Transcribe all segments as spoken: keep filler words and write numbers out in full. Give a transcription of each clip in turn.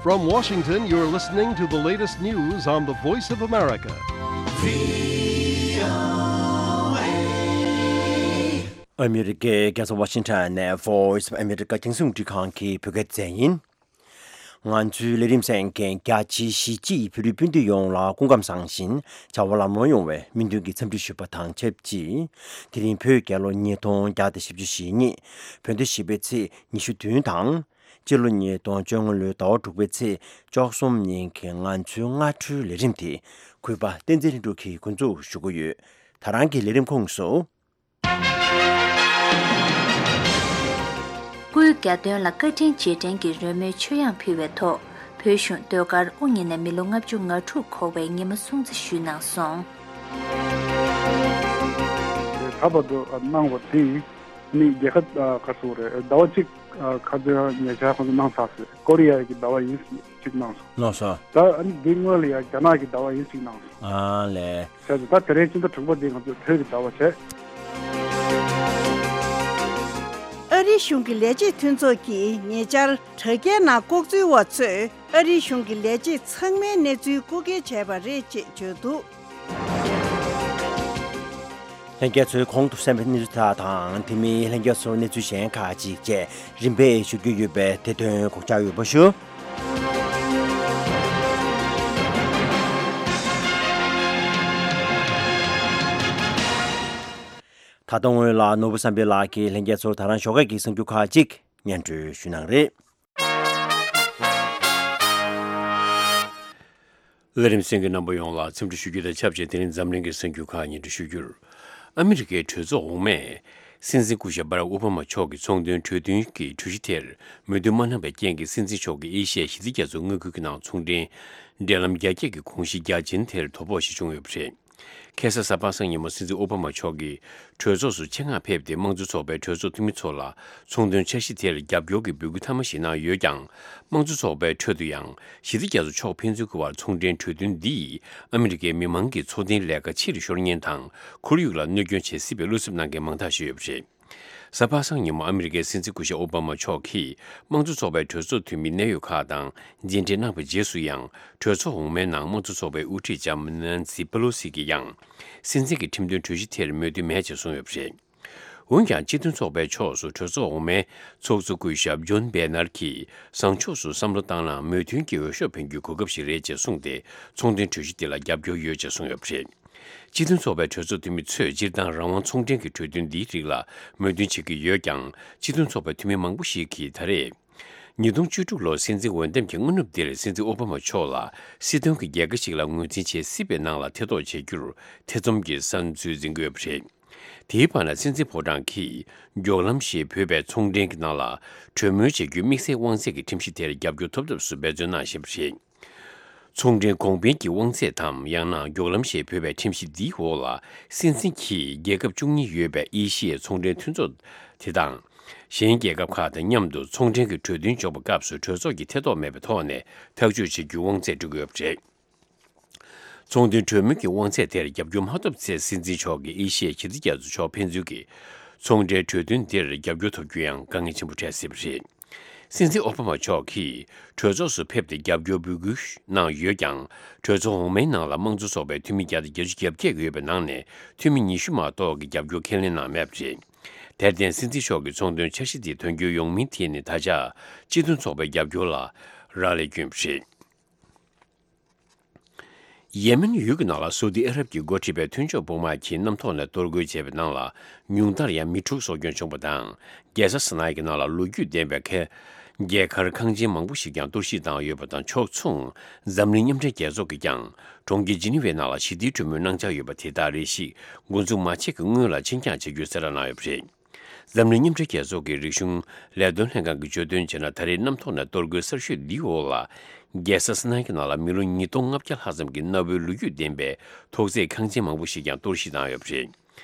From Washington, you're listening to the latest news on the Voice of America. ཨ་མི་རི་ཀའི་རྒྱལ་ས་ཝ་ཤིང་ཊོན་ནས་Voice of America རྒྱང་སྲིང་རླུང་འཕྲིན་ཁང་གི་བོད་སྐད་སྡེ་ཚན་ཡིན། ང་ཚོའི་ལས་རིམ་གསན་མཁན་རྒྱ་ཆེའི་གཞིས་བྱེས་བོད་རིགས་སྤུན་ཟླ་ཡོངས་ལ་སྐུ་ཁམས་བཟང་ཞིང་བྱ་བ་ལམ་ལྷོང་ཡོང་བའི་སྨོན་འདུན་གྱི་འཚམས་འདྲི་ཞུས་པ་དང་ཆབས་ཅིག་དེ་རིང་བོད་རྒྱལ་ལོ་ཉིས་སྟོང་བརྒྱ་དང་བཞི་བཅུ་ཞེ་གཉིས། བོད་ཟླ་བཞི་པའི་ཚེས་ཉི་ཤུ་བདུན་དང་། སྤྱི་ལོ་ཉིས་སྟོང་བཅོ་ལྔ་ལོའི་ཟླ་བ་དྲུག་པའི་ཚེས་བཅུ་གསུམ་ཉིན་གྱི་ང་ཚོའི་སྔ་དྲོའི་ལས་རིམ་དེ་གུས་པ་བསྟན་འཛིན་ལྷུན་གྲུབ་ཀྱིས་འགོ་འཛུགས་ཞུ་གི་ཡོད། ད་རང་གི་ལས་རིམ་ཁོངས་སུ། སྐུའི་གྱ་སྟོན་ལ་བཀའ་དྲིན་རྗེས་དྲན་གྱི་རོལ་མོའི་མཆོད་དབྱངས་ཕུལ་བའི་ཐོག་བོད་གཞུང་ཟློས་གར་དབུ་བརྙེས་ནས་མི་ལོ་ལྔ་བཅུ་ང་དྲུག་འཁོར་བའི་ཉི་མ་སྲུང་བརྩི་ཞུས་གནང་སོང་། ད་བར་དུ་གནང་བ་དེ་ནི་རྒྱལ་ཁབ་ག་སུ་རེད། ཟླ་བ་གཅིག་ཁ་སང་ཉེ་ཆར་ཁོང་ཚོ་གནང་ཚར་སོང་། ཀོ་རི་ཡ་གི་ཟླ་བ་ཡིན་གཅིག་གནང་སོང་། གནང་སོང་། ད་ཨ་ནི་འདི་སྔོན་ལ་ཡང་རྒྱ་ནག་གི་ཟླ་བ་ཡིན་གཅིག་གནང་སོང་། ཨ་ལས། བྱས་ཙང་ད་དེ་རིང་སྤྱི་ཟླ་དྲུག་པ་འདི་ང་ཚོས་བོད་ཀྱི་ཟླ་བ་བྱས། ཨ་རིའི་གཞུང་གི་ལས་བྱེད་མཐུན་ཚོགས་ཀྱིས་ཉེ་ཆར་དྲ་རྒྱའི་ནང་ལྐོག་འཛུལ་བ་ཚོས་ཨ་རིའི་གཞུང་གི་ལས་བྱེད་ཚང་མའི་གནས་ཚུལ་རྐུ་འཁྱེར་བྱས་པ་རེད་ཅེས་བརྗོད་འདུག་ལྷན་རྒྱས་ཚོས་གོང་དུ་གསན་པའི་གནས་ཚུལ་དག་དང་དེ་མིན་ལྷན་རྒྱས་ཚོར་གནས་ཚུལ་གཞན་ཁག་ཅིག་བཅས་རིམ་པས་ཞུ་རྒྱུ་ཡོད་པས་དེ་དོན་གོ་བཅག་ཡོད་པ་ཞུ། ད་ལྟ་སྔོན་ལ་ནོར་བུ་བསམ་འཕེལ་ལགས་ཀྱིས་ལྷན་རྒྱས་ཚོར་ད་རང་ཞོགས་ཀས་ཀྱི་གསར་འགྱུར་ཁག་ཅིག་སྙན་སྒྲོན་ཞུ་གནང་རེད། ལས་རིམ་གསན་མཁན་རྣམ་པ་ཡོངས་ལ་འཚམས་འདྲི་ཞུ་རྒྱུ་དང་ཆབས་ཅིག་དེ་རིང་འཛམ་གླིང་གི་གསར་འགྱུར་ཁག་སྙན་སྒྲོན་ཞུ་རྒྱུར། ཨ་མི་རི་ཀའི་གྲོས་ཚོགས་འོག་མས། སྲིད་འཛིན་སྐུ་ཞབས་བྷ་རག་ཨོ་བྷ་མ་མཆོག་གི་ཚོང་དོན་གྲོས་མཐུན་གྱི་གྲོས་གཞི་དེར་མོས་མཐུན་མ་གནང་བའི་རྐྱེན་གྱིས་སྲིད་འཛིན་མཆོག་གིས་ཨེ་ཤི་ཡའི་ཞི་བདེ་རྒྱ་མཚོ་མངའ་ཁུལ་གྱི་ནང་ཚོང་འབྲེལ་འབྲེལ་ལམ་རྒྱ་སྐྱེད་ཀྱི་དགོངས་གཞི་རྒྱ་ཆེན་དེར་དོ་ཕོག་ཞིག་བྱུང་ཡོད་པ་རེད། ཁ་སང་གཟའ་པ་སངས་ཉིན་མོ་སྲིད་འཛིན་ཨོ་བྷ་མ་མཆོག་གིས་གྲོས་ཚོགས་སུ་ཆེད་མངགས་ཕེབས་ཏེ་དམངས་གཙོ་ཚོགས་པའི་གྲོས་ཚོགས་འཐུས་མི་ཚོ་ལ་ཚོང་དོན་འཆར་གཞི་དེར་རྒྱབ་སྐྱོར་གྱི་འབོད་སྐུལ་མཐའ་མ་ཞིག་གནང་ཡོད་ཀྱང་། དམངས་གཙོ་ཚོགས་པའི་ཁྲོད་དུ་ཡང་ཞི་བདེ་རྒྱ་མཚོ་ཕྱོགས་ཕན་ཚུན་གྱི་བར་ཚོང་འབྲེལ་གྲོས་མཐུན་འདིས་ཨ་མི་རི་ཀའི་མི་མང་གི་འཚོ་རྟེན་ལས་ཀ་ཕྱིར་ཤོར་ཉེན་དང་ཁོར་ཡུག་ལ་གནོད་སྐྱོན་བྱེད་སྲིད་པའི་བློ་འཚབ་གནང་མཁན་མང་དག་ཞིག་ཡོད་པ་རེད། གཟའ་པ་སངས་ཉིན་མོ་ཨ་མི་རི་ཀའི་སྲིད་འཛིན་སྐུ་ཞབས་ཨོ་བྷ་མ་མཆོག་གིས་དམངས་གཙོ་ཚོགས་པའི་གྲོས་ཚོགས་འཐུས་མི་གནད་ཡོད་ཁག་དང་མཇལ་འཕྲད་གནང་བའི་རྗེས་སུ་ཡང་། གྲོས་ཚོགས་འོག་མའི་ནང་དམངས་གཙོ་ཚོགས་པའི་དབུ་ཁྲིད་ལྕམ་ནན་སི་པེ་ལོ་སི་གིས་ཡང་། སྲིད་འཛིན་གྱི་ཁྲིམས་དོན་གྲོས་གཞི་དེར་མོས་མཐུན་མེད་ཅེས་གསུངས་ཡོད་པ་རེད། འོན་ཀྱང་སྤྱི་མཐུན་ཚོགས་པའི་ཕྱོགས་སུ་གྲོས་ཚོགས་འོག་མའི་ཚོགས་གཙོ་སྐུ་ཞབས་ཇོན་བེ་ནར་གྱིས་བཟང་ཕྱོགས་སུ་བསམ་བློ་བཏང་ན་མོས་མཐུན་གྱི་འོས་ཤོག་འཕེན་རྒྱུའི་གོ་སྐབས་ཤིག་རེད་ཅེས་གསུངས་ཏེ། ཚོང་དོན་གྲོས་གཞི་དེ་ལ་རྒྱབ་སྐྱོར་ཡོད་ཅེས་གསུངས་ཡོད་པ་རེད། སྤྱི་མཐུན་ཚོགས་པའི་གྲོས་ཚོགས་འཐུས་མི་ཚོས་སྤྱིར་བཏང་རང་དབང་ཚོང་འབྲེལ་གྱི་གྲོས་མཐུན་འདིའི་རིགས་ལ་མོས་མཐུན་བྱེད་ཀྱི་ཡོད་ཀྱང་། སྤྱི་མཐུན་ཚོགས་པའི་འཐུས་མི་མང་པོ་ཞིག་གིས་ད་རེས། ཉིས་སྟོང་བཅུ་དྲུག་ལོར་སྲིད་འཛིན་འོས་འདེམས་ཀྱི་སྔ་ནུབ་འདིར་སྲིད་འཛིན་ཨོ་བྷ་མ་མཆོག་ལ་སྲིད་དོན་གྱི་རྒྱལ་ཁ་ཞིག་ལ་ངོས་འཛིན་བྱེད་སྲིད་པའི་ནང་ལ་ཐེ་གཏོགས་བྱེད་རྒྱུར་ཐེ་ཚོམ་གྱི་བསམ་ཚུལ་འཛིན་གྱི་ཡོད་པ་རེད། དེའི་བར་ན་སྲིད་འཛིན་ཕོ་བྲང་གིས་མགྱོགས་ལམ་ཞེས་འབོད་པའི་ཚོང་འབྲེལ་གྱི་ནང་ལ་གྲོས་མོལ་བྱེད་རྒྱུའི་དམིགས་བསལ་དབང་ཚད་ཀྱི་ཁྲིམས་གཞི་དེར་རྒྱབ་སྐྱོར་ཐོབ་ཐབས་སུ་འབད་བརྩོན་གནང་བཞིན་པ་རེད། ཚོང་འབྲེལ་གོང་འཕེལ་གྱི་དབང་ཚད་དམ་ཡང་ན་མགྱོགས་ལམ་ཞེས་འབོད་པའི་ཁྲིམས་གཞི་འདིའི་འོག་ལ་སྲིད་འཛིན་གྱིས་རྒྱལ་ཁབ་བཅུ་གཉིས་ཡོད་པའི་ཨེ་ཤི་ཡའི་ཚོང་འབྲེལ་མཐུན་ཚོགས་དེ་དང་། གཞན་རྒྱལ་ཁབ་ཁག་དང་མཉམ་དུ་ཚོང་འབྲེལ་གྱི་གྲོས་མཐུན་འཇོག་པའི་སྐབས་སུ་གྲོས་ཚོགས་ཀྱི་ཐེ་གཏོགས་མེད་པའི་ཐོག་ནས་ཐག་གཅོད་བྱེད་རྒྱུའི་དབང་ཚད་སྤྲོད་ཀྱི་ཡོད་པ་རེད། ཚོང་དོན་གྲོས་མོལ་གྱི་དབང་ཚད་དེར་རྒྱབ་སྐྱོར་མ་ཐོབ་ཚེ་སྲིད་འཛིན་མཆོག་གིས་ཨེ་ཤི་ཡའི་ཞི་བདེ་རྒྱ་མཚོ་ཕྱོགས་ཕན་ཚུན་གྱི་ཚོང་འབྲེལ་གྲོས་མཐུན་དེར་རྒྱབ་སྐྱོར་ཐོབ་རྒྱུ་ཡང་དཀའ་ངལ་ཆེན་པོ་འཕྲད་སྲིད་པ་རེད། སྲིད་འཛིན་ཨོ་བྷ་མ་མཆོག་གིས་གྲོས་ཚོགས་སུ་ཕེབས་ཏེ་རྒྱབ་སྐྱོར་འབོད་སྐུལ་གནང་ཡོད་ཀྱང་། གྲོས་ཚོགས་འོག་མའི་ནང་ལ་དམངས་གཙོ་ཚོགས་པའི་འཐུས་མི་བརྒྱ་དང་བརྒྱད་ཅུ་གྱ་བརྒྱད་ཡོད་པའི་ནང་ནས་འཐུས་མི་ཉི་ཤུ་མ་གཏོགས་ཀྱིས་རྒྱབ་སྐྱོར་ཁས་ལེན་གནང་མེད་པ་རེད། དེར་བརྟེན་སྲིད་འཛིན་མཆོག་གི་ཚོང་དོན་འཆར་གཞི་དེ་དོན་འཁྱོལ་ཡོང་མིན་ཐད་ནས་ད་ཆ་སྤྱི་མཐུན་ཚོགས་པའི་རྒྱབ་སྐྱོར་ལ་རག་ལས་བསྐྱོན་པ་རེད། ཡེ་མེན་ཡུལ་གྱི་ནང་ལ་སོ་ཏི་ཨ་རབ་ཀྱིས་འགོ་ཁྲིད་པའི་མཐུན་ཕྱོགས་དཔུང་དམག་གིས་གནམ་ཐོག་ནས་གཏོར་རྒོལ་བྱས་པའི་ནང་ལ་ཉུང་མཐར་ཡང་མི་དྲུག་སྲོག་སྐྱོན་བྱུང་བ་དང་། རྒྱལ་ས་སི་ནའི་གི་ནང་ལ་ལོ་རྒྱུས་ལྡན་པའི་ཁ། རྒྱལ་མཁར་ཁང་ཆེན་མང་པོ་ཞིག་ཀྱང་གཏོར་བཤིག་བཏང་ཡོད་པ་དང་ཕྱོགས་མཚུངས། འཛམ་གླིང་མཉམ་འབྲེལ་རྒྱལ་ཚོགས་ཀྱིས་ཀྱང་གྲོང་ཁྱེར་ཇི་ནི་ཝའི་ནང་ལ་ཞི་བདེའི་གྲོས་མོལ་གནང་འཆར་ཡོད་པ་དེ་དག་རེ་ཞིག་འགོ་འཛུགས་མ་བྱས་ཀྱི་སྔོན་ལ་ཕྱིར་འགྱངས་བྱ་རྒྱུའི་གསལ་བསྒྲགས་གནང་ཡོད་པ་རེད། འཛམ་གླིང་མཉམ་འབྲེལ་རྒྱལ་ཚོགས་ཀྱི་རིག་གཞུང་ལས་དོན་ལྷན་ཁང་གིས་བརྗོད་དོན་བྱས་ན། ད་རེས་གནམ་ཐོག་ནས་གཏོར་རྒོལ་གསར་ཤོས་འདིའི་འོག་ལ། རྒྱལ་ས་སི་ནའི་གི་ནང་ལ་མི་ལོ་ཉིས་སྟོང་ལྔ་བརྒྱ་ལྷག་ཙམ་གྱི་གནའ་བོའི་ལོ་རྒྱུས་ལྡན་པའི་ཐོག་བརྩེགས་ཁང་ཆེན་མང་པོ་ཞིག་ཀྱང་གཏོར་བཤིག་བཏང་ཡོད་པ་རེད།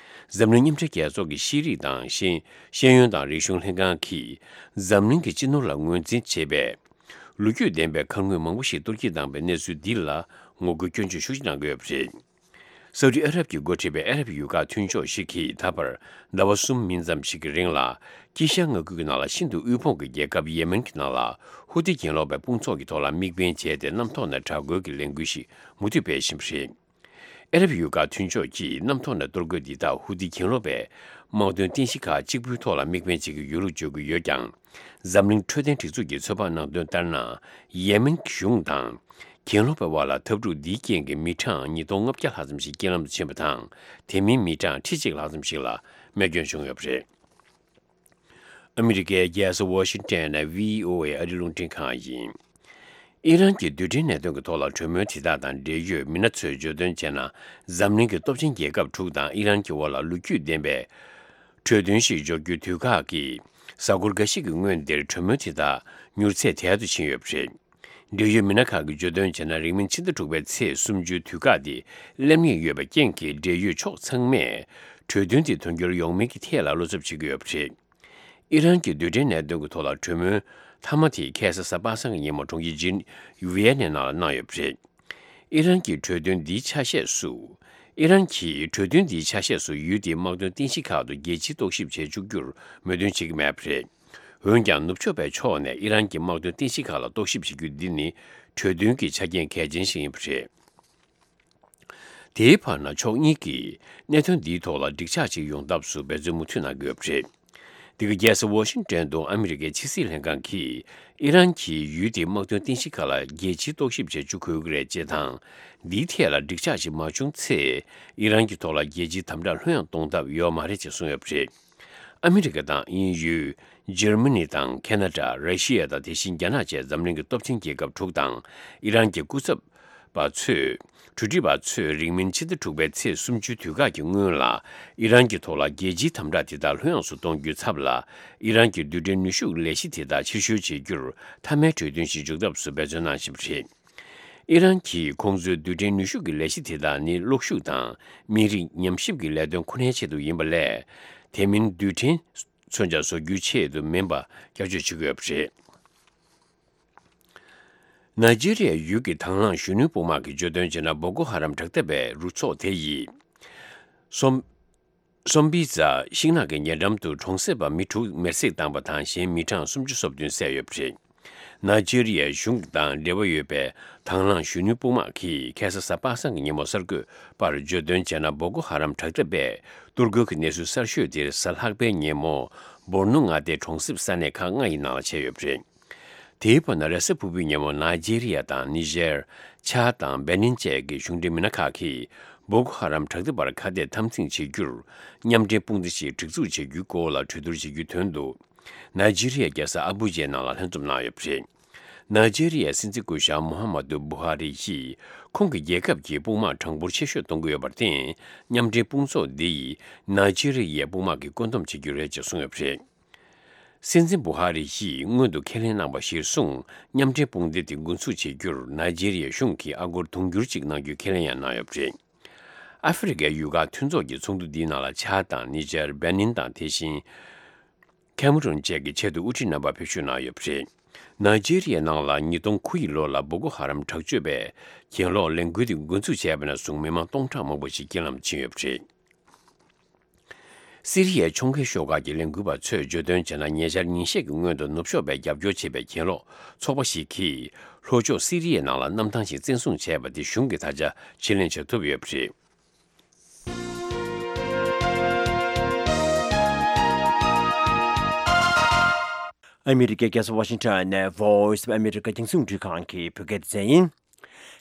འཛམ་གླིང་མཉམ་འབྲེལ་རྒྱལ་ཚོགས་ཀྱི་ཤེས་རིག་དང་ཤེས་ཤེས་ཡོན་དང་རིག་གཞུང་ལྷན་ཁང་གིས་འཛམ་གླིང་གི་སྤྱི་ནོར་ལ་ངོས་འཛིན་བྱེད་པའི་ལོ་རྒྱུས་ལྡན་པའི་མཁར་དངོས་མང་པོ་ཞིག་གཏོར་བཤིག་བཏང་པའི་གནས་ཚུལ་འདི་ལ་ངོ་རྒོལ་སྐྱོན་བརྗོད་ཤུགས་ཆེ་གནང་གི་ཡོད་པ་རེད། སའུ་ཏི་ཨ་རབ་ཀྱིས་འགོ་ཁྲིད་པའི་ཨ་རབ་ཡུལ་ཁག་མཐུན་ཕྱོགས་ཤིག་གིས་ད་བར་ཟླ་བ་གསུམ་མིན་ཙམ་ཞིག་གི་རིང་ལ། དཀྱིལ་ཤར་མངའ་ཁུལ་གྱི་ནང་ལ་ཤིན་ཏུ་དབུལ་ཕོངས་ཀྱི་རྒྱལ་ཁབ་ཡེ་མེན་གྱི་ནང་ལ་ཧུ་ཐི་གྱེན་ལོག་པའི་དཔུང་ཚོགས་ཀྱི་ཐོག་ལ་དམིགས་འབེན་བྱས་ཏེ། གནམ་ཐོག་ནས་དྲག་རྒོལ་གྱི་ལས་འགུལ་ཞིག་མུ་མཐུད་སྤེལ་བཞིན་པ་རེད། ཨ་རབ་ཡུལ་ཁག་མཐུན་ཕྱོགས་ཀྱིས་གནམ་ཐོག་ནས་གཏོར་རྒོལ་འདི་དག་ཧུ་ཐི་གྱེན་ལོག་པའི་དམག་དོན་རྟེན་གཞི་ཁག་གཅིག་པུའི་ཐོག་ལ་དམིགས་འབེན་བྱེད་ཀྱི་ཡོད་ལུགས་བརྗོད་ཀྱི་ཡོད་ཀྱང་། འཛམ་གླིང་འཕྲོད་བསྟེན་སྒྲིག་འཛུགས་ཀྱིས་ཚོད་དཔག་གནང་དོན་ལྟར་ན། ཡེ་མེན་གྱི་གཞུང་དང་། གྱེན་ལོག་པའི་དབར་ལ་འཐབ་འཁྲུག་འདིའི་རྐྱེན་གྱིས་མི་གྲངས་ཉིས་སྟོང་ལྔ་བརྒྱ་ལྷག་ཙམ་ཞིག་རྐྱེན་ལམ་དུ་ཕྱིན་པ་དང་། དེ་མིན་མི་གྲངས་ཁྲི་གཅིག་ལྷག་ཙམ་ཞིག་ལ་རྨས་སྐྱོན་བྱུང་ཡོད་པ་རེད། ཨ་མི་རི་ཀའི་རྒྱལ་ས་ཝ་ཤིང་ཊོན་ནས་བྷི་ཨོ་ཨེ་ཨ་རིའི་རླུང་འཕྲིན་ཁང་ཡིན། ཨི་རན་གྱི་རྡུལ་ཕྲན་གནད་དོན་གྱི་ཐོག་ལ་གྲོས་མོལ་དེ་དག་དང་འབྲེལ་ཡོད་མི་སྣ་ཚོས་བརྗོད་དོན་བྱས་ན། འཛམ་གླིང་གི་སྟོབས་ཆེན་རྒྱལ་ཁབ་དྲུག་དང་ཨི་རན་གྱི་དབར་ལ་ལོ་རྒྱུས་ལྡན་པའི་གྲོས་མཐུན་ཞིག་འཇོག་རྒྱུའི་དུས་བཀག་གིས་གཟའ་འཁོར་འགའ་ཤས་ཀྱི་སྔོན་འདིར་གྲོས་མོལ་དེ་དག་མྱུར་ཚད་དལ་དུ་ཕྱིན་ཡོད་པ་རེད། འབྲེལ་ཡོད་མི་སྣ་ཁག་གིས་བརྗོད་དོན་བྱས་ན། རིང་མིན་ཕྱི་ཟླ་དྲུག་པའི་ཚེས་སུམ་ཅུའི་དུས་བཀག་དེ་སླེབས་ངེས་ཡོད་པའི་རྐྱེན་གྱིས། འབྲེལ་ཡོད་ཕྱོགས་ཚང་མས་གྲོས་མཐུན་དེ་དོན་འཁྱོལ་ཡོང་མིན་གྱི་ཐད་ལ་བློ་འཚབ་བྱེད་ཀྱི་ཡོད་པ་རེད། ཨི་རན་གྱི་རྡུལ་ཕྲན་གནད་དོན་གྱི་ཐོག་ལ་གྲོས་མོལ་མཐའ་མ་དེ་ཁ་སང་གཟའ་པ་སངས་ཀྱི་ཉིན་མོ་གྲོང་ཁྱེར་ཇི་ནི་ཝི་ཡན་ནའི་ནང་ལ་གནང་ཡོད་པ་རེད། ཨི་རན་གྱིས་གྲོས་མཐུན་འདིའི་ཆ་ཤས་སུ། ཨི་རན་གྱིས་གྲོས་མཐུན་འདིའི་ཆ་ཤས་སུ་ཡུལ་དེའི་དམག་དོན་རྟེན་གཞི་ཁག་ཏུ་རྒྱལ་སྤྱིའི་རྟོག་ཞིབ་བྱེད་བཅུག་རྒྱུར་མོས་མཐུན་བྱེད་ཀྱི་མེད་པ་རེད། འོན་ཀྱང་ནུབ་ཕྱོགས་པའི་ཕྱོགས་ནས་ཨི་རན་གྱི་དམག་དོན་རྟེན་གཞི་ཁག་ལ་རྟོག་ཞིབ་བྱེད་རྒྱུ་འདི་ནི་གྲོས་མཐུན་གྱི་ཆ་རྐྱེན་གལ་ཆེན་ཞིག་ཡིན་པ་རེད། དེའི་བར་ན་ཕྱོགས་གཉིས་ཀྱིས་གནད་དོན་འདིའི་ཐོག་ལ་འགྲིག་ཆགས་ཤིག་ཡོང་ཐབས་སུ་འབད་བརྩོན་མུ་མཐུད་གནང་གི་ཡོད་པ་རེད། འདི་ག་རྒྱལ་ས་ཝ་ཤིང་ཊོན་དུ་ཨ་མི་རི་ཀའི་ཕྱི་སྲིད་ལྷན་ཁང་གིས། ཨི་རན་གྱིས་ཡུལ་དེའི་དམག་དོན་རྟེན་གཞི་ཁག་ལ་རྒྱལ་སྤྱིའི་རྟོག་ཞིབ་བྱེད་བཅུག་དགོས་ཀྱི་རེད་ཅེས་དང་། འདིའི་ཐད་ལ་འགྲིག་ཆགས་ཤིག་མ་བྱུང་ཚེ། ཨི་རན་གྱི་ཐོག་ལ་རྒྱལ་སྤྱིའི་དམ་དྲག་ལྷོད་ཡངས་གཏོང་ཐབས་ཡོད་མ་རེད་ཅེས་གསུངས་ཡོད་པ་རེད། ཨ་མི་རི་ཀ་དང་དབྱིན་ཡུལ། འཇར་མ་ནི་དང་ཁེ་ན་ཌ། ར་ཤི་ཡ་དང་། དེ་བཞིན་རྒྱ་ནག་བཅས་འཛམ་གླིང་གི་སྟོབས་ཆེན་རྒྱལ་ཁབ་དྲུག་དང་ཨི་རན་གྱི་སྐུ་ཚབ་པ་ཚོས། གྲོས་སྒྲིག་པ་ཚོས་རིང་མིན་ཕྱི་ཟླ་དྲུག་པའི་ཚེས་སུམ་ཅུའི་དུས་བཀག་གི་སྔོན་ལ། ཨི་རན་གྱི་ཐོག་ལ་རྒྱལ་སྤྱིའི་དམ་དྲག་དེ་དག་ལྷོད་ཡངས་སུ་གཏོང་རྒྱུའི་ཚབ་ལ། ཨི་རན་གྱི་རྡུལ་ཕྲན་ནུས་ཤུགས་ལས་གཞི་དེ་དག་ཕྱིར་བཤོལ་བྱེད་རྒྱུར་མཐའ་མའི་གྲོས་མཐུན་ཞིག་འཇོག་ཐབས་སུ་འབད་བརྩོན་གནང་བཞིན་པ་རེད། ཨི་རན་གྱིས་ཁོང་ཚོའི་རྡུལ་ཕྲན་ནུས་ཤུགས་ཀྱི་ལས་གཞི་དེ་དག་ནི་གློག་ཤུགས་དང་མི་རིགས་ཉམས་ཞིབ་ཀྱི་ལས་དོན་ཁོ་ནའི་ཆེད་དུ་ཡིན་པ་ལས། དེ་མིན་རྡུལ་ཕྲན་མཚོན་ཆ་བཟོ་རྒྱུའི་ཆེད་དུ་མིན་པ་སྐྱར་བརྗོད་བྱེད་ཀྱི་ཡོད་པ་རེད། ནཱི་ཇི་རི་ཡའི་ཡུལ་གྱི་དང་བླངས་གཞོན་ནུའི་དཔུང་དམག་གིས་བརྗོད་དོན་བྱས་ན། བོ་ཀོ་ཧ་རམ་དྲག་འཐབ་པའི་རུ་ཚོགས་དེ་ཡིས། སོམ། སོམ་པི་ཛ་ཤིང་ནགས་ཀྱི་ཉེ་འགྲམ་དུ་གྲོང་གསེབ་པ་མི་དྲུག་མེར་སྲེག་བཏང་པ་དང་། གཞན་མི་གྲངས་སུམ་ཅུ་སོ་བདུན་བསད་ཡོད་པ་རེད། ནཱི་ཇི་རི་ཡའི་གཞུང་དང་འབྲེལ་བ་ཡོད་པའི་དང་བླངས་གཞོན་ནུའི་དཔུང་དམག་གིས་ཁ་སང་གཟའ་པ་སངས་ཀྱི་ཉིན་མོ་གསར་འགོད་པར་བརྗོད་དོན་བྱས་ན། བོ་ཀོ་ཧ་རམ་དྲག་འཐབ་པས་གཏོར་རྒོལ་གྱི་གནས་ཚུལ་གསར་ཤོས་དེར་གཟའ་ལྷག་པའི་ཉིན་མོ་བོར་ནོ་མངའ་སྡེའི་གྲོང་གསེབ་ས་གནས་ཁག་ལྔ་ཡི་ནང་ལ་བྱས་ཡོད་པ་རེད། དེའི་བར་ན་རེས་གཟའ་ཕུར་བུའི་ཉིན་མོ་ནཱི་ཇེ་རི་ཡ་དང་ནི་ཇེར། ཆཱ་དང་བེ་ནིན་བཅས་ཀྱི་གཞུང་འབྲེལ་མི་སྣ་ཁག་གིས་བོ་ཀོ་ཧ་རམ་དྲག་འཐབ་པར་ཁ་གཏད་དམ་འཛིན་བྱེད་རྒྱུར་མཉམ་འབྲེལ་དཔུང་སྡེ་ཞིག་སྒྲིག་འཛུགས་བྱེད་རྒྱུའི་སྐོར་ལ་གྲོས་བསྡུར་བྱེད་རྒྱུའི་དོན་དུ། ནཱི་ཇེ་རི་ཡའི་རྒྱལ་ས་ཨ་བུ་ཇའི་ནང་ལ་ལྷན་འཛོམས་གནང་ཡོད་པ་རེད། ནཱི་ཇེ་རི་ཡའི་སྲིད་འཛིན་སྐུ་ཞབས་མོ་ཧ་མ་ཏུ་བུ་ཧ་རི་ཡིས། ཁོང་གི་རྒྱལ་ཁབ་ཀྱི་དཔུང་དམག་གྲངས་འབོར་ཆེ་ཤོས་གཏོང་གི་ཡོད་པར་བརྟེན། མཉམ་འབྲེལ་དཔུང་ཚོགས་འདི་ཡིས་ནཱི་ཇེ་རི་ཡའི་དཔུང་དམག་གི་བཀོད་འདོམས་བྱེད་རྒྱུ་རེད་ཅེས་གསུངས་ཡོད་པ་རེད། སྲིད་འཛིན་བུ་ཧ་རི་ཡིས་སྔོན་དུ་ཁས་ལེན་གནང་བ་གཞིར་བཟུང་། མཉམ་འབྲེལ་དཔུང་སྡེ་དེ་འགོ་འཛུགས་བྱེད་རྒྱུར་ནཱི་ཇེ་རི་ཡའི་གཞུང་གིས་ཨ་སྒོར་དུང་ཕྱུར་གཅིག་གནང་རྒྱུའི་ཁས་ལེན་ཡང་གནང་ཡོད་པ་རེད། ཨ་ཧྥེ་རི་ཁའི་ཡུལ་ཁག་མཐུན་ཚོགས་ཀྱི་ཚོགས་འདུ་འདིའི་ནང་ལ་ཆཱ་དང་ནི་ཇར། བེ་ནིན་དང་། དེ་བཞིན་ཁེ་མ་རུན་བཅས་ཀྱི་ཆེད་དུ་དབུ་ཁྲིད་རྣམ་པ་ཕེབས་ཞུགས་གནང་ཡོད་པ་རེད། ནཱི་ཇེ་རི་ཡའི་ནང་ལ་ཉིས་སྟོང་དགུ་ཡི་ལོ་ལ་བོ་ཀོ་ཧ་རམ་དྲག་སྤྱོད་པས་གྱེན་ལོག་ལས་འགུལ་དེ་འགོ་འཛུགས་བྱས་པ་ནས་བཟུང་མི་མང་སྟོང་ཕྲག་མང་པོ་ཞིག་རྐྱེན་ལམ་ཕྱིན་ཡོད་པ་རེད། སི་རི་ཡའི་ཕྱོགས་འགལ་ཤོག་ཁག་གི་ལས་འགུལ་བ་ཚོས་བརྗོད་དོན་བྱས་ན། ཉེ་ཆར་ཉིན་ཤས་ཀྱི་སྔོན་དུ་ནུབ་ཕྱོགས་པས་རྒྱབ་སྐྱོར་བྱེད་པའི་གྱེན་ལོག་ཚོགས་པ་ཞིག་གིས་ལྷོ་ཕྱོགས་སི་རི་ཡའི་ནང་ལ་གནམ་ཐང་ཞིག་བཙན་བཟུང་བྱས་པ་དེ་གཞུང་གིས་ད་ཆ་ཕྱིར་ལེན་བྱ་ཐུབ་ཡོད་པ་རེད། ཨ་མི་རི་ཀའི་རྒྱལ་ས་ཝ་ཤིང་ཊོན་ནས་Voice of America རྒྱང་སྲིང་འཕྲུལ་ཁང་གི་བོད་སྐད་སྡེ་ཚན་ཡིན།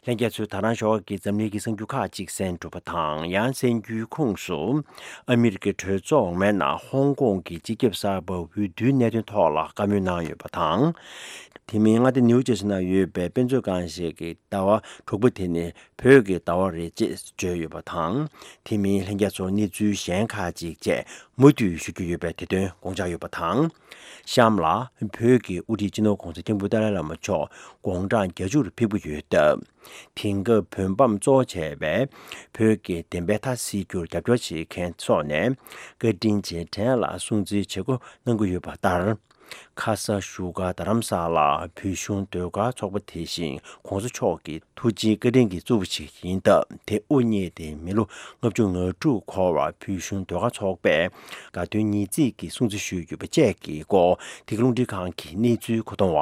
ལྷན་རྒྱས་ཚོས་ད་རང་ཞོགས་ཀྱི་འཛམ་གླིང་གི་གསར་འགྱུར་ཁག་ཅིག་གསན་གྲུབ་པ་དང་། ཡང་གསར་འགྱུར་ཁོངས་སུ། ཨ་མི་རི་ཀའི་གྲོས་ཚོགས་འོག་མའི་ནང་ཧོང་ཀོང་གི་སྤྱི་ཁྱབ་གསར་པ་འོས་བསྡུའི་གནད་དོན་ཐོག་ལ་བཀའ་མོལ་གནང་ཡོད་པ་དང་། དེ་མིན་མངའ་སྡེ་ནིའུ་ཇར་སི་ནང་ཡོད་པའི་དཔེ་མཛོད་ཁང་ཞིག་གི་ཟླ་བ་དྲུག་པ་དེ་ནི་བོད་ཀྱི་ཟླ་བ་རེད་ཅེས་བརྗོད་ཡོད་པ་དང་། དེ་མིན་ལྷན་རྒྱས་ཚོར་གནས་ཚུལ་གཞན་ཁག་ཅིག་བཅས་མུ་མཐུད་ཞུ་རྒྱུ་ཡོད་པའི་དེ་དོན་དགོངས་འཇགས་ཡོད་པ་དང་། གཤམ་ལ་བོད་ཀྱི་དབུ་ཁྲིད་སྤྱི་ནོར་༧གོང་ས་༧སྐྱབས་མགོན་ཏཱ་ལའི་བླ་མ་མཆོག་དགུང་གྲངས་བརྒྱད་ཅུ་རུ་ཕེབས་ཀྱི་ཡོད་སྟབས། དེང་སྐབས་བོད་འབངས་གཙོ་བྱས་པའི་བོད་ཀྱི་བདེན་པའི་མཐའ་གསལ་རྒྱུར་རྒྱབ་སྐྱོར་བྱེད་མཁན་སོགས་ནས་བཀའ་དྲིན་རྗེས་དྲན་ལ་སྲུང་བརྩིའི་བྱེད་སྒོ་གནང་གི་ཡོད་པ་ལྟར། ཁ་ས་བཞུགས་སྒར་རྡ་རམ་ས་ལར་བོད་གཞུང་ཟློས་གར་ཚོགས་པ་དེ་བཞིན་གོང་ས་མཆོག་གི་ཐུགས་རྗེའི་བཀའ་དྲིན་གྱི་གཙོ་བོ་ཞིག་ཡིན་སྟབས། དེ་དབུ་བརྙེས་ཏེ་མི་ལོ་ལྔ་བཅུ་ང་དྲུག་འཁོར་བར་བོད་གཞུང་ཟློས་གར་ཚོགས་པས་དགའ་སྟོན་ཉིས་བརྩེགས་ཀྱི་སྲུང་བརྩི་ཞུས་ཡོད་པ་བཅས་ཀྱི་སྐོར། འདི་ག་རླུང་འཕྲིན་ཁང་གི་གནས་ཚུལ་མཁོ་གཏོང་བ་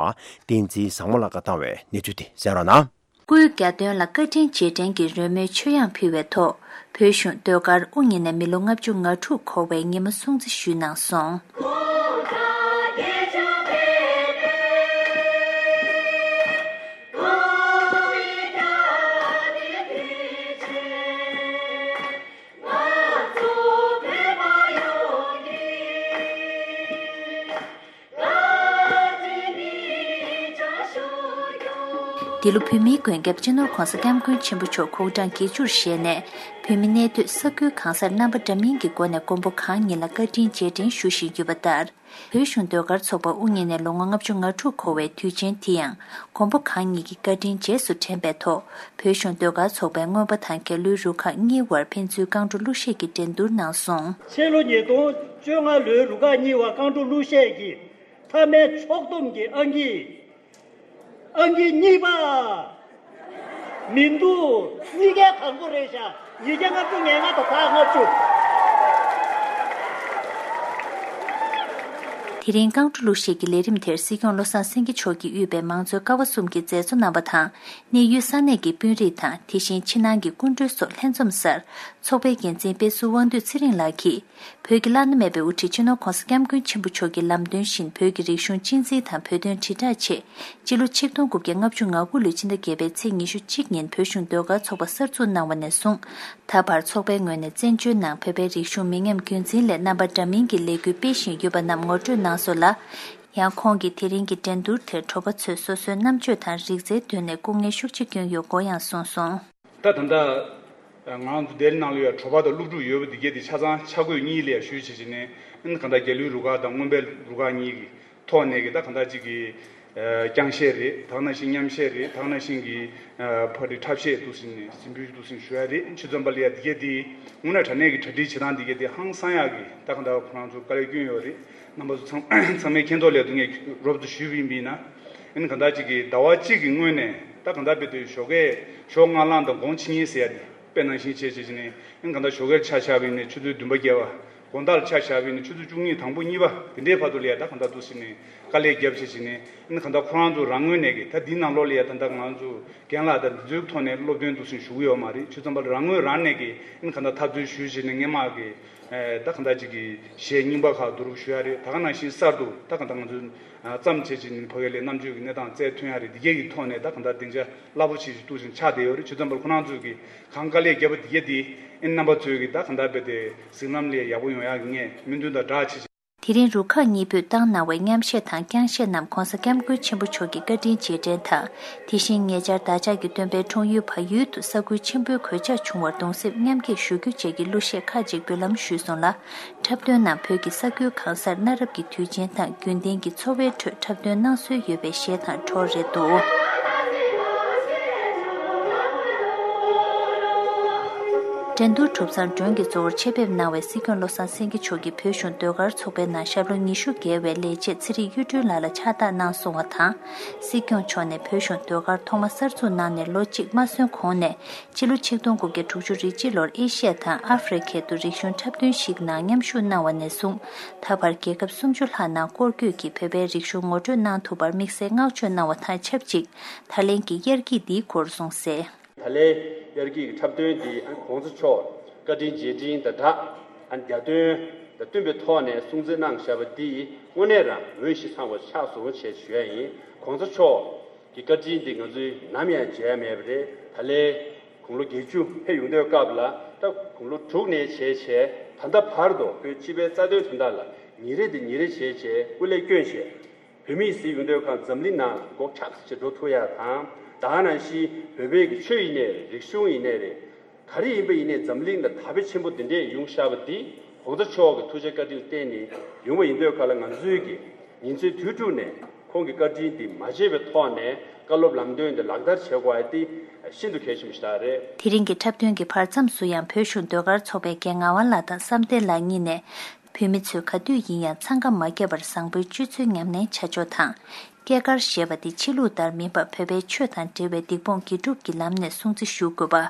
བསྟན་འཛིན་བཟང་མོ་ལགས་ཀྱིས་བཏང་བའི་གནས་ཚུལ་དེ་གསན་རོགས་གནང་། སྐུའི་གྱ་སྟོན་ལ་བཀའ་དྲིན་རྗེས་དྲན་གྱི་རོལ་མོའི་མཆོད་ཡང་ཕུལ་བའི་ཐོག་བོད་གཞུང་ཟློས་གར་དབུ་བརྙེས་ནས་མི་ལོ་ལྔ་བཅུ་ང་དྲུག་འཁོར་བའི་ཉིན་མོ་སྲུང་བརྩི་ཞུས་གནང་སོང་། འདི་ལོ་བོད་མིའི་མགོན་སྐྱབས་སྤྱི་ནོར་༧གོང་ས་༧སྐྱབས་མགོན་ཆེན་པོ་མཆོག་གུང་གྲངས་བརྒྱད་ཅུར་བཞེས་ནས། བོད་མི་གནས་སྡོད་ས་ཁུལ་གང་སར་རྣམ་པ་འདྲ་མིན་གྱི་སྒོ་ནས་མགོན་པོ་གང་ཉིད་ལ་བཀའ་དྲིན་རྗེས་དྲན་ཞུ་བཞིན་ཡོད་པ་ལྟར། བོད་གཞུང་ཟློས་གར་ཚོགས་པ་དབུ་བརྙེས་ནས་ལོ་ངོ་ལྔ་བཅུ་ང་དྲུག་འཁོར་བའི་དུས་ཆེན་དེ་ཡང་མགོན་པོ་གང་ཉིད་ཀྱི་བཀའ་དྲིན་རྗེས་སུ་དྲན་པའི་ཐོག་བོད་གཞུང་ཟློས་གར་ཚོགས་པའི་རྔོན་པ་དང་རྒྱ་ལོའི་རུ་ཁག་གཉིས་དབར་ཕན་ཚུན་རྐང་བྲོ་གླུ་གཞས་ཀྱི་འགྲན་བསྡུར་གནང་སོང་། ཕྱི་ལོ་ཉིས་སྟོང་བཅོ་ལྔ་ལོའི་རུ་ཁག་གཉིས་བར་རྐང་བྲོ་གླུ་གཞས་ཀྱི་མཐའ་མའི་ཕྱོགས་བསྡོམས་ཀྱི་ཨང་ཀི། ཨང་ཀི་གཉིས་པ། མི་འདུག་གཉིས་ཀའི་དང་པོ་རེད་ཤག་ཉིས་བརྒྱ་ལྔ་བཅུ་ང་ལྔ་དང་ད་ལྔ་བཅུ། དེ་རིང་རྐང་བྲོ་གླུ་གཞས་ཀྱི་ལས་རིམ་དེར་སྲིད་སྐྱོང་བློ་བཟང་སེང་གེ་མཆོག་གིས་དབུས་པའི་མང་གཙོའི་ཀ་བ་གསུམ་གྱི་མཛད་གཙོ་རྣམ་པ་དང་། གནས་ཡུལ་ས་གནས་ཀྱི་དཔོན་རིགས་དང་དེ་བཞིན་ཕྱི་ནང་གི་སྐུ་མགྲོན་སོགས་ལྷན་འཛོམས་སར། ཚོགས་པའི་འགན་འཛིན་དཔེ་ཟུར་དབང་འདུས་ཚེ་རིང་ལགས་ཀྱིས། བོད་ཀྱི་བླ་ན་མེད་པའི་དབུ་ཁྲིད་སྤྱི་ནོར་༧གོང་ས་༧སྐྱབས་མགོན་ཆེན་པོ་མཆོག་གི་ལམ་སྟོན་བཞིན་བོད་ཀྱི་རིག་གཞུང་གཅེས་འཛིན་དང་བོད་དོན་དྲིལ་བསྒྲགས་ཆེད། སྤྱི་ལོ་ཆིག་སྟོང་དགུ་བརྒྱ་ལྔ་བཅུ་ང་དགུ་ལོའི་ཕྱི་ཟླ་བརྒྱད་པའི་ཚེས་ཉི་ཤུ་གཅིག་ཉིན་བོད་གཞུང་ཟློས་གར་ཚོགས་པ་གསར་འཛུགས་གནང་བ་ནས་བཟུང་། ད་བར་ཚོགས་པའི་ངོས་ནས་བཙན་བྱོལ་ནང་བོད་པའི་རིག་གཞུང་མི་ཉམས་རྒྱུན་འཛིན་སླད་རྣམ་པ་འདྲ་མིན་གྱི་ལས་འགུལ་སྤེལ་བཞིན་ཡོད་པ་རྣམས་ངོ་སྤྲོད་གནང་སོང་ལ། ཡང་ཁོང་གིས་དེ་རིང་གི་འགྲན་བསྡུར་དེར་དྲོ་པ་ཚོས་སོ་སོའི་རྣམ་དཔྱོད་དང་རིག་རྩལ་དོན་ནས་སྐུ་ངལ་ཤུགས་ཆེ་བསྐྱོན་ཡོད་སྐོར་ཡང་གསུངས་སོང་། ད་ད་ལྟ་ང་རང་ཚོ་སྡེ་ནང་ལ་ཡོད་དྲོ་པ་དང་སློབ་ཕྲུག་ཡོད་པ་འདི་གས་དེ་ཆ་ཚང་ཆ་བགོས་གཉིས་ལས་ཞུས་བྱས་བྱས་ནས་ཨིན་གང་ལྟར་རྒྱ་ལོའི་རུ་ཁག་དང་རྔོན་པའི་རུ་ཁག་གཉིས་ཀྱི་ཐོག་ནས་ཀྱི་ད་གང་ལྟར་ཅིག་གི་རྐྱང་གཞས་རེད། ད་ག་ནང་བཞིན་མཉམ་གཞས་རེད། ད་ག་ནང་བཞིན་གྱི་ཕ་རི་འཁྲབ་གཞས་འདུག་ཟིན་ནས་ཟིན་འབུལ་འདུག་ཟིན་ཞུ་ཡ་རེད། ཆུ་ཚོད་པ་ལ་ཡ་འདི་གས་དེ་དངོས་གནས་དྲང་གནས་ཀྱི་གྲ་སྒྲིག་བྱེད་སྟངས་འདི་གས་དེ་ཧང་སང་ཡག་གི་ད་གང་ལྟར་ཁོ་རང་ཚོ་དཀའ་ལས་བསྐྱོན་ཡོད་རེད། རྣམ་པ་ཚོ་ཚང་ཚང་མའི་མཁྱེན་རྟོགས་ལས་དུ་ངས་རོབ་ཏུ་ཞུས་པ་ཡིན་པ་ཡིན་ན། ཨིན་གང་ལྟར་ཅིག་གི་ཟླ་བ་གཅིག་གི་སྔོན་ནས་ད་གང་ལྟར་དཔེ་དེ་ཞོགས་ཀས་ཞོགས་སྔ་ལངས་དང་དགོང་ཕྱི་ཉལ་ཟེར་ཡ་དེ་དཔེ་ནང་བཞིན་བྱས་བྱས་བྱས་ནས་ཨིན་གང་ལྟར་ཞོགས་ཀས་ཆ་བཞག་པ་ཡིན་ན་ཆུ་ཚོད་བདུན་པ་བརྒྱད་པ། དགོང་དག་ལ་ཆ་བཞག་པ་ཡིན་ན་ཆུ་ཚོད་བཅུ་གཉིས་དང་པོ་གཉིས་པ་དེ་འདྲའི་བར་དུ་ལ་ཡ་ད་གང་ལྟར་འདུག་ཟིན་ནས་དཀའ་ལས་བརྒྱབ་བྱས་བྱས་ནས་ཨིན་གང་ལྟར་ཁོ་རང་ཚོ་རང་ངོས་ནས་ཀྱི་ད་འདིའི་ནང་ལོགས་ལ་ཡ་ད་ལྟ་ང་ཚོ་རྒན་ལགས་དང་འདི་ཚོའི་ཐོག་ནས་སློབ་སྟོན་འདུག་ཟིན་ཞུ་གི་ཡོད་མ་རེད། ཆུ་ཚོད་པ་ལ་རང་ངོས་རང་ནས་ཀྱི་ཨིན་གང་ལྟར་འཐབ་རྩོད་ཞུས་བྱས་ནས་སྔས་མ་གི་ད་གང་ལྟར་ཅིག་གི་གཞས་རྙིང་པ་ཁག་བསྡུ་རུབ་ཞུ་ཡ་རེད། ད་ག་ནང་བཞིན་གསར་དུ་ད་གང་ལྟར་ང་ཚོས་བརྩམས་བྱས་ཅིག་ཕ་གི་ལས་རྣམ་དཔྱོད་ཀྱི་གནས་སྟངས་བཙལ་ཐོན་ཡ་རེད། འདི་གས་ཀྱི་ཐོག་ནས་ད་གང་ལྟར་སྡིངས་ཆ་རླབས་པོ་ཆེ་ཞིག་བཏུགས་ཤིང་ཆགས་བསྡད་ཡོད་རེད། ཆུ་ཚོད་པར་ཁོ་རང་ཚོས་ཀྱི་གང་དཀའ་ལས་བརྒྱབ་པ་འདི་གས་དེ་ཨིན་རྣམ་པ་ཚོས་ཀྱི་ད་གང་ལྟར་རྦད་དེ་གཟིགས་ལམ་ལས་ཡག་པོ་ཡོང་ཡ་གི་ངས་སྨོན་འདུན་དང་སྦྲགས་བྱས་ཅིག་དེ་རིང་རུ་ཁག་གཉིས་པོས་བཏང་གནང་བའི་མཉམ་གཞས་དང་རྐྱང་གཞས་རྣམས་གོང་ས་སྐྱབས་མགོན་ཆེན་པོ་མཆོག་གི་བཀའ་དྲིན་རྗེས་དྲན་དང་། དེ་བཞིན་ཉེ་ཆར་བདག་ཅག་གི་སྟོན་པའི་འཁྲུངས་ཡུལ་བལ་ཡུལ་དུ་ས་ཁུལ་ཆེན་པོའི་གོད་ཆག་བྱུང་བར་གདུང་སེམས་མཉམ་སྐྱེད་ཞུ་རྒྱུ་བཅས་ཀྱི་གླུ་གཞས་ཁག་ཅིག་འབུལ་ལམ་ཞུས་སོང་ལ། འཁྲབ་སྟོན་ནང་བོད་ཀྱི་ས་ཁུལ་གང་སར་གནའ་རབས་ཀྱི་དུས་ཆེན་དང་རྒྱུན་ལྡན་གྱི་འཚོ་བའི་ཁྲོད་འཁྲབ་སྟོན་གནང་སྲོལ་ཡོད་པའི་གཞས་དང་བྲོ་རེད་འདུག་འགྲན་བསྡུར་གྲུབ་མཚམས་མགྲོན་གྱིས་གཙོ་བོར་ཆེད་ཕེབས་གནང་བའི་སྲིད་སྐྱོང་བློ་བཟང་སེང་གེ་མཆོག་གིས་བོད་གཞུང་ཟློས་གར་ཚོགས་པའི་ནང་ཞབས་ལོ་ཉི་ཤུ་བརྒལ་བའི་ལས་བྱེད་ཚེ་རིང་གཡུ་སྒྲོན་ལགས་ལ་ཕྱག་རྟགས་གནང་སོང་བ་དང་། སྲིད་སྐྱོང་མཆོག་ནས་བོད་གཞུང་ཟློས་གར་ཐོག་མ་གསར་འཛུགས་གནང་ནས་ལོ་གཅིག་མ་སོན་གོང་ནས། སྤྱི་ལོ་ཆིག་སྟོང་དགུ་བརྒྱ་དྲུག་ཅུ་རེ་གཅིག་ལོར་ཨེ་ཤི་ཡ་དང་ཨ་ཧྥེ་རི་ཁའི་དུ་རིག་གཞུང་འཁྲབ་སྟོན་ཞིག་ནང་མཉམ་ཞུགས་གནང་བ་ནས་བཟུང་། ད་བར་རྒྱལ་ཁབ་སུམ་ཅུ་ལྷག་ནང་སྐོར་སྐྱོད་ཀྱིས་བོད་པའི་རིག་གཞུང་ངོ་སྤྲོད་གནང་ཐུབ་པར་དམིགས་བསལ་བསྔགས་བརྗོད་གནང་བ་དང་ཆབས་ཅིག་ད་ལན་གྱི་དབྱར་སྐྱིད་འདིའི་སྐོར་གསུངས་གསལ། ད་ལན་དབྱར་སྐྱིད་ཀྱི་འཁྲབ་སྟོན་འདི་གོང་ས་མཆོག་བཀའ་དྲིན་རྗེས་དྲན་དང་སྦྲགས། ཨ་ནི་རྒྱ་སྟོན་དང་བསྟུན་པའི་ཐོག་ནས་སྲུང་བརྩི་གནང་བཞག་པ་འདི་དངོས་གནས་རང་འོས་ཤིང་འཚམས་པ་ཆགས་སོང་ཞེས་ཞུ་ཡ་ཡིན། གོང་ས་མཆོག་གི་བཀའ་དྲིན་འདི་ང་ཚོས་ནམ་ཡང་བརྗེད་ཡ་མེད་པ་རེད། ད་ལན་དགུང་ལོ་བརྒྱད་ཅུ་ཕེབས་ཡོང་དུས་སྐབས་ལ་ད་དགུང་ལོ་དྲུག་ནས་བྱས་བྱས་ད་ལྟ་བར་དུ་ཁོའི་སྤྱི་པའི་རྩ་དོན་དོན་དག་ལ་ཉིན་རེ་དང་ཉིན་རེ་བྱས་བྱས་སྐུ་ལས་བསྐྱོན་བྱས། བོད་མིས་གཟིགས་ཡོང་དུས་ཁ་འཛམ་གླིང་ནང་སྒོ་ཁྲག་ཅིག་འགྲོ་ཐུབ་ཡ་དང་། ད་ག་ནང་བཞིན་བོད་པའི་གི་ཆོས་ཡིན་ནའི་རེད། རིག་གཞུང་ཡིན་ནའི་རེད། ག་རེ་ཡིན་པ་ཡིན་ནའི་འཛམ་གླིང་ལ་དར་སྤེལ་ཆེན་པོ་འདི་འདྲས་ཡོང་བཞག་པ་འདི་གོང་ས་མཆོག་གི་ཐུགས་རྗེ་བཀའ་དྲིན་བརྟེན་ནས་ཡོང་བ་ཡིན་དུས་ཁ་ལ་ང་ཚོའི་གི་ཉིན་མཚན་དུས་དྲུག་ནས་ཁོང་གི་བཀའ་དྲིན་འདི་མ་བརྗེད་པའི་ཐོག་ནས་བཀའ་སློབ་ལམ་སྟོན་འདི་ལག་བསྟར་བྱེད་དགོས་ཡ་འདི་ཤིན་ཏུ་གལ་ཆེན་པོ་ཞིག་རེད། དེ་རིང་གི་འཁྲབ་སྟོན་གྱི་བར་མཚམས་སུ་ཡང་བོད་གཞུང་ཟློས་གར་ཚོགས་པའི་རྒན་ངག་དབང་ལགས་དང་བསམ་གཏན་ལགས་གཉིས་ནས། བོད་མི་ཚོས་ག་དུས་ཡིན་ཡང་འཚང་ཁ་མ་བརྒྱབ་པར་བཟང་པོའི་སྤྱོད་ཚུལ་ཉམས་ལེན་བྱ་ཕྱོགས་དང་། སྐྱེས་སྐར་ཞེས་པ་དེ་ཕྱི་ལུགས་ལྟར་མིན་པར་བོད་པའི་ཆོས་དང་འབྲེལ་བའི་སྡིག་སྤོང་དགེ་སྒྲུབ་ཀྱི་ལམ་ནས་སྲུང་བརྩི་ཞུ་དགོས་པ།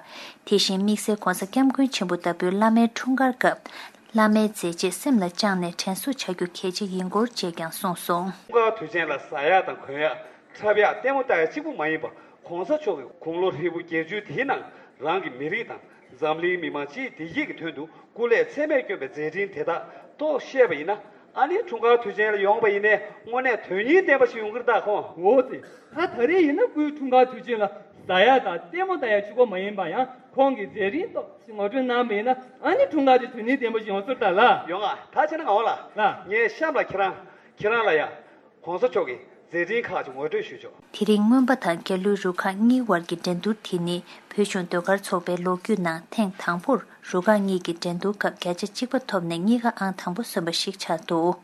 དེ་བཞིན་དམིགས་བསལ་༧གོང་ས་༧སྐྱབས་མགོན་ཆེན་པོ་ལྟ་བུའི་བླ་མའི་འཁྲུངས་སྐར་སྐབས། བླ་མའི་མཛད་རྗེས་སེམས་ལ་བཅངས་ནས་དྲན་གསོ་བྱ་རྒྱུ་གལ་ཆེ་ཡིན་སྐོར་བཅས་ཀྱང་གསུངས་སོང་། འཁྲུངས་སྐར་དུས་ཆེན་ལ་ཟ་ཡག་དང་གོན་ཡག་འཁྲབ་ཡག་ལྟད་མོ་ལྟ་ཡག་གཅིག་པུ་མ་ཡིན་པར། ༸གོང་ས་མཆོག་གིས་དགུང་ལོ་ཧྲིལ་པོ་བརྒྱད་ཅུའི་དེའི་ནང་རང་གི་མི་རིགས་དང་འཛམ་གླིང་མི་མང་སྤྱིའི་བདེ་སྐྱིད་ཀྱི་དོན་དུ་སྐུ་ལས་ཚད་མེད་བསྐྱོན་པའི་མཛད་འཕྲིན་དེ་དག་རྟོགས་ཤེས་པ་ཡིན་ན། ཨ་ནི་འཁྲུངས་སྐར་དུས་ཆེན་ལ་ཡོང་བ་ཡིན་ནའི་དངོས་གནས་དོན་སྙིང་ལྡན་པ་ཞིག་ཡོང་གི་རེད་ད་ཁོང་། འོ་ཙི། ད་ད་རེས་ཡིན་ན་སྐུའི་འཁྲུངས་སྐར་དུས་ཆེན་ལ་ཟ་ཡག་དང་ལྟད་མོ་ལྟ་ཡག་གཅིག་པོ་མ་ཡིན་པ་ཡང་ཁོང་གི་མཛད་རིམ་ཏོག་ཙམ་ངོ་སྤྲོད་གནང་བ་ཡིན་ན། ཨ་ནི་འཁྲུངས་སྐར་དེ་དོན་སྙིང་ལྡན་པ་ཞིག་ཡོང་ས་རེད་ད་ལགས། ཡོང་ཨ། ད་བྱས་ན་ངག་དབང་ལགས། ལགས། ངས་གཤམ་ལ་ཁྱེད་རང་ཁྱེད་རང་ལ་ཡ། ༸གོང་ས་མཆོག་གི་མཛད་འཕྲིན་ཁག་ཅིག་ངོ་སྤྲོད་ཞུས་ཆོག་དེ་རིང་མངོན་པ་དང་རྒྱ་ལོའི་རུ་ཁག་གཉིས་དབར་གྱི་འགྲན་བསྡུར་དེ་ནི་བོད་གཞུང་ཟློས་གར་ཚོགས་པའི་ལོ་རྒྱུས་ནང་ཐེངས་དང་པོར་རུ་ཁག་གཉིས་ཀྱི་འགྲན་བསྡུར་སྐབས་བརྒྱ་ཆ་གཅིག་པ་ཐོབ་ནས་གཉིས་ཀ་ཨང་དང་པོ་སོན་པ་ཞིག་ཆགས་འདུག་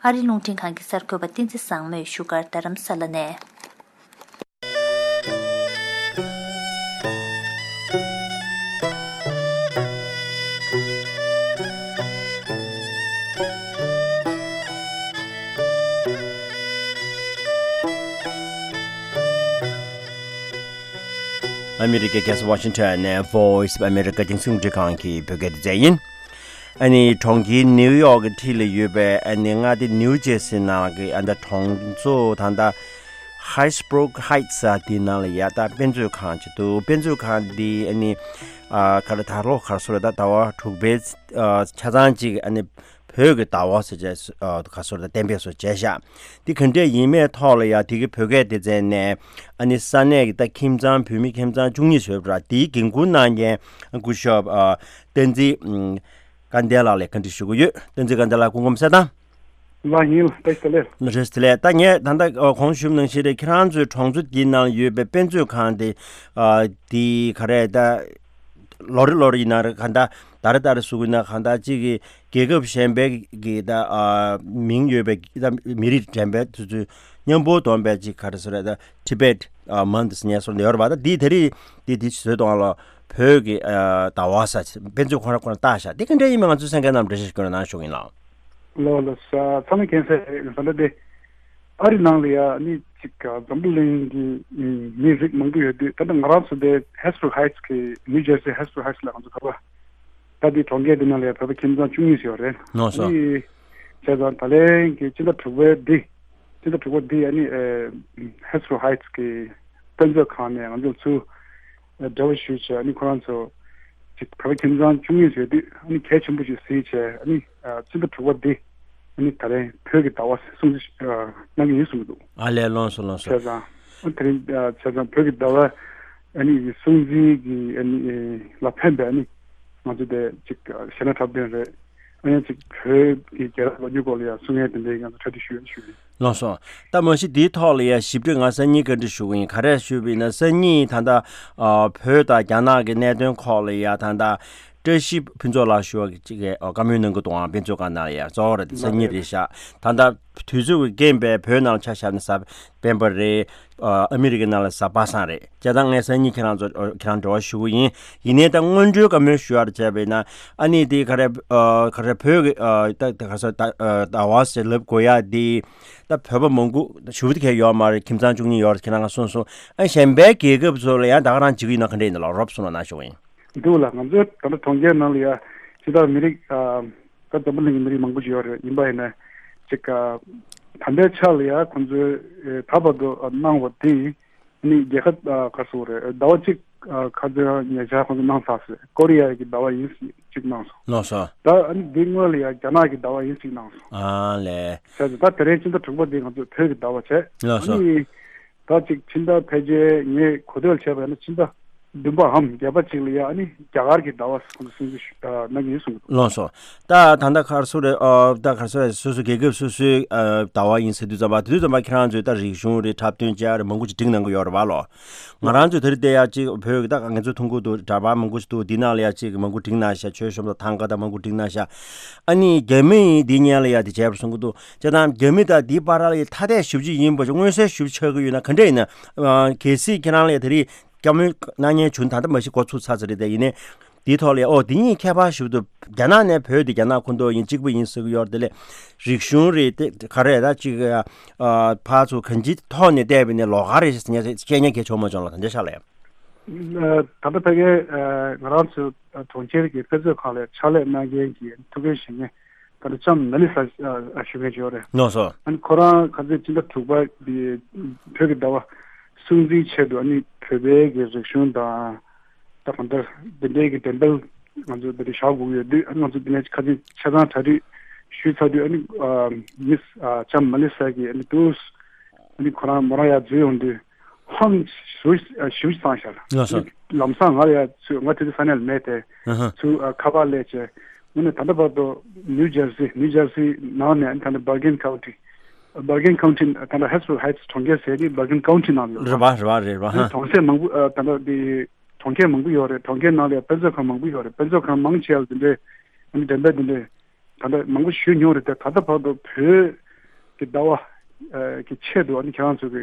ཨ་རིའི་རླུང་འཕྲིན་ཁང་གི་གསར་འགོད་པ་བསྟན་འཛིན་བཟང་མོས་བཞུགས་སྒར་རྡ་རམ་ས་ལ་ནས། ཨ་མི་རི་ཀའི་རྒྱལ་ས་ཝ་ཤིང་ཊོན་ནས་Voice of America རྒྱང་སྲིང་རླུང་འཕྲིན་ཁང་གི་བོད་སྐད་སྡེ་ཚན་ཡིན། ཨ་ནི་གྲོང་ཁྱེར་ནིའུ་ཡོག་གི་འཁྲིས་ལ་ཡོད་པའི་ཨ་ནི་མངའ་སྡེ་ནིའུ་ཇེར་སི་ནང་གི་ཨ་ད་གྲོང་ཚོ་ད་ལྟ་Hasbrouck Heights ཟེར་དེའི་ནང་ལ་ཡ་ད་དཔེ་མཛོད་ཁང་ཅིག་འདུག་དཔེ་མཛོད་ཁང་འདི་ཨ་ནི་ཨ་ག་རེ་ད་ལོ་ག་རེ་ཟེར་ད་ཟླ་བ་དྲུག་པའི་ཨ་ཆ་ཚང་ཅིག་ཨ་ནི་བོད་ཀྱི་ཟླ་བ་ཟེར་བྱས་ཨ་ག་རེ་ཟེར་ད་གཏན་འབེབས་སུ་བྱས་ཤག་འདི་ག་འདྲས་ཡིན་མིན་ཐོག་ལ་ཡ་དེ་གི་བོད་སྐད་སྡེ་ཚན་ནས་ཨ་ནི་ས་གནས་ཀྱི་ད་ཁྱིམ་ཚང་བོད་མི་ཁྱིམ་ཚང་བཅུ་གཉིས་ཡོད་པ་ར། དེའི་འགན་འཁུར་གནང་མཁན་སྐུ་ཞབས་ཨ་བསྟན་འཛིན་ཨ་སྐལ་ལྡན་ལགས་ལ་བཀའ་འདྲི་ཞུ་གི་ཡོད། བསྟན་འཛིན་སྐལ་ལྡན་ལགས་སྐུ་ཁམས་བཟང་། ལགས་ཡིན། བཀྲ་ཤིས་བདེ་ལེགས། བཀྲ་ཤིས་བདེ་ལེགས། ད་ངས་ད་ལྟ་ཨ་གོང་ཞུས་ནང་བཞིན་རེད། ཁྱེད་རང་ཚོའི་གྲོང་ཚོ་འདིའི་ནང་ཡོད་པའི་དཔེ་མཛོད་ཁང་དེ་ཨ་དེ་ག་རེ་ད་ལོ་རེ་ལོ་རེ་ཡིན་ན་རེད། ག་ད་ད་རེ་ད་རེ་ཟེར་གི་ཡིན་ན་ག་ད་གཅིག་གི་རྒྱལ་ཁབ་གཞན་པའི་གི་ད་ཨ་མིང་ཡོད་པའི་ད་མི་རིགས་གཞན་པའི་དེ་ཚོའི་མཉམ་པོ་བསྡོམས་པའི་གཅིག་ག་རེ་ཟེར་རེད། ད་Tibet ཨ་Month ཟེར་ནས་སོགས་ཡོད་རེད་པ། ད་འདི་དེ་རིང་འདི་འདི་བཟོས་གཏོང་ལ་བོད་ཀྱི་ཨ་ཟླ་བ་ས་དཔེ་མཛོད་ཁོ་རང་ཁོ་རང་བཏགས་ཤག་འདི་ག་འདྲ་ཡིན་མིན་ང་ཚོའི་གསན་མཁན་རྣམས་འགྲེལ་བཤད་ཞུ་རོགས་གནང་ཞུ་གི་ཡིན་ལགས། ལགས་ལགས། ཚང་མས་མཁྱེན་གསལ་རེད། ད་ལྟ་དེ་ཨ་རི་ནང་ལ་ཡ་ནི་ཅིག་འཛམ་བུ་གླིང་གི་མི་རིགས་མང་པོ་ཡོད་དུས། ད་ལྟ་ང་རང་ཚོ་དེ་Hasbrouck Heights གི་New Jersey Hasbrouck Heights ལ་ང་ཚོ་བོད་པ་ད་དེ་གྲོང་ཁྱེར་དེ་ནང་ལ་ཡ་བོད་པ་ཁྱིམ་ཚང་བཅུ་གཉིས་ཡོད་རེད། ལགས་སོ། ཨ་ནི་བྱས་ཙང་ད་ལན་གྱི་སྤྱི་ཟླ་དྲུག་པའི་འདི་སྤྱི་ཟླ་དྲུག་པ་འདི་ཨ་ནི་ཨ་Hasbrouck Heights གི་དཔེ་མཛོད་ཁང་ནས་ང་ཚོ་ཚུར་འབྲེལ་བ་ཞུས་བྱས། ཨ་ནི་ཁོ་རང་ཚོ་ཅིག་བོད་པ་ཁྱིམ་ཚང་བཅུ་གཉིས་ཡོད་དུས་ཨ་ནི་གལ་ཆེན་པོ་ཞིག་གཟིགས་བྱས། ཨ་ནི་ཨ་སྤྱི་ཟླ་དྲུག་པ་འདི་ཨ་ནི་ད་རེས་བོད་ཀྱི་ཟླ་བ་སྲུང་བརྩི་ཨ་གནང་གི་ཡིན་གསུངས་འདུག་ཨ་ལས། ལགས་སོ་ལགས་སོ། བྱས་ཙང་ཨ་དེ་རིང་ཨ་བྱས་ཙང་བོད་ཀྱི་ཟླ་བ་ཨ་ནི་སྲུང་བརྩི་གི་ཨ་ནི་ལ་ཕན་པའི་ཨ་ནི་ང་ཚོ་དེ་ཅིག་གཞས་སྣ་འཁྲབ་སྟོན་རེད། ཨ་ནི་ཅིག་བོད་ཀྱི་རྒྱལ་རབས་ལོ་རྒྱུས་སྐོར་ལ་ཡང་གསུང་ཡས་དེ་འདྲའི་ང་ཚོ་གྲ་སྒྲིག་ཞུ་ཡས་ཞུ་ཡས། ལགས་སོ། ད་མ་གཞི་འདིའི་ཐོག་ལ་ཡང་ཞིབ་ཕྲ་ང་སང་ཉིན་བཀའ་འདྲི་ཞུ་གི་ཡིན། ག་རེ་ཞུས་པ་ཡིན་ན་སང་ཉིན་ད་ལྟ་ཨ་བོད་དང་རྒྱ་ནག་གི་གནད་དོན་ཁག་ལ་ཡང་ད་ལྟ་བཀྲ་ཤིས་ཕུན་ཚོགས་ལགས་ཞུ་བ་གཅིག་གིས་བཀའ་མོལ་གནང་གི་འདུག་ཨང་། དཔེ་མཛོད་ཁང་ནང་ལ་ཡང་གཙོ་བོ་རེད། སང་ཉིན་རེད་ཤག་ད་ལྟ་དུས་ཚོད་ཀྱི་རྐྱེན་པས་བོད་ནང་ལ་ཆ་བཞག་ན་གཟའ་སྤེན་པ་རེད། ཨ་ཨ་མི་རི་ཀའི་ནང་ལ་གཟའ་པ་སངས་རེད། བྱས་ཙང་ངས་སང་ཉིན་ཁྱེད་རང་ཚོ་ཁྱེད་རང་འབྲེལ་བ་ཞུ་གི་ཡིན། ཡིན་ནའི་ད་སྔོན་འགྲོའི་བཀའ་མོལ་ཞུ་ཡག་བྱས་པ་ཡིན་ན་ཨ་ནི་དེ་ག་རེ་ཨ་ག་རེ་བོད་ཀྱི་ཨ་ད་ད་ག་ས་ད་ཨ་ཟླ་བ་ཟེར་ལབ་དགོས་ཡག་དེ་ད་བོད་པ་མང་པོ་ཞུ་བ་དེ་གས་ཡོད་མ་རེད། ཁྱིམ་ཚང་བཅུ་གཉིས་ཡོད་རེད། ཁྱེད་རང་ག་གསུངས་སོང་། ཨ་གཞན་པའི་རྒྱལ་ཁབ་ཚོ་ལ་ཡང་ད་ག་རང་བྱེད་ཀྱི་ཡིན་ན་ག་འདྲ་ཡིན་ན་ལགས། རོབ་གསུངས་རོགས་གནང་ཞུ་གི་ཡིན། འདུག་ལགས། ང་ཚོའི་ད་ལྟ་གྲོང་ཁྱེར་ནང་ལ་ཡ་སྤྱི་བཏང་མི་རིགས་ཨ་ད་འཛམ་བུ་གླིང་གི་མི་རིགས་མང་པོ་ཞིག་ཡོད་རེད། ཡིན་པ་ཡིན་ན་ཅིག་ཨ་ད་ལྟའི་ཆ་ལ་ཡ་ཁོང་ཚོས་ཨེ་ད་བར་དུ་ཨ་གནང་བ་དེ་ནི་རྒྱལ་ཁབ་ཨ་ག་རེ་ཟེར་དགོས་རེད། ཟླ་བ་གཅིག་ཨ་ཁ་སང་ཉེ་ཆར་ཁོང་ཚོས་གནང་ཚར་སོང་། ཀོ་རི་ཡ་གི་ཟླ་བ་ཡིན་གཅིག་གནང་སོང་། ལགས་སོ། ད་ཨ་ནི་འདི་སྔོན་ལ་ཡ་རྒྱ་ནག་གི་ཟླ་བ་ཡིན་གཅིག་གནང་སོང་། ཨ་ལས། བྱས་ཙང་ད་དེ་རིང་སྤྱི་ཟླ་དྲུག་པ་འདི་ང་ཚོས་བོད་ཀྱི་ཟླ་བ་བྱས། ལགས་སོ། ཨ་ནི་ད་ཅིག་ཕྱི་ཟླ་ཕལ་ཆེར་ངས་གོ་ཐོས་བྱས་པ་ཡིན་ན་ཕྱི་ཟླ་བདུན་པའམ་བརྒྱད་པ་ཅིག་ལ་ཡ་ཨ་ནི་རྒྱ་གར་གྱི་ཟླ་བ་ཁོང་ཚོ་སྲུང་བརྩི་ཞུ་ཨ་གནང་གི་ཡིན་གསུངས་འདུག་ལགས་སོ། ད་ད་ལྟ་ག་རེ་ཟེར་རེད། ཨ་ད་ག་རེ་ཟེར་རེད། སོ་སོ་རྒྱལ་ཁབ་སོ་སོའི་ཨ་ཟླ་བ་ཡིན་ཟེར་དུས་ཙམ་པ་དེ་དུས་ཙམ་པ་ཁྱེད་རང་ཚོས་ད་རིག་གཞུང་རེད། འཁྲབ་སྟོན་བྱས་རེད། མང་པོ་ཅིག་སྒྲིག་གནང་གི་ཡོད་རེད་པ་ལོ། ང་རང་ཚོས་དེ་རིང་བལྟས་ཡག་ཅིག་བོད་ཀྱི་ད་ང་ཚོ་མཐོང་གི་འདུག་འདྲ་པར་མང་པོ་ཞིག་འདུག་འདི་ནང་ལ་ཡ་ཅིག་མང་པོ་སྒྲིག་གནང་ཤག་མཆོད་གཤོམ་དང་ཐང་ག་དང་མང་པོ་སྒྲིག་གནང་ཤག་ཨ་ནི་རྒྱ་མི་ཡིས་འདི་སྔོན་ལ་ཡ་དེ་བྱས་པར་གསུང་གི་འདུག་བྱས་ཙང་རྒྱ་མི་དང་འདིའི་བར་ལ་ཡ་ཐ་དད་ཞེ་པོ་ཅིག་ཡིན་པ་ཅིག་མངོན་གསལ་ཞེ་པོ་ཆགས་ཀྱི་ཡོད་ན་ག་འདྲ་ཡིན་ན། ཨ་གལ་སྲིད་ཁྱེད་རང་ལ་ཡ་དེ་རིང་བཀའ་མོལ་གནང་མཁན་བྱུང་། ད་ལྟ་མ་གཞི་འགོ་ཚུགས་ཚར་ཚར་རེད། དེ་ཡིན་ནའི་ འདིའི་ཐོག་ལ་ཡ་ཨོ་འདི་གཉིས་ཁྱད་པར་ཞིག་འདུག་རྒྱ་ནག་ནས་བོད་དེ་རྒྱ་ནག་ཁོངས་གཏོགས་ཡིན་གཅིག་པུ་ཡིན་ཟེར་གྱི་ཡོད་རེད། དེ་ལས་རིག་གཞུང་རེད། དེ་ག་རེ་ད་ཅིག་ཨ་ཕར་ཚུར་གང་ཅིའི་ཐོག་ནས་བལྟས་པ་ཡིན་ན་ལོགས་ཀ་རེད་ཟེར་ཉན་བཤད་ཉན་གལ་ཆེ་བ་མ་བྱུང་ལ། ད་འདྲ་ཤག་ལ་ཡ། ད་ལྟ་ཕ་གིའི་ང་རང་ཚོ་གྲོང་ཁྱེར་གྱི་དཔེ་མཛོད་ཁང་ལ་ཕྱག་ལས་གནང་མཁན་གྱི་ཐུགས་འགན་བཞེས་མཁན་ད་ལྟ་ལྕམ་མེ་ལི་ས་ཞུ་མཁན་ཅིག་ཡོད་རེད། ནོ་སོ། ཨ་ནི་ཁོ་རང་ཁ་སང་སྤྱི་ཟླ་དྲུག་པ་འདི་བོད་ཀྱི་ཟླ་བ་སྲུང་བརྩིའི་ཆེད་དུ་ཨ་ནི་བོད་པའི་གི་རིག་གཞུང་དང་ད་གང་ལྟར་འདི་འདྲའི་གི་འགྲེམས་སྤེལ་ང་ཚོ་འདི་འདྲ་བཞག་དགོས་ཀྱི་ཡོད་དུས། ཨ་ནི་ང་ཚོ་འདི་ནས་ཁ་སང་ཆ་ཚང་གྲ་སྒྲིག་ཞུས་ཚར་དུས་ཨ་ནི་མིས་ལྕམ་མེ་ལི་ས་གིས་ཨ་ནི་དུས་ཨ་ནི་ཁོ་རང་མོ་རང་ཡར་འཛུལ་ཡོང་དུས་ཧང་ཞིབ་ཞིབ་བཏང་ཤར། ལགས་སོ། ལམ་སང་ང་ཡ་ཚུ་ང་དེ་དུས་ས་གནས་ལ་མེད་དེ། ཨ་ཧ། ཚུ་ཨ་ཁ་པར་སླེབས་བྱས་དངོས་གནས་ད་ལྟ་བར་དུ་ནིའུ་ཇར་སི་ནིའུ་ཇར་སི་ནང་ནས་ད་ལྟ་Bergen County Bergen County ད་ལྟ་Hillsborough Heights གྲོང་ཁྱེར་ཟེར་དེ་Bergen County ནང་ཡོད། རེད་པ་རེད་པ་རེད་པ། ཨ་ནི་ཧ། གྲོང་གསེབ་མང་པོ་ཨ་ད་ལྟ་དེ་གྲོང་ཁྱེར་མང་པོ་ཡོད་རེད། གྲོང་ཁྱེར་ནང་ལ་ཡ་དཔེ་མཛོད་ཁང་མང་པོ་ཡོད་རེད། དཔེ་མཛོད་ཁང་མང་ཆེ་བ་དེ་འདྲའི་ཨ་ནི་འགྲེམས་སྤེལ་དེ་འདྲའི་ད་ལྟ་མང་པོ་ཞུས་མྱོང་རེད་དེ། ད་ལྟ་བར་དུ་བོད་ཀྱི་ཟླ་བ་ཨ་གི་ཆེད་དུ་ཨ་ནི་ཁྱེད་རང་ཚོ་གི་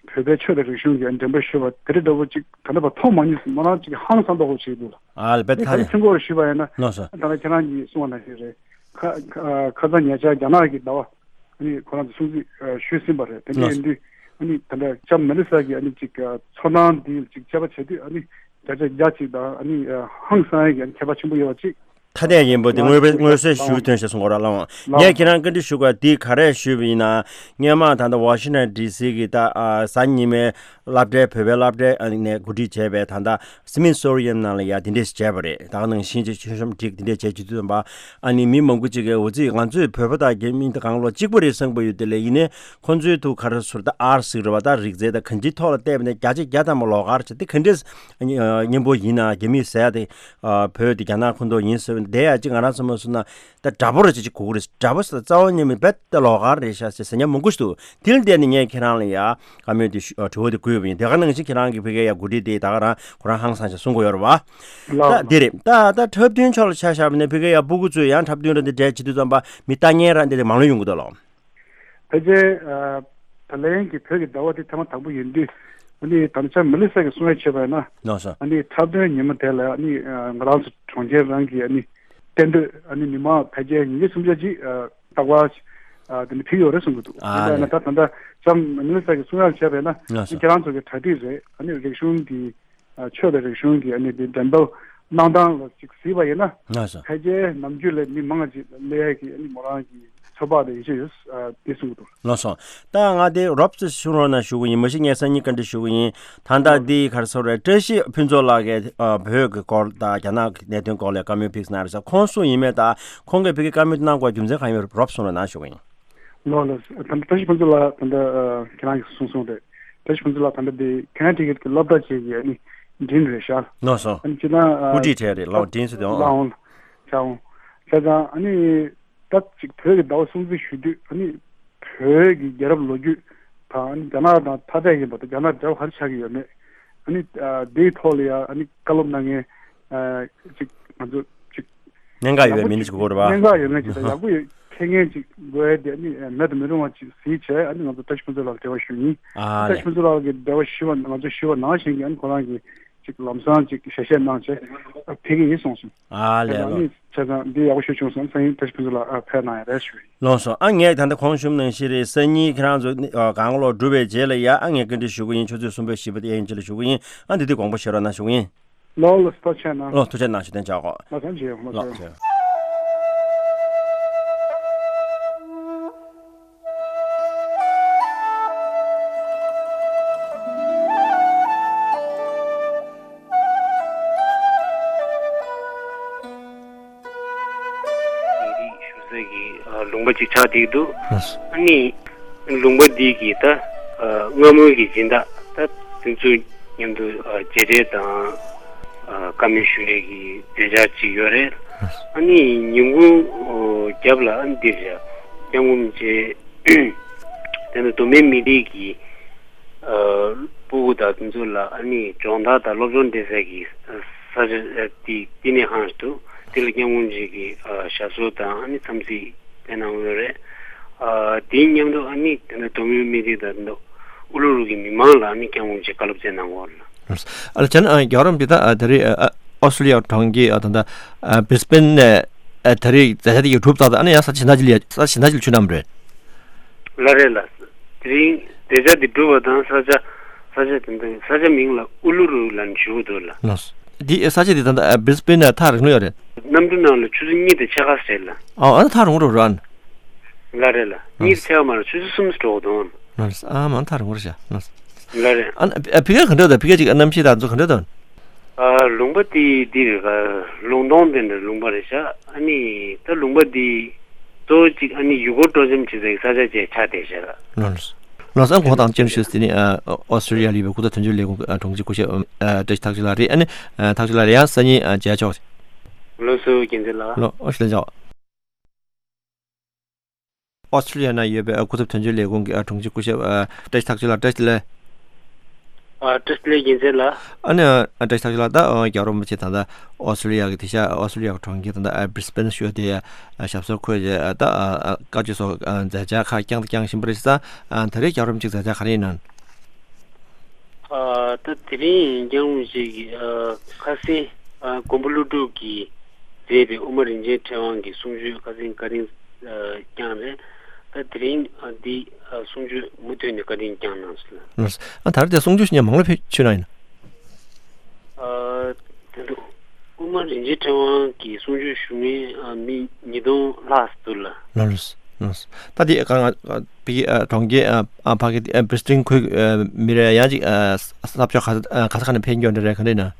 བོད་པའི་ཆོས་དང་རིག་གཞུང་གི་འགྲེམས་སྤེལ་ཞུས་པ་དེ་རིང་འདྲ་པོ་ཅིག་ད་ལྟ་བར་མཐོང་མ་མྱོང་ཟེར། མོ་རང་ཅིག་ཧང་སང་མདོག་ཁ་པོ་ཞིག་འདུག་ལ། ཨ་ལ་བེད་ཨ་ནི་ད་ཐ་ལྟ་ཡིན། ཁྱོད་ཀྱིས་ཞུས་པ་ཡིན་ན། ལགས་སོ། ད་ལྟ་ཁྱེད་རང་གིས་གསུངས་པ་ནང་བཞིན་རེད། ཁ་ཁ་ཁ་སང་ཉེ་ཆར་རྒྱ་ནག་གི་ཟླ་བ་ཨ་ནི་ཁོ་རང་ཚོ་སྲུང་བརྩི་ཨ་ཞུས་ཟིན་པ་རེད། དེ་འདྲ་ཡིན་དུས་ཨ་ནི་ད་ལྟ་ལྕམ་མེ་ལི་ས་གིས་ཨ་ནི་ཅིག་ཨ་ཚོར་སྣང་འདི་ཅིག་དཔྱད་པ་བྱས་དུས་ཨ་ནི་བརྒྱ་ཆ་བརྒྱ་ཅིག་དང་ཨ་ནི་ཨ་ཧང་སང་ཡ་གི་ཨ་ནི་ཁྱད་པར་ཆེན་པོ་ཡོད་པ་ཅིག་ཐ་དད་ཡིན་པོ་དེ་ལགས་དངོས་པོའི་དངོས་སུ་ཞུ་ཐོན་ཞེས་གསུང་གོ་ར་ལགས། ལགས། ངས་ཁྱེད་རང་བཀའ་འདྲི་ཞུ་དགོས་དེ་ག་རེ་ཞུས་པ་ཡིན་ན། སྔོན་མ་ད་ལྟ་ཝ་ཤིང་ཊོན་ཌི་སི་གི་ད་ཨ་གཟའ་ཉི་མའི་སློབ་གྲྭའི་བོད་པའི་སློབ་གྲྭའི་ཨ་ནས་གོ་སྒྲིག་བྱས་པའི་ད་ལྟ་སི་མིད་སོ་རི་ཡན་ནང་ལ་ཡ་དེ་འདྲས་བྱས་པ་རེད། ད་ག་ནང་བཞིན་གྱི་ཆོས་གཤམ་སྒྲིག་དེ་འདྲས་བྱས་བྱེད་དུས་ཙམ་པ་ཨ་ནི་མི་མང་པོ་ཅིག་གིས་འོ་ཙི་ང་ཚོས་བོད་པ་དང་རྒྱ་མི་འདི་གང་ལོ་གཅིག་པ་རེད་བསམ་གྱི་ཡོད། དེ་ལས་ཡིན་ནའི་ཁོང་ཚོའི་ཐུགས་ཁར་ཟུར་ད་ཨར་ཟིག་རེད་བ། ད་རིག་རྩལ་དང་གང་ཅིའི་ཐོག་ལ་བལྟས་པ་ནས་བརྒྱ་ཆ་བརྒྱ་ཐམ་པ་ལོགས་ཀར་བྱས་དེ་ག་འདྲས་སྙན་པོ་ཡིན་ན་རྒྱ་མིས་ཟེར་ཡ་དེ། ཨ་བོད་དེ་རྒྱ་ནག་ཁོངས་གཏོགས་ཡིན་ཟེར་བ་འདི་ཡ་གཅིག་ང་རང་ཚོ་མ་སོང་ན་ད་དྲ་འབུ་ར་ཅིག་ཅིག་གོ་གི་རེད། དྲ་འབུ་ཟེར་རྩ་བ་ཉིད་མིན་པས་ད་ལོགས་ཀར་རེད་ཤག་ཟེར་ཟེར་མཁན་མང་པོ་ཞིག་འདུག་དེ་ལ་བརྟེན་ནས་ངས་ཁྱེད་རང་ལ་ཡ་བཀའ་མོལ་དེ་ཞུ་ཨ་དྲི་བ་དེ་བཀོད་པ་ཡིན། དེ་ག་ནང་བཞིན་ཁྱེད་རང་གིས་ཕ་གིར་ཡ་གོ་སྒྲིག་དེ་ད་ག་རང་ཁོ་རང་ཧང་སང་ཞིག་གསུང་གི་ཡོད་རེད་བ། ལགས། ད་འདི་རེད། ད་ད་འཁྲབ་སྟོན་ཕྱོགས་ལ་ཆ་བཞག་པ་ནས་ཕ་གིར་ཡ་སྤུ་གུ་ཚོས་ཡང་འཁྲབ་སྟོན་ར་འདི་འགྲན་བྱེད་དུས་ཙམ་པ་མི་ལྟ་མཁན་ར་འདི་འདྲ་མང་ལོས་ཡོང་གི་འདུག་ལགས། ཕལ་ཆེར་ཨ་ད་ལན་གྱི་བོད་ཀྱི་ཟླ་བ་དེ་ཐེངས་མ་དང་པོ་ཡིན་དུས་ཨ་ནི་ད་ལྟ་ལྕམ་མེ་ལི་ས་གིས་གསུང་ཡ་བྱས་པ་ཡིན་ན། ལགས་སོ། ཨ་ནི་འཁྲབ་སྟོན་ཉིན་མོ་དེ་ལ་ཨ་ནི་ཨ་ང་རང་ཚོ་གྲོང་ཁྱེར་རང་གི་ཨ་ནི་གཏན་སྡོད་ཨ་ནི་མི་མང་ཕལ་ཆེར་ཉིས་བརྒྱ་སུམ་བརྒྱ་ཅིག་ཨ་རྟག་པར་ཨ་དེ་ནི་ཕེབས་ཡོད་རེད་གསུང་གི་འདུག་ཨ་ཡིན་པ་ཡིན་ན་ལས། ད་ད་ལྟ་ལྕམ་མེ་ལི་ས་གིས་གསུང་ཡ་བྱས་པ་ཡིན་ན་ལགས་སོ། ཨ་ནི་ཁྱེད་རང་ཚོ་གི་གྲ་སྒྲིག་རེད། ཨ་ནི་རིག་གཞུང་གི་ཆོས་དང་རིག་གཞུང་གི་ཨ་ནི་དེ་འགྲེམས་སྤེལ་གནང་སྟངས་ལ་ཅིག་གཟིགས་པ་ཡིན་ན། ལགས་སོ། ཕལ་ཆེར་ནམ་རྒྱུན་ལས་མི་མང་ཅིག་སླེབས་ཡས་ཀྱི་ཨ་ནི་མོ་རང་གི་ཚོད་དཔག་དང་ཡིད་ཆེས་ཡོད། ཨ་དེ་གསུང་གི་འདུག་ལགས་སོ། ད་ང་དེ་རོབ་ཙམ་གསུང་རོགས་གནང་ཞུ་གི་ཡིན། མ་གཞི་ངས་སང་ཉིན་བཀའ་འདྲི་ཞུ་གི་ཡིན། ད་ལྟ་འདི་ག་རེ་ཟེར་རེད། བཀྲ་ཤིས་ཕུན་ཚོགས་ལགས་ཀྱིས་ཨ་བོད་ཀྱི་སྐོར་དང་རྒྱ་ནག་གི་གནད་དོན་སྐོར་ལ་བཀའ་མོལ་ཕིགས་གནང་རེད་ཟེར། ཁོང་གསུངས་ཡིན་མེད་དང་ཁོང་གིས་ཕ་གིར་བཀའ་མོལ་གནང་དགོས་རྒྱུ་མཚན་གང་ཡིན་མིན་རོབ་གསུང་རོགས་གནང་ཞུ་གི་ཡིན། ལགས་ལགས། ད་ལྟ་བཀྲ་ཤིས་ཕུན་ཚོགས་ལགས་ད་ལྟ་ཨ་ཁྱེད་རང་གིས་གསུངས་སོང་རེད། བཀྲ་ཤིས་ཕུན་ཚོགས་ལགས་ད་ལྟ་དེ་ཁེ་ན་ཊི་ཀེཊ་གི་སློབ་གྲྭ་ཅིག་གི་ཨ་ནི་ཌིན་རེད་ཤག་ལགས་སོ། ཨ་ནི་སྤྱིར་བཏང་ཨ་སྐུ་བགྲེས་གྲས་རེད། ལགས་འོང་ཌིན་ཟེར་དེ་འོང་། ལགས་འོང་། བྱ་འོང་། བྱས་ཙང་ཨ་ནི་ད་ཅིག་བོད་ཀྱི་ཟླ་བ་སྲུང་བརྩི་ཞུ་དུས་ཨ་ནི་བོད་ཀྱི་རྒྱལ་རབས་ལོ་རྒྱུས་དང་ཨ་ནི་རྒྱ་ནག་དང་ཐ་དད་ཡིན་པ་དང་རྒྱ་ནག་འབྲེལ་བ་ག་རེ་ཆགས་ཀྱི་ཡོད་མེད། ཨ་ནི་ཨ་དེའི་ཐོག་ལ་ཡང་ཨ་ནི་བཀའ་སློབ་གནང་མཁན་ཨ་ཅིག་ང་ཚོ་ཅིག་གནད་འགག་ཡོད་མི་འདི་ཞིག་དགོས་རེད་པ། གནད་འགག་ཡོད་མཁན་ཅིག་དང་ཡག་པོ་ཡོད་མཁན་ཅིག་དགོས་ཡ་དེ་ཨ་ནི་མེད་དུ་མི་རུང་བ་ཅིག་གཟིགས་བྱས་ཨ་ནི་ང་ཚོ་བཀྲ་ཤིས་ཕུན་ཚོགས་ལགས་འབྲེལ་བ་ཞུ་ཡིན། ཨ་བཀྲ་ལས། ཤིས་ཕུན་ཚོགས་ལགས་ཀྱིས་འབྲེལ་བ་ཞུས་པ་ང་ཚོ་ཞུས་པ་ནང་བཞིན་གྱི་ཨ་ནི་ཁོ་རང་གིས་ཅིག་ལམ་སང་ཅིག་ཞལ་བཞེས་གནང་བྱས་ཨ་ཕེབས་ཀྱི་ཡིན་གསུངས་སོང་། ཨ་ལས། ཨ་ལོ། ནི་བྱས་ཙང་འདི་ཡག་པོ་ཞིག་བྱུང་སོང་། སང་ཉིན་བཀྲ་ཤིས་ཕུན་ཚོགས་ལགས་ཨ་ཕེབས་གནང་ཡ་རེད་ཞུ་ཡིན། ལགས་སོ། ཨ་ངས་ད་ལྟ་གོང་ཞུས་ནང་བཞིན་རེད། སང་ཉིན་ཁྱེད་རང་ཚོ་ཨ་གང་ལོ་གྲུབ་པའི་རྗེས་ལ་ཡ་ཨ་ངས་བཀའ་འདྲི་ཞུ་གི་ཡིན། ཆུ་ཚོད་གསུམ་པའི་བཞི་པ་དེ་ཡན་ཆད་ལ་ཞུ་གི་ཡིན། ཨ་འདི་དུས་དགོངས་པ་བཞེས་རོགས་གནང་ཞུ་གི་ཡིན། ལགས་ལགས། ཐུགས་རྗེ་གནང་། ལགས་ཐུགས་རྗེ་གནང་། ཞུ་དོན་བྱ་གོ། ལགས་ཐུགས་རྗེ་ཆེ། ལགས་ཐུགས་རྗེ་ཆེ། མི་རིགས་ཞུ་ས་ཀྱི་ལུང་པ་ཅིག་ཆགས་བསྡད་འདུག་ཨ་ནི་ལུང་པ་འདི་གི་ད་སྔ་མོའི་གི་སྦྱིན་བདག་ད་དེ་ཚོ་མཉམ་དུ་མཇལ་འཕྲད་དང་བཀའ་མོལ་ཞུ་ཡས་ཀྱི་མཛད་འཆར་ཅིག་ཡོད་རེད། ཨ་ནི་ཉིན་གུང་རྒྱབ་ལ་ཨ་ནི་འདིར་སྐྱབས་མགོན་རིན་པོ་ཆེ་དེ་ནས་མདོ་སྨད་མི་རིགས་ཀྱི་ཨ་སྤུ་གུ་དང་དེ་ཚོ་ལ་ཨ་ནི་སྦྱོང་བརྡར་དང་སློབ་སྦྱོང་སྤྲད་ས་གི་ས་ཆ་དེ་དེ་ནས་ཧང་དུ་དེ་ལ་སྐྱབས་མགོན་རིན་པོ་ཆེ་གི་ཨ་ཞབས་སོར་དང་ཨ་ནི་འཚམས་གཟིགས་སྤྲད་གནང་ཡོད་རེད། ཨ་དེའི་མཉམ་དུ་ཨ་ནི་དེ་ནས་མདོ་སྨད་མི་རིགས་དང་དེ་ཚོ་ཨུ་ལུ་རུ་གི་མི་མང་ལ་ཨ་ནི་སྐྱབས་མགོན་རིན་པོ་ཆེ་བཀའ་སློབ་སྩལ་གནང་ཡོད་རེད། ཨ་ལ་ཅན་ཨ་རྒྱལ་བ་རིན་པོ་ཆེ་ད་ཨ་དེ་རིང་ཨ་ ཨོ་སི་ཊེ་ལི་ཡ་གྲོང་ཁྱེར་ཨ་ད་ལྟ་ཨ་བྷི་རི་སི་བྷེན་ནས་ཨ་ད་རེས་མཛད་འཆར་དེ་གི་གྲུབ་ཚར་ད་ཨ་ནི་ཡང་ས་ཆ་གཞན་དག་ཅིག་ལ་ས་ཆ་གཞན་དག་ཅིག་ལ་ཆུ་བསྣམས་རེད། ལགས་རེད་ལགས། དེ་རིང་མཛད་འཆར་འདི་གྲུབ་པ་དང་ས་ཆ་ས་ཆ་དེ་འདི་ས་ཆ་མིང་ལ་ཨུ་ལུ་རུ་ལབ་ནས་ཞུ་གི་འདུག་ལགས། ལགས། འདི་ས་ཆ་འདི་ད་ལྟ་བྷི་རི་སི་བྷེན་ནས་ཐག་རིང་ལོས་ཡོད་རེད། གནམ་གྲུ་ནང་ལ་ཆུ་ཚོད་གཉིས་དང་ཕྱེད་ཀ་རེད་ལགས། ཨ་ཨ་ཐག་རིང་པོ་འགྲོ་རེད་ཨ། ལགས་རེད་ལགས། གཉིས་དང་ཕྱེད་ཀ་མ་རེད། ཆུ་ཚོད་གསུམ་འགྲོ་གི་འདུག། ལགས། ཨ་མ་ཐག་རིང་པོ་རེད་ཤག། ལགས། ལགས་རེད། ཨ་ཨ་ཕ་གི་ག་འདྲ་འདུག། ཕ་གི་ཅིག་གནམ་གཤིས་དང་ཚོ་ག་འདྲ་འདུག། ཨ་ལུང་པ་དེ་འདི་རེད་ག། ལུང་སྟོང་དེ་འདྲ་ལུང་པ་རེད་ཤག། ཨ་ནི་ད་ལུང་པ་འདི་གཙོ་བོ་གཅིག་ཨ་ནི་ཡུལ་སྐོར་སྤྲོ་འཆམ་བྱེད་སའི་ས་ཆ་བཅས་ཆགས་བསྡད་ཤག། ལགས། ལགས་སོ། ཨ་གོང་དང་བཅར་ཞུས་དེ་ནི་ཨ་ཨོ་སི་ཊེ་ལི་ཡ་ལ་ཡོད་པའི་སྐུ་ཚབ་དོན་གཅོད་ལས་ཁུངས་ཨ་དྲུང་ཆེ་སྐུ་ཞབས་ཨ་བཀྲ་ཤིས་ཐག་ཆོད་ལགས་རེད། ཨ་ནི་ཨ་ཐག་ཆོད་ལགས་རེད། ཡང་སང་ཉིན་ཨ་མཇལ་ཆོག། ལགས་སོ་རྒྱལ་མཚན་ལགས། ལགས་ཨོ་ཤུ་ལན་ཆོག། ཨོ་སི་ཊེ་ལི་ཡ་ན་ཡོད་པའི་ཨ་སྐུ་ཚབ་དོན་གཅོད་ལས་ཁུངས་ཀྱི་ཨ་དྲུང་ཆེ་སྐུ་ཞབས་ཨ་བཀྲ་ཤིས་ཐག་ཆོད་ལགས། བཀྲ་ཤིས་བདེ་ལེགས། ཨ་བཀྲ་ཤིས་བདེ་ལེགས་རྒྱལ་མཚན་ལགས། ཨ་ནི་ཨ་བཀྲ་ཤིས་ཐག་ཆོད་ལགས། ད་ཨ་རྒྱལ་བ་རིན་པོ་ཆེ་ད་ལྟ་ཨོ་སི་ཊེ་ལི་ཡ་གི་དེ་ཤ་ཨོ་སི་ཊེ་ལི་ཡ་གི་གྲོང་ཁྱེར་ད་ལྟ་ཨ་བྷི་རི་སི་བྷེན་ཞུ་དེ་ཨ་ཞབས་སོར་འཁོད་རྗེས་ཨ་ད་ཨ་ཨ་བཀའ་ཆོས་སོགས་ཨ་མཛད་འཆར་ཁག་བསྐྱངས་དང་བསྐྱང་བཞིན་པ་རེད་ཟེར། ཨ་ད་རེས་རྒྱལ་བ་རིན་པོ་ཆེ་མཛད་འཆར་ག་རེ་ཡིན་ནམ། ཨ་ད་དེ་རིང་རྒྱལ་བ་རིན་པོ་ཆེ་གིས་ཨ་ཁ་སང་ཨ་མགོན་པོ་ཀླུ་སྒྲུབ་ཀྱིས་མཛད་པའི་དབུ་མ་རིན་ཆེན་ཕྲེང་བ་གི་གསུང་ཆོས་ཁ་སང་བཀའ་དྲིན་ཨ་བསྐྱངས་རེད། ད་དེ་རིང་ཨ་འདི་ཨ་གསུང་ཆོས་མུ་མཐུད་ནས་བཀའ་དྲིན་བསྐྱངས་གནང་སོང་། ཨ་ད་རེས་དེ་གསུང་ཆོས་ཞུ་མཁན་མང་ལོས་ཕེབས་ཆོས་གནང་ཡིན། ཨ་དེ་འདུག། དབུ་མ་རིན་ཆེན་ཕྲེང་བ་གི་གསུང་ཆོས་ཞུ་མཁན་ཨ་མི་ཉིས་སྟོང་ལྷག་འདུག་ལགས། ལགས་ལགས། ད་དེ་ག་ང་ཨ་ཕ་གི་ཨ་གྲོང་ཁྱེར་ཨ་ཨ་ཕ་གི་ཨ་བྷི་རི་སི་བྷེན་ཁུལ་ཨ་མི་རེ་ཡང་ཅིག་ཨ་ས་ཕྱོགས་ག་ས་ག་ས་ག་ནས་ཕེབས་མཁན་འདྲ་རེད་ག་འདྲ་ཡིན་ན།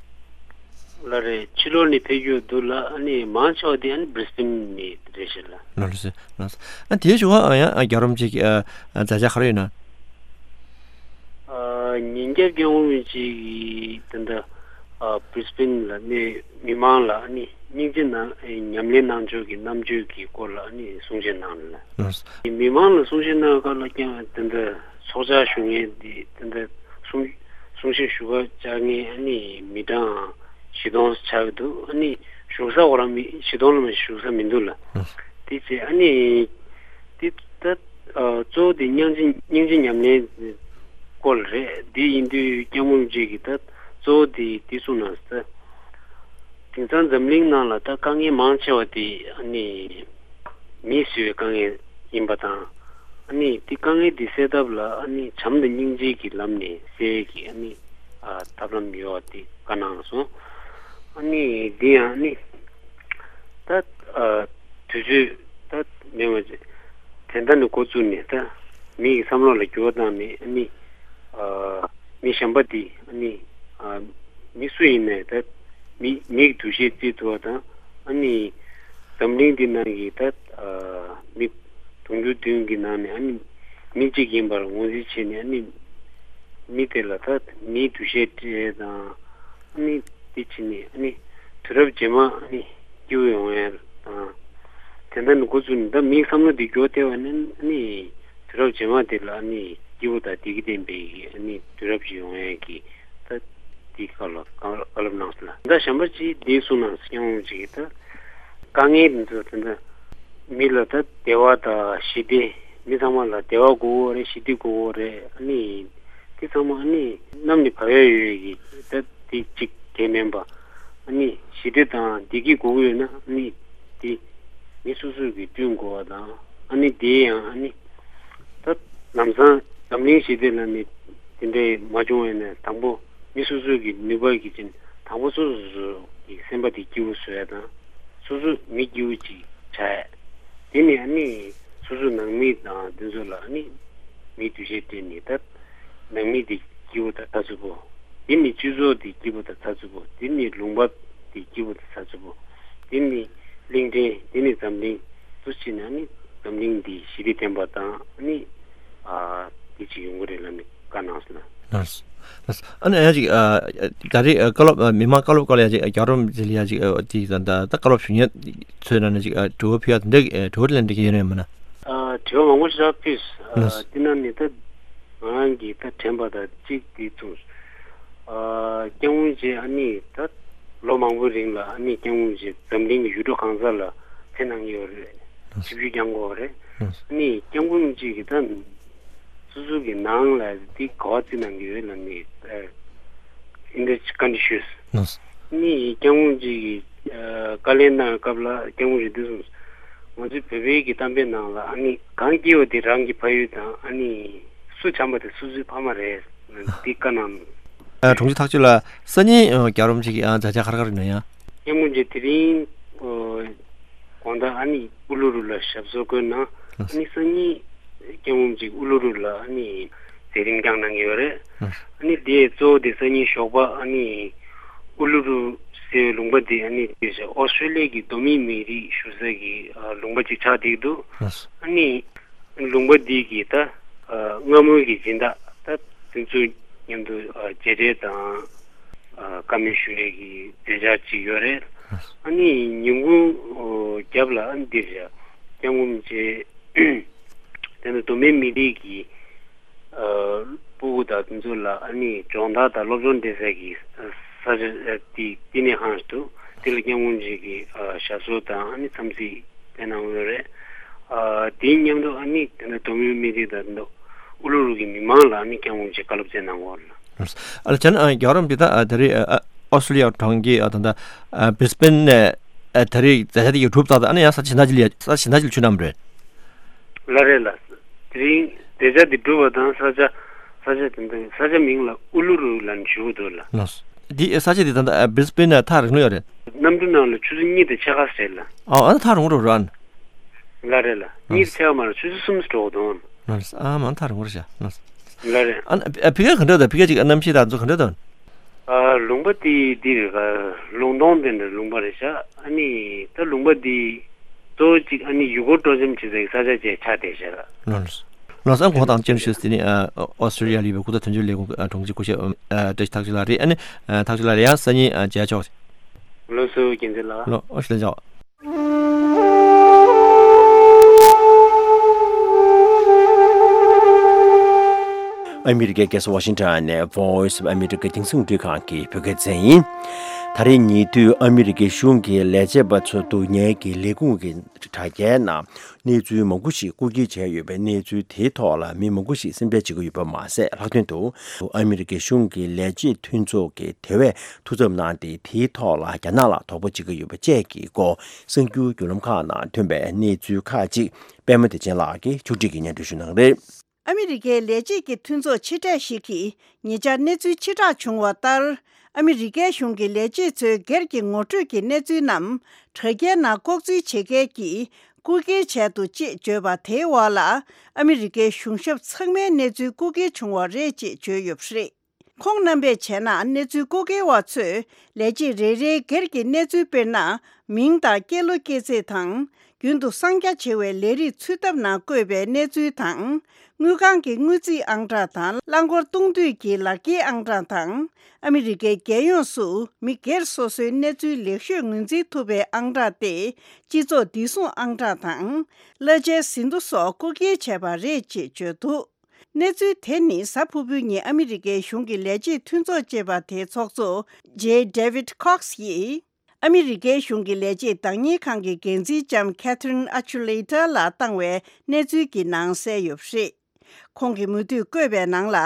ལགས་རེད། ཕྱི་ལོགས་ནས་ཕེབས་རྒྱུ་འདུག་ལགས། ཨ་ནི་མང་ཆེ་བ་དེ་ཨ་ནི་བྷི་རི་སི་བྷེན་ནས་རེད་ཤག་ལགས། ལགས་ལགས་སོ། ལགས་སོ། ཨ་དེའི་གཞུག་ཨ་ཡང་ཨ་རྒྱལ་བ་རིན་པོ་ཆེ་གི་ཨ་ཨ་མཛད་འཆར་ག་རེ་ཡོད་ན། ཨ་ཉིན་རྒྱབ་རྒྱལ་བ་རིན་པོ་ཆེ་གི་དེ་འདྲ་ཨ་བྷི་རི་སི་བྷེན་ལ་ནས་མི་མང་ལ་ཨ་ནི་སྙིང་རྗེ་གནང་ཉམས་ལེན་གནང་ཕྱོགས་ཀྱི་རྣམ་དཔྱོད་ཀྱི་སྐོར་ལ་ཨ་ནི་གསུང་བཤད་གནང་ལ། ལགས་སོ། མི་མང་ལ་གསུང་བཤད་གནང་སྐབས་ལ་ཀྱང་དེ་འདྲ་ཚོགས་བཅར་ཞུ་མཁན་དེ་དེ་འདྲ་གསུང་གསུང་བཤད་ཞུ་བར་བཅར་མཁན་ཨ་ནི་མི་གྲངས་བཞི་སྟོང་ཆགས་ཀྱི་འདུག། ཨ་ནི་བཞུགས་ས་འོ་རང་མི་བཞི་སྟོང་ལ་མ་བཞུགས་ས་མི་འདུག་ལ། ཨ་དེ་བྱས་ཨ་ནི་དེ་ད་ཨ་གཙོ་བོ་དེ་སྙིང་རྗེ་སྙིང་རྗེ་ཉམས་ལེན་སྐོར་རེད། དེ་ཡིན་དུས་སྐྱབས་མགོན་རིན་པོ་ཆེ་གིས་ད་གཙོ་བོ་དེ་དེ་གསུངས་གནང་ཟེར། དེང་སང་འཛམ་གླིང་ནང་ལ་ད་དཀའ་ངལ་མང་ཆེ་བ་དེ་ཨ་ནི་མིས་བཟོས་པའི་དཀའ་ངལ་ཡིན་པ་དང་། ཨ་ནི་དེ་དཀའ་ངལ་དེ་སེལ་ཐབས་ལ་ཨ་ནི་བྱམས་དང་སྙིང་རྗེ་གི་ལམ་ནས་སེལ་གྱི་ཨ་ནི་ཨ་ཐབས་ལམ་ཡོད་པ་དེ་བཀའ་གནང་སོང་། ཨ་ནི་དེ་ཡང་ཨ་ནི་ད་ཨ་དུས་ཚོད་ད་མེད་པ་བྱས་དེ་འདྲ་ནས་འགོ་བཙུགས་ནས་ད་མི་ཡི་བསམ་བློ་ལ་འགྱུར་བ་བཏང་ནས་ཨ་ནི་ཨ་མི་གཞན་པ་དེ་ཨ་ནི་ཨ་མི་སུ་ཡིན་ནའི་ད་མི་མིའི་འདུ་ཤེས་རྩིས་ཐུབ་པ་དང་། ཨ་ནི་འཛམ་གླིང་འདི་ནང་གི་ད་ཨ་མི་དུང་ཕྱུར་བདུན་གྱི་ནང་ནས་ཨ་ནི་མི་གཅིག་ཡིན་པར་ངོས་འཛིན་བྱས་ནས། ཨ་ནི་མི་དེ་ལ་ད་མིའི་འདུ་ཤེས་སྤྲད་དང་། ཨ་ནི་དེ་བྱས་ནས་ཨ་ནི་དུས་རབས་རྗེས་མ་ཨ་ནི་སྐྱིད་པོ་ཡོང་ཡ་དང་། དེ་འདྲ་ནས་འགོ་བཙུགས་ནས་ད་མིའི་བསམ་བློ་འདི་འགྱུར་བ་ཐེབས་པ་ནི་ཨ་ནི་དུས་རབས་རྗེས་མ་དེ་ལ་ཨ་ནི་སྐྱིད་པོ་དང་བདེ་སྐྱིད་ལྡན་པའི་ཨ་ནི་དུས་རབས་ཤིག་ཡོང་ཡ་གི་ད་དེའི་སྐོར་ལ་བཀའ་བཀའ་སློབ་གནང་སོང་ལ། ད་གཞན་པ་ཅིག་འདི་གསུངས་གནང་སོང་། སྐྱབས་མགོན་ཅིག་གིས་ད་དཀའ་ངལ་འདི་ཚོ་དེ་འདྲ་མི་ལ་ད་བདེ་བ་དང་ཞི་བདེ། མི་ཚང་མ་ལ་བདེ་བ་དགོས་ཀྱི་ཡོད་རེད། ཞི་བདེ་དགོས་ཀྱི་ཡོད་རེད། ཨ་ནི་དེ་ཚང་མ་ཨ་ནི་གནམ་ནས་བབས་ཡ་ཡོད་ཀྱི་ད་དེ་གཅིག་དེ་མིན་པ། ཨ་ནི་ཞི་བདེ་དང་བདེ་སྐྱིད་དགོས་ཀྱི་ཡོད་ན་ཨ་ནི་དེ་མི་སོ་སོ་གིས་བསྐྲུན་དགོས་པ་དང་། ཨ་ནི་དེ་ཡང་ཨ་ནི་ད་ལམ་སང་འཛམ་གླིང་ཞི་བདེ་ལ་ནི་དེ་འདྲའི་མ་བྱུང་བ་ཡིན་ན་དང་པོ་མི་སོ་སོ་གི་ནུས་པ་གི་ཅན་དང་པོ་སོ་སོ་སོ་གི་སེམས་པ་དེ་སྐྱིད་པོ་བཟོ་ཡ་དང་། སོ་སོ་མི་སྐྱིད་པོ་ཅིག་ཆགས་ཡ། དེ་ནི་ཨ་ནི་སོ་སོ་ནང་མི་དང་དེ་ཚོ་ལ་ཨ་ནི་མིའི་འདུ་ཤེས་སྤྲད་ནས་ད་ནང་མི་དེ་སྐྱིད་པོ་དང་ཚགས་ཚུད་པོ། དེ་ནི་སྤྱི་ཚོགས་དེ་སྐྱིད་པོ་དང་ཚགས་ཚུད་པོ། དེ་ནི་ལུང་པ་དེ་སྐྱིད་པོ་དང་ཚགས་ཚུད་པོ། དེ་ནི་གླིང་ཕྲན། དེ་ནི་འཛམ་གླིང་དུ་ཕྱིན་ན་ནི་འཛམ་གླིང་འདི་ཞི་བདེ་ལྡན་པ་དང་ནི་ཨ་དེ་ཅིག་ཡོང་གི་རེད་ལབ་ནས་བཀའ་གནང་སོང་ལགས། ལགས། ལགས། ཨ་ནི་ཡང་ཅིག་ཨ་ད་རེས་ཨ་བཀའ་སློབ་ཨ་མི་མང་བཀའ་སློབ་སྐོར་ལ་ཡང་ཅིག་ཨ་རྒྱལ་བ་རིན་པོ་ཆེ་ལ་ཡང་ཅིག་ཨ་དེ་ད་ད་ད་བཀའ་སློབ་ཞུ་མཁན་ཚོའི་ནང་ནས་ཅིག་ཨ་དྲི་བ་ཕུལ་ཡ་དེ་འདྲ་ཨ་དྲི་བ་ལན་འདྲ་ཡོད་ནས་མིན་ན། ཨ་དྲི་བ་མང་པོ་ཞིག་ཕུལ། ལགས། ཨ་དེ་ནང་ནས་ད་ང་རང་གིས་ད་དྲན་པ་དང་གཅིག་དེ་ཚོ། ཨ་སྐྱབས་མགོན་མཆོག་ཨ་ནི་ད་ལོ་མང་པོའི་རིང་ལ་ཨ་ནི་སྐྱབས་མགོན་མཆོག་འཛམ་གླིང་གི་ཡུལ་གྲུ་གང་ས་ལ་ཕེབས་གནང་གི་ཡོད་རེད། ཆིབས་བསྒྱུར་བསྐྱངས་ཡོད་རེད། ཨ་ནི་སྐྱབས་མགོན་མཆོག་གིས་ད་སོ་སོ་གི་ནང་ལ་དེ་ག་བ་བརྩི་གནང་གི་ཡོད་ལབ་ནས་ཨ་འདི་འདྲ་བཀའ་འདྲི་ཞུས། ནི་སྐྱབས་མགོན་མཆོག་གིས་ཨ་བཀའ་ལན་གནང་བའི་སྐབས་ལ་སྐྱབས་མགོན་མཆོག་འདི་གསུངས། ང་ཚོའི་བོད་པའི་གི་གཏམ་དཔེ་ནང་ལ་ཨ་ནི་གངས་སྐྱིད་པ་དེ་རང་གི་ཕ་ཡུལ་དང་ཨ་ནི་སུ་བྱམས་པ་དེ་སུ་ཚོའི་ཕ་མ་རེད། འདི་བཀའ་གནང་། ཨ་དྲུང་ཆེ་ཐག་གཅོད་ལགས། སང་ཉིན་ཨ་རྒྱལ་བ་རིན་པོ་ཆེ་གི་ཨ་མཛད་འཆར་ག་རེ་ག་རེ་ཡིན་ན་ཡང་། སྐྱབས་མགོན་མཆོག་དེ་རིང་ཨ་དགོང་དག་ཨ་ནི་ཨུ་ལུ་རུ་ལ་ཞབས་སོར་བཀོད་གནང་། ཨ་ནི་སང་ཉིན་སྐྱབས་མགོན་མཆོག་ཨུ་ལུ་རུ་ལ་ཨ་ནི་མཛད་རིམ་བསྐྱངས་གནང་གི་ཡོད་རེད། ཨ་ནི་དེ་གཙོ་བོ་དེ་སང་ཉིན་ཞོགས་པ་ཨ་ནི་ཨུ་ལུ་རུ་ཟེར་བའི་ལུང་པ་དེ་ཨ་ནི་དེ་ཨོ་སི་ཀྲེ་ལི་ཡ་གི་གདོད་མའི་མི་རིགས་བཞུགས་ས་གི་ཨ་ལུང་པ་ཅིག་ཆགས་བསྡད་ཀྱི་འདུག་ཨ་ནི་ལུང་པ་འདི་གི་ད་ཨ་སྔ་མོའི་གི་སྦྱིན་བདག་ད་དེ་ཚོ་མཉམ་དུ་ཨ་མཇལ་འཕྲད་དང་ཨ་བཀའ་མོལ་ཞུ་ཡས་ཀྱི་མཛད་འཆར་ཅིག་ཡོད་རེད། ཨ་ནི་ཉིན་གུང་ཨོ་རྒྱབ་ལ་ཨ་ནི་འདིར་ཡ་སྐྱབས་མགོན་རིན་པོ་ཆེ་དེ་ནི་གདོད་མའི་མི་རིགས་ཀྱི་ཨ་སྤུ་གུ་དང་དེ་ཚོ་ལ་ཨ་ནི་སྦྱོང་བརྡར་དང་སློབ་སྦྱོང་སྤྲད་ས་གི་ས་ཆ་དེ་དེ་ནས་ཧང་འདུག་དེ་ལ་སྐྱབས་མགོན་རིན་པོ་ཆེ་གི་ཨ་ཞབས་སོར་དང་ཨ་ནི་འཚམས་གཟིགས་སྤེལ་གནང་ཡོད་རེད། ཨ་དེའི་མཉམ་དུ་ཨ་ནི་དེ་ནི་གདོད་མའི་མི་རིགས་དང་དེ་ནི་ཨུ་ལུ་རུ་གི་མི་མང་ལ་ཨ་ནི་སྐྱབས་མགོན་རིན་པོ་ཆེ་བཀའ་སློབ་སྩལ་གནང་ཡོད་རེད། ཨ་ལ་ཅན་ཨ་རྒྱལ་བ་རིན་པོ་ཆེ་ད་ཨ་ད་རེས་ཨ་ཨོ་སི་ཀྲི་ལི་ཡ་གྲོང་ཁྱེར་ཨ་ད་ད་ཨ་བྷི་རི་སི་བྷེན་ནས་ཨ་ད་རེས་མཛད་འཆར་དེ་ཡོད་གྲུབ་ཙག་ཙག་ཨ་ནི་ཡང་ས་ཆ་ཞིག་ན་ཅི་ལ་ཡ་ས་ཆ་ཞིག་ན་ཅི་ལ་ཆུ་གནམ་རེད། ལགས་རེད་ལགས། དེ་རིང་མཛད་འཆར་འདི་གྲུབ་པ་དང་ས་ཆ་ས་ཆ་དེ་འདི་ས་ཆ་མིང་ལ་ཨུ་ལུ་རུ་ལ་ཞུ་གི་འདུག་ལགས། ལགས། འདི་ས་ཆ་འདི་ད་ལྟ་ཨ་བྷི་རི་སི་བྷེན་ནས་ཐག་རིང་ལོས་ཡོད་རེད། གནམ་གྲུ་ནང་ལ་ཆུ་ཚོད་གཉིས་དང་ཕྱེད་ཀ་རེད་ལགས། ཨ་ཨ་ཐག་རིང་རུ་ར། ལགས་རེད་ལགས། གཉིས་ཕྱེད་ཀ་མ་རེད། ཆུ་ཚོད་གསུམ་འགྲོ་གི་འདུག་ལགས། ཨ་མ་ཐག་རིང་རུ་ཤ་ལགས། ལགས་རེད། ཨ་ཕི་ཁ་ག་འདྲ་དང་ཕི་ཁ་ཅིག་གནམ་གཤིས་དང་ཚོ་ག་འདྲ་དང་། ཨ་ལུང་པ་དེ་འདི་རེད་ག་ལུང་སྟོང་དེ་འདྲ་ལུང་པ་རེད་ཤག་ཨ་ནི་ད་ལུང་པ་འདི་གཙོ་བོ་གཅིག་ཨ་ནི་ཡུལ་སྐོར་སྤྲོ་འཆམ་བྱེད་སའི་ས་ཆ་ཅིག་ཆགས་བསྡད་ཤག་ལགས། ལགས་སོ། ཨ་ནི་གོང་དང་སྤྱན་ཞུས་ཏེ་ནི་ཨ་ཨོ་སི་ཀྲི་ལི་ཡ་ལི་བའི་ཁུག་རྟ་དོན་གཅོད་ལས་ཁུངས་ཨ་དྲུང་ཆེ་སྐུ་ཞབས་ཨ་བཀྲ་ཤིས་ཐག་ཆོད་ལགས་རེད། ཨ་ནི་ཨ་ཐག་ཆོད་ལགས་རེད། ཡང་སང་ཉིན་ཨ་མཇལ་ཆོག་ལགས་སོ། རྒྱལ་མཚན་ལགས། ལགས་ཨོ་ཤི་ལན་ཆོག་ཨ་མི་རི་ཀའི་རྒྱལ་ས་ཝ་ཤིང་ཊོན་ནས་Voice of America་རྒྱང་སྲིང་རླུང་འཕྲིན་ཁང་གི་བོད་སྐད་སྡེ་ཚན་ཡིན། ད་རེས་ཉེ་དུས་ཨ་མི་རི་ཀའི་གཞུང་གི་ལས་བྱེད་པ་ཚོ་འདུག་ཉལ་གྱི་ལས་ཁུངས་ཀྱི་དྲ་རྒྱའི་ནང་གནས་ཚུལ་མང་པོ་ཞིག་རྐུ་འཁྱེར་བྱས་ཡོད་པའི་གནས་ཚུལ་དེའི་ཐོག་ལ་མི་མང་པོ་ཞིག་སེམས་ཁྲལ་བྱེད་ཀྱི་ཡོད་པ་མ་ཟད། ལྷག་དོན་དུ་ཨ་མི་རི་ཀའི་གཞུང་གི་ལས་བྱེད་མཐུན་ཚོགས་ཀྱིས་དེ་བས་ཐུགས་འཚབ་གནང་སྟེ་དེའི་ཐོག་ལ་རྒྱ་ནག་ལ་དོགས་པ་བྱེད་ཀྱི་ཡོད་པ་བཅས་ཀྱི་སྐོར་གསར་འགྱུར་བརྒྱུད་ལམ་ཁག་ནང་ཐོན་པའི་གནས་ཚུལ་ཁག་ཅིག་པད་མ་བདེ་ཆེན་ལགས་ཀྱིས་ཕྱོགས་སྒྲིག་གིས་སྙན་སྒྲོན་ཞུ་གནང་གི་རེད། ཨ་མི་རི་ཀའི་ལས་བྱེད་ཀྱི་མཐུན་ཚོགས་ཕྱི་དྲགས་ཤིག་གིས་ཉེ་ཆར་གནས་ཚུལ་ཕྱིར་བསྒྲགས་བྱུང་བ་ལྟར། ཨ་མི་རི་ཀའི་གཞུང་གི་ལས་བྱེད་ཚོའི་སྒེར་གྱི་ངོ་སྤྲོད་ཀྱི་གནས་ཚུལ་རྣམས་དྲ་རྒྱའི་ནང་ལྐོག་འཛུལ་བྱེད་མཁན་གྱིས་རྐུ་འཁྱེར་བྱས་འདུག་ཅེས་བརྗོད་པ་དེའི་འོག་ལ། ཨ་མི་རི་ཀའི་གཞུང་ཞབས་ཚང་མའི་གནས་ཚུལ་རྐུ་འཁྱེར་བྱུང་བ་རེད་ཅེས་བརྗོད་ཡོད་པ་རེད། ཁོང་རྣམ་པས་བྱས་ན་གནས་ཚུལ་རྐུ་འཁྱེར་བ་ཚོས་ལས་བྱེད་རེ་རེའི་སྒེར་གྱི་གནས་ཚུལ་དཔེར་ན། མིང་དང་སྐྱེས་ལོ་སྐྱེས་ཚེས་དང་། རྒྱུན་དུ་གསང་རྒྱ་ཆེ་བའི་ལས་རིགས་ཚུད་ཐབས་ནང་བཀོད་པའི་གནས་ཚུལ་དང་། དངུལ་ཁང་གི་དངུལ་རྩིས་ཨང་གྲངས་དང་། རླངས་འཁོར་གཏོང་དུས་ཀྱི་ལག་འཁྱེར་ཨང་གྲངས་དང་། ཨ་མི་རི་ཀའི་རྒྱལ་ཡོངས་སུ་མི་སྒེར་སོ་སོའི་གནས་ཚུལ་ལེགས་ཤོས་ངོས་འཛིན་ཐུབ་པའི་ཨང་གྲངས་ཏེ། སྤྱི་ཚོགས་བདེ་སྲུང་ཨང་གྲངས་དང་། གླ་ཆའི་ཟིན་ཐོ་སོགས་རྐུ་འཁྱེར་བྱས་པ་རེད་ཅེས་བརྗོད་འདུག་གནས་ཚུལ་དེ་ནི་གཟའ་ཕུར་བུའི་ཉིན་ཨ་མི་རི་ཀའི་གཞུང་གི་ལས་བྱེད་མཐུན་ཚོགས་ཅེས་པ་དེའི་ཚོགས་གཙོ་Jay David Cox་ཡིས། ཨ་མི་རི་ཀའི་གཞུང་གི་ལས་བྱེད་བདག་གཉེར་ཁང་གི་འགན་འཛིན་ལྕམ་Catherine Achuleta་ལ་བཏང་བའི་གནས་ཚུལ་གྱི་ནང་གསལ་ཡོད་པ་རེད། ཁོང་གིས་མུ་མཐུད་བཀོད་པའི་ནང་ལ།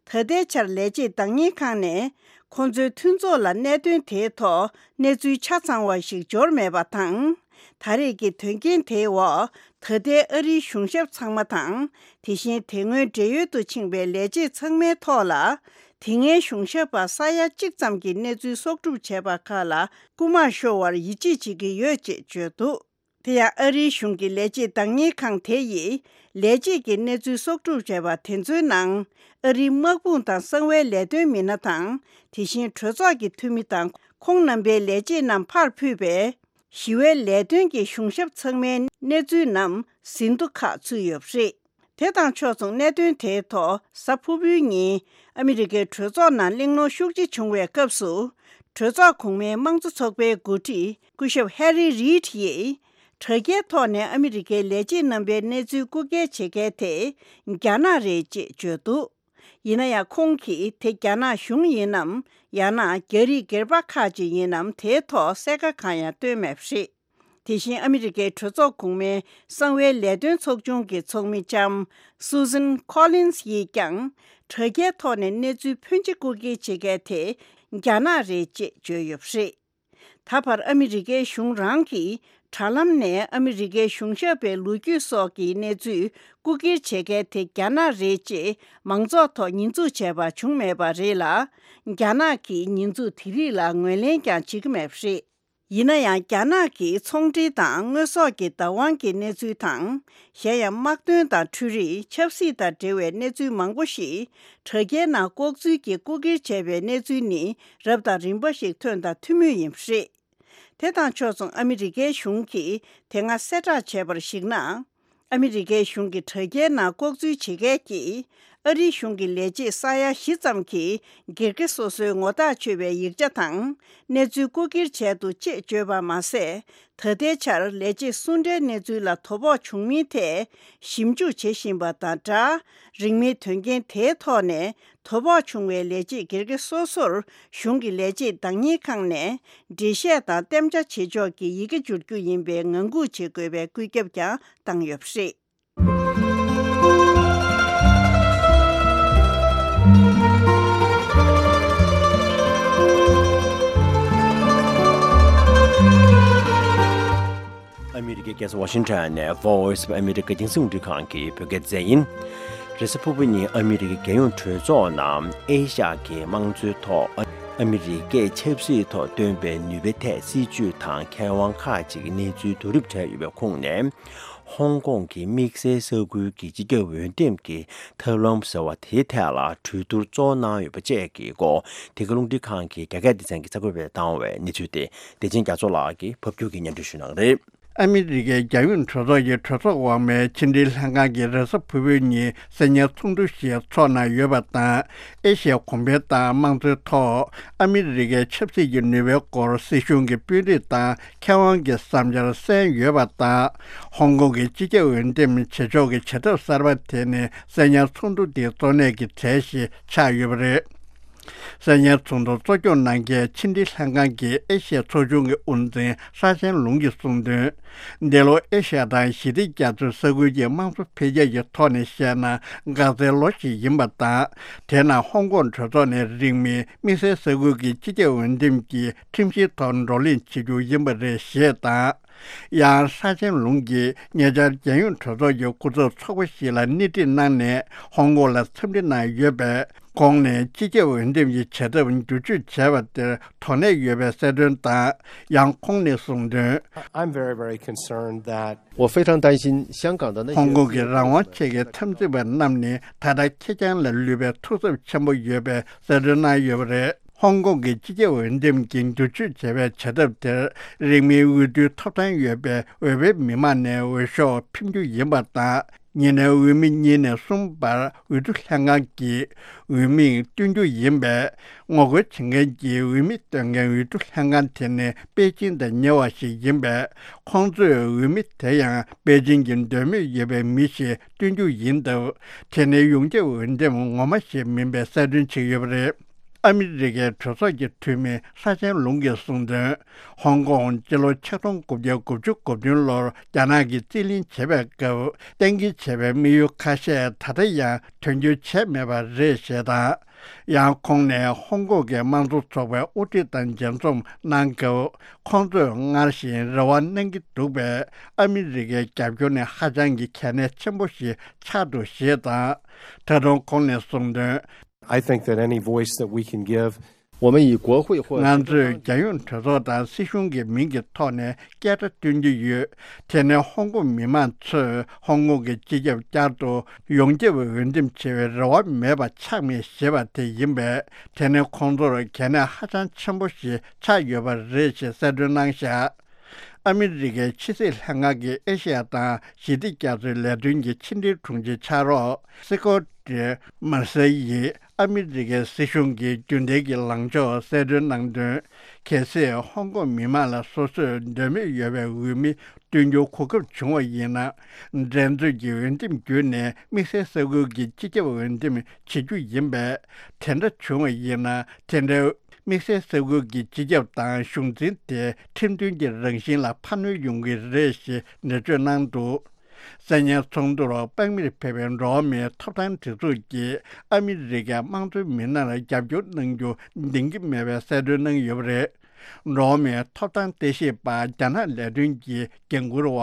ད་ལྟའི་ཆར་ལས་བྱེད་བདག་གཉེར་ཁང་ནས་ཁོང་ཚོའི་མཐུན་ཚོགས་ལ་གནད་དོན་དེའི་ཐོག་གནས་ཚུལ་ཆ་ཚང་བ་ཞིག་འབྱོར་མེད་པ་དང་། ད་རེས་ཀྱི་དོན་རྐྱེན་དེའི་འོག་ད་ལྟའི་ཨ་རིའི་གཞུང་ཞབས་ཚང་མ་དང་། དེ་བཞིན་དེ་སྔོན་བགྲེས་ཡོལ་དུ་ཕྱིན་པའི་ལས་བྱེད་ཚང་མའི་ཐོག་ལ། དེ་སྔའི་གཞུང་ཞབས་པ་ས་ཡ་གཅིག་ཙམ་གྱི་གནས་ཚུལ་གསོག་སྒྲུབ་བྱས་པ་ཁག་ལ་རྐུ་མ་ཤོར་བར་ཡིད་ཆེས་བྱེད་ཀྱི་ཡོད་ཅེས་བརྗོད་འདུག་དེ་ཡང་ཨ་རིའི་གཞུང་གི་ལས་བྱེད་བདག་གཉེར་ཁང་དེ་ཡིས་ལས་བྱེད་ཀྱི་གནས་ཚུལ་གསོག་སྒྲུབ་བྱས་པ་དེ་ཚོའི་ནང་ཨ་རིའི་དམག་དཔུང་དང་གསང་བའི་ལས་དོན་མི་སྣ་དང་། དེ་བཞིན་གྲོས་ཚོགས་ཀྱི་འཐུས་མི་དང་ཁོང་རྣམ་པའི་ལས་བྱེད་རྣམས་ཕར་ཕུད་པའི་ཞི་བའི་ལས་དོན་གྱི་གཞུང་ཞབས་ཚང་མའི་གནས་ཚུལ་རྣམས་ཟིན་ཐོ་ཁག་ཚུད་ཡོད་པ་རེད། དེ་དང་ཕྱོགས་མཚུངས་གནད་དོན་དེའི་ཐོག་གཟའ་ཕུར་བུའི་ཉིན་ཨ་མི་རི་ཀའི་གྲོས་ཚོགས་ནང་གླེང་སློང་ཤུགས་ཆེ་བྱུང་བའི་སྐབས་སུ། གྲོས་ཚོགས་གོང་མའི་དམངས་གཙོ་ཚོགས་པའི་འགོ་ཁྲིད་སྐུ་ཞབས་ཧེ་རི་རིད་ཡིས། དྲ་རྒྱའི་ཐོག་ནས་ཨ་མི་རི་ཀའི་ལས་བྱེད་རྣམ་པའི་གནས་ཚུལ་རྐུ་འཁྱེར་བྱེད་མཁན་དེ་རྒྱ་ནག་རེད་ཅེས་བརྗོད་འདུག་ཡིན་ན་ཡང་ཁོང་གིས་དེ་རྒྱ་ནག་གཞུང་ཡིན་ནམ། ཡང་ན་རྒྱ་རིགས་སྒེར་པ་ཁག་ཅིག་ཡིན་ནམ། དེའི་ཐོག་གསལ་ཁ་གང་ཡང་བཏོན་མེད་པ་རེད། དེ་བཞིན་ཨ་མི་རི་ཀའི་གྲོས་ཚོགས་གོང་མའི་གསང་བའི་ལས་དོན་ཚོགས་ཆུང་གི་ཚོགས་མི་ལྕམ་Susan Collins་ཡིས་ཀྱང་། དྲ་རྒྱའི་ཐོག་ནས་གནས་ཚུལ་ཕོན་ཆེ་རྐུ་འཁྱེར་བྱེད་མཁན་དེ་ རྒྱ་ནག་རེད་ཅེས་བརྗོད་ཡོད་པ་རེད། ད་བར་ཨ་མི་རི་ཀའི་གཞུང་རང་གིས་དྲ་ལམ་ནས་ཨ་མི་རི་ཀའི་གཞུང་ཞབས་པའི་ལོ་རྒྱུས་སོགས་ཀྱི་གནས་ཚུལ་རྐུ་འཁྱེར་བྱེད་མཁན་དེ་རྒྱ་ནག་རེད་ཅེས་མང་ཚོགས་ཐོག་ཉེས་འཛུགས་བྱས་པ་བྱུང་མེད་པ་རེད་ལ། རྒྱ་ནག་གིས་ཉེས་འཛུགས་དེ་རིགས་ལ་ངོས་ལེན་ཀྱང་བྱེད་ཀྱི་མེད་པ་རེད། ཡིན་ན་ཡང་རྒྱ་ནག་གིས་ཚོང་འབྲེལ་དང་དངོས་ཟོག་གི་བདག་དབང་གི་གནས་ཚུལ་དང་། གཞན་ཡང་དམག་དོན་དང་འཕྲུལ་རིག་ཆབ་སྲིད་དང་འབྲེལ་བའི་གནས་ཚུལ་མང་པོ་ཞིག་དྲ་རྒྱའི་ནང་ལྐོག་འཛུལ་གྱིས་རྐུ་འཁྱེར་བྱས་པའི་གནས་ཚུལ་ནི་རབ་དང་རིམ་པ་ཞིག་ཐོན་དང་ཐོན་མུས་ཡིན་པ་རེད། དེ་དང་ཕྱོགས་མཚུངས་ཨ་མི་རི་ཀའི་གཞུང་གིས་དེ་སྔ་གསལ་བསྒྲགས་བྱས་པར་གཞིགས་ན། ཨ་མི་རི་ཀའི་གཞུང་གིས་དྲ་རྒྱའི་ནང་ལྐོག་འཛུལ་བྱེད་མཁན་གྱི་ཨ་རིའི་གཞུང་གི་ལས་བྱེད་ས་ཡ་བཞི་ཙམ་གྱིས་སྒེར་གྱི་སོ་སོའི་ངོ་ཐག་ཆོད་པའི་ཡིག་ཆ་དང་གནས་ཚུལ་རྐུ་འཁྱེར་བྱས་འདུག་ཅེས་བརྗོད་པ་མ་ཟད། ད་ལྟའི་ཆར་ལས་བྱེད་སུ་འདྲའི་གནས་ཚུལ་ལ་དོ་ཕོག་བྱུང་མིན་ཐད་ཞིབ་འཇུག་བྱེད་བཞིན་པ་དང་སྦྲགས། རིང་མིན་དོན་རྐྱེན་དེའི་ཐོག་ནས་དོ་ཕོག་བྱུང་བའི་ལས་བྱེད་སྒེར་གྱི་སོ་སོར་གཞུང་གི་ལས་བྱེད་བདག་གཉེར་ཁང་ནས་འགྲེལ་བཤད་དང་གཏན་འཇགས་བྱེད་ཕྱོགས་ཀྱི་ཡི་གེ་འབྱོར་རྒྱུ་ཡིན་པའི་ངང་སྒུག་བྱེད་དགོས་པའི་བཀོད་ཁྱབ་ཀྱང་བཏང་ཡོད་པ་རེད། ཨ་མི་རི་ཀའི་རྒྱལ་ས་ཝ་ཤིང་ཊོན་ནས་Voice of America་རྒྱང་སྲིང་རླུང་འཕྲིན་ཁང་གི་བོད་སྐད་སྡེ་ཚན་ཡིན། རེས་གཟའ་ཕུར་བུ་ཉིན་ཨ་མི་རི་ཀའི་རྒྱལ་ཡོངས་གྲོས་ཚོགས་ནང་ཨེ་ཤ་ཡ་གི་དམངས་གཙོའི་ཐོག་ཨ་མི་རི་ཀས་ཆབ་སྲིད་ཐོག་བཏོན་པའི་ནུས་པའི་ཐད་སྲིད་ཇུས་དང་མཁས་དབང་ཁག་ཅིག་གི་གནས་ཚུལ་བསྡུ་རུབ་བྱས་ཡོད་པའི་ཁོངས་ནས། ཧོང་ཀོང་གི་དམིགས་བསལ་ས་ཁུལ་གྱི་སྤྱི་ཁྱབ་འོས་འདེམས་ཀྱི་ཐབས་ལམ་ཟེར་བ་དེའི་ཐད་ལ་གྲོས་བསྡུར་གཙོ་བོ་གནང་ཡོད་པ་བཅས་ཀྱི་སྐོར་དེ་ག་རླུང་འཕྲིན་ཁང་གི་རྒྱ་སྐད་སྡེ་ཚན་གྱིས་གསར་འགོད་པར་བཏང་བའི་གནས་ཚུལ་དེ་བདེ་ཆེན་རྒྱ་མཚོ་ལགས་ཀྱིས་ཕབ་སྒྱུར་གྱིས་སྙན་སྒྲོན་ཞུ་གནང་རེད། ཨ་མི་རི་ཀའི་རྒྱལ་ཡོངས་གྲོས་ཚོགས་ཀྱི་གྲོས་ཚོགས་འོག་མའི་ཕྱི་འབྲེལ་ལྷན་ཁང་གིས་རེས་གཟའ་ཕུར་བུའི་ཉིན་གསེར་ཉའི་ཚོགས་འདུ་ཞིག་འཚོགས་གནང་ཡོད་པ་དང་། ཨེ་ཤི་ཡ་གོང་འཕེལ་དང་དམངས་གཙོའི་ཐོག་ཨ་མི་རི་ཀའི་ཆབ་སྲིད་ཀྱི་ནུས་པའི་སྐོར་སྲིད་གཞུང་གི་དཔོན་རིགས་དང་མཁས་དབང་གི་བསམ་འཆར་གསན་ཡོད་པ་དང་། ཧོང་ཀོང་གི་སྤྱི་ཁྱབ་འོས་འདེམས་བྱེད་ཕྱོགས་ཀྱི་བྱ་ཐབས་གསར་པ་དེ་ནི་གསེར་ཉའི་ཚོགས་འདུ་འདིའི་གཙོ་གནད་ཀྱི་གྲས་ཤིག་ཆགས་ཡོད་པ་རེད། གསེར་ཉའི་ཚོགས་འདུ་གཙོ་སྐྱོང་གནང་མཁན་ཕྱི་འབྲེལ་ལྷན་ཁང་གི་ཨེ་ཤི་ཡའི་ཚོགས་ཆུང་གི་དབུ་འཛིན་ཧྲ་ཆན་ལུང་གིས་གསུངས་དོན། འདི་ལོ་ཨེ་ཤ་ཡ་དང་ཞི་བདེ་རྒྱ་མཚོའི་ས་ཁུལ་གྱི་དམངས་གཙོ་འཕེལ་རྒྱས་ཀྱི་ཐོག་ནས་བཤད་ན་འགག་རྩའི་ལོ་ཞིག་ཡིན་པ་དང་། དེས་ན་ཧོང་ཀོང་གྲོས་ཚོགས་ནས་རིང་མིན་དམིགས་བསལ་ས་ཁུལ་གྱི་སྤྱི་ཁྱབ་འོས་འདེམས་ཀྱི་ཁྲིམས་གཞིའི་ཐོག་བགྲོ་གླེང་བྱེད་རྒྱུ་ཡིན་པ་རེད་ཞེས་དང་། ཡང་ཧྲ་ཆན་ལུང་གིས་ཉེ་ཆར་རྒྱལ་ཡོངས་གྲོས་ཚོགས་ཀྱི་སྐུ་ཚབ་ཚོགས་པ་ཞིག་ལ་སྣེ་ཁྲིད་གནང་ནས་ཧོང་ཀོང་ལ་འཚམས་འདྲི་གནང་ཡོད་པས། ཁོང་ནས་སྤྱི་ཁྱབ་འོས་འདེམས་ཀྱི་བྱ་ཐབས་བསྒྱུར་བཅོས་བྱས་པ་དེར་དོ་སྣང་ཡོད་པའི་གསལ་སྟོན་དང་། ཡང་ཁོང་ནས་གསུངས་དོན། I'm very, very concerned that 我非常担心香港的那些 ཧོང་ཀོང་གི་རང་དབང་ཆེད་ཀྱི་འཐབ་འཛིང་པ་རྣམས་ནི་ད་ལྟ་ཁེར་རྐྱང་ལ་ལུས་པའི་ཐུགས་འཚབ་ཆེན་པོ་ཡོད་པའི་གསལ་སྟོན་གནང་ཡོད་པ་རེད། ཧོང་ཀོང་གི་སྤྱི་ཁྱབ་འོས་འདེམས་ཀྱི་བསྒྱུར་བཅོས་བྱས་པའི་བྱ་ཐབས་དེར་རིང་མིན་འོས་བསྡུའི་ཐོབ་ཐང་ཡོད་པའི་འོས་པའི་མི་མང་ནས་འོས་ཤོག་འཕེན་རྒྱུ་ཡིན་པ་དང་། ཉེ་གནོན་འོས་མི་གཉིས་ནས་གསུམ་བར་འོས་བསྡུ་ལྷན་ཁང་གིས་འོས་མི་བསྟུན་རྒྱུ་ཡིན་པས། ངོ་རྒོལ་བྱེད་མཁན་གྱི་འོས་མི་བསྟུན་མཁན་འོས་བསྡུ་ལྷན་ཁང་དེ་ནི་པེ་ཅིང་དང་ཉེ་བ་ཞིག་ཡིན་པས། ཁོང་ཚོས་འོས་མི་དེ་ཡང་པེ་ཅིང་གི་འདོད་མོས་ཡོད་པའི་མི་ཞིག་བསྟུན་རྒྱུ་ཡིན་སྟབས། དེ་ནི་ཡོངས་ཁྱབ་འོས་འདེམས་ངོ་མ་ཞིག་མིན་པའི་གསལ་སྟོན་བྱས་ཡོད་པ་རེད། ཨ་མི་རི་ཀའི་གྲོས་ཚོགས་ཀྱི་འཐུས་མི་ཧྲ་ཆན་ལུང་གིས་གསུངས་དོན། ཧོང་ཀོང་སྤྱི་ལོ་ཆིག་སྟོང་དགུ་བརྒྱ་དགུ་བཅུ་གོ་བདུན་ལོར་རྒྱ་ནག་གིས་རྩིས་ལེན་བྱེད་པའི་སྐབས་གཏན་འཁེལ་བྱས་པའི་དམིགས་ཡུལ་ཁ་ཤས་ད་ལྟ་ཡང་དོན་འཁྱོལ་བྱས་མེད་པ་རེད་ཞེས་དང་། ཡང་ཁོང་ནས་ཧོང་ཀོང་གི་དམངས་གཙོ་ཚོགས་པའི་དབུ་ཁྲིད་དང་མཇལ་འཛོམས་གནང་སྐབས། ཁོང་ཚོས་སྔར་བཞིན་རེ་བ་གནང་གི་འདུག་པས། ཨ་མི་རི་ཀའི་རྒྱབ་སྐྱོར་ནི་ཧ་ཅང་གི་གལ་གནད་ཆེན་པོ་ཞིག་ཆགས་འདུག་ཞེས་དང་། ད་དུང་ཁོང་ནས་གསུངས་དོན། I think that any voice that we can give 我们以国会或 ང་ཚོས་རྒྱལ་ཡོངས་གྲོས་ཚོགས་དང་སྲིད་གཞུང་གི་མིང་གི་ཐོག་ནས་སྐད་སྒྲ་བཏོན་གྱི་ཡོད། དེ་ནི་ཧོང་ཀོང་མི་མང་ཚོས་ཧོང་ཀོང་གི་སྤྱི་ཁྱབ་བསྐྱར་དུ་ཡོངས་ཁྱབ་འོས་འདེམས་བྱེད་པའི་རེ་བ་མེད་པ་ཆགས་མེད་ཞེས་པ་དེ་ཡིན་པས། དེ་ནི་ཁོང་ཚོར་གལ་གནད་ཧ་ཅང་ཆེན་པོ་ཞིག་ཆགས་ཡོད་པ་རེད་ཅེས་གསལ་སྟོན་གནང་བཞག་ཨ་མི་རི་ཀའི་ཕྱི་སྲིད་ལྷན་ཁང་གི་ཨེ་ཤེ་ཡ་དང་ཞི་བདེ་རྒྱ་མཚོའི་ལས་དོན་གྱི་ཕྱི་འབྲེལ་དྲུང་ཆེ་ཕྱག་རོགས་སི་ཀོ་ཏི་མར་སེ་ཡིས་ཨ་མི་རི་ཀའི་སྲིད་གཞུང་གི་རྒྱུན་ལྡན་གྱི་ལངས་ཕྱོགས་གསལ་སྟོན་གནང་དོན། གལ་སྲིད་ཧོང་ཀོང་མི་མང་ལ་སོ་སོས་འདོད་མོས་ཡོད་པའི་འོས་མི་བསྟུན་རྒྱུའི་གོ་སྐབས་བྱུང་བ་ཡིན་ན། འགྲན་རྩོད་ཀྱི་འོས་འདེམས་བརྒྱུད་ནས་དམིགས་བསལ་ས་ཁུལ་གྱི་སྤྱི་ཁྱབ་འོས་འདེམས་བྱེད་རྒྱུ་ཡིན་པས། དེ་འདྲ་བྱུང་བ་ཡིན་ན། དེ་འདྲའི་དམིགས་བསལ་ས་ཁུལ་གྱི་སྤྱི་ཁྱབ་དང་གཞུང་འཛིན་དེ་ཁྲིམས་མཐུན་གྱི་རང་བཞིན་ལ་འཕར་སྣོན་ཡོང་གི་རེད་ཞེས་འགྲེལ་བརྗོད་གནང་འདུག་གསན་ཉན་ཚོགས་འདུར་དཔང་མིར་ཕེབས་པའི་འགྲོ་བ་མིའི་ཐོབ་ཐང་སྒྲིག་འཛུགས་ཀྱིས་ཨ་མི་རི་ཀའི་དམངས་གཙོའི་མི་སྣར་རྒྱབ་སྐྱོར་གནང་རྒྱུ་འདིང་གི་མེད་པའི་གསལ་སྟོན་གནང་ཡོད་པ་རེད། འགྲོ་བ་མིའི་ཐོབ་ཐང་ལྟ་ཞིབ་པ་རྒྱ་ནག་ལས་དོན་གྱི་འགན་འཁུར་བ་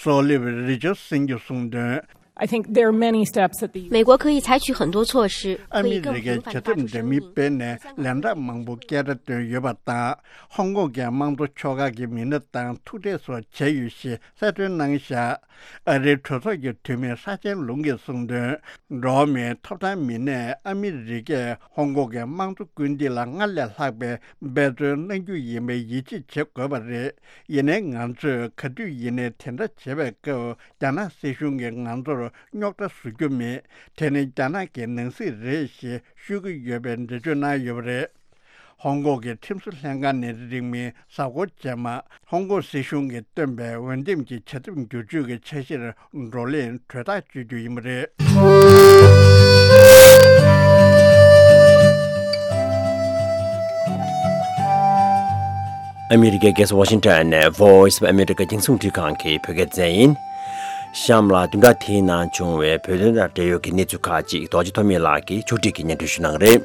སོ་ལིབ་རི་ཅར་སན་གྱིས་གསུངས་དོན། I think there are many steps that the 美国可以采取很多措施， ཨ་མི་རི་ཀའི་བྱ་ཐབས་འདྲ་མིན་སྤེལ་ནས་ལན་གྲངས་མང་པོ་སྐད་སྒྲ་བཏོན་ཡོད་པ་དང་། ཧོང་ཀོང་གི་དམངས་གཙོ་ཕྱོགས་ཁག་གི་མི་སྣ་དང་ཐུག་འཕྲད་སོགས་བྱས་ཡོད་ཞེས་གསལ་སྟོན་གནང་བཞག་ཨ་རིའི་གྲོས་ཚོགས་ཀྱི་འཐུས་མི་ཧྲ་ཅན་ལུང་གིས་གསུངས་དོན། འགྲོ་བ་མིའི་ཐོབ་ཐང་མི་སྣས་ཨ་མི་རི་ཀས་ཧོང་ཀོང་གི་དམངས་གཙོ་སྐུལ་འདེད་ལ་སྔར་ལས་ལྷག་པའི་འབད་བརྩོན་གནང་རྒྱུ་ཡིན་པའི་ཡིད་ཆེས་བྱེད་དགོས་པ་རེད། ཡིན་ནའི་ང་ཚོས་ག་དུས་ཡིན་ནའི་དེ་འདྲ་བྱེད་པའི་སྐབས་རྒྱ་ནག་སྲིད་གཞུང་གིས་ང་ཚོར་རྙོག་དྲ་བཟོ་རྒྱུ་མེད། དེ་ནི་རྒྱ་ནག་གི་ནང་སྲིད་རེད་ཞེས་ཤོད་ཀྱི་ཡོད་པའི་འགྲེལ་བརྗོད་གནང་ཡོད་པ་རེད། ཧོང་ཀོང་གི་ཁྲིམས་བཟོ་ལྷན་ཁང་ནས་རིང་མིན་གཟའ་འཁོར་རྗེས་མ་ཧོང་ཀོང་སྲིད་གཞུང་གིས་བཏོན་པའི་འོས་འདེམས་ཀྱི་བྱ་ཐབས་བསྒྱུར་བཅོས་ཀྱི་འཆར་གཞིར་བགྲོ་གླེང་གྲོས་ཐག་གཅོད་རྒྱུ་ཡིན་པ་རེད། ཨ་མི་རི་ཀའི་རྒྱལ་ས་ཝ་ཤིང་ཊོན་ནས་Voice of America རྒྱང་སྲིང་རླུང་འཕྲིན་ཁང་གི་བོད་སྐད་སྡེ་ཚན་ཡིན། གཤམ་ལ་བདུན་ཕྲག་དེའི་ནང་བྱུང་བའི་བོད་དོན་དང་འབྲེལ་ཡོད་ཀྱི་གནས་ཚུལ་ཁག་ཅིག་རྡོ་རྗེ་ཐོགས་མེད་ལགས་ཀྱིས་ཕྱོགས་སྒྲིག་གིས་སྙན་སྒྲོན་ཞུ་གནང་གི་རེད།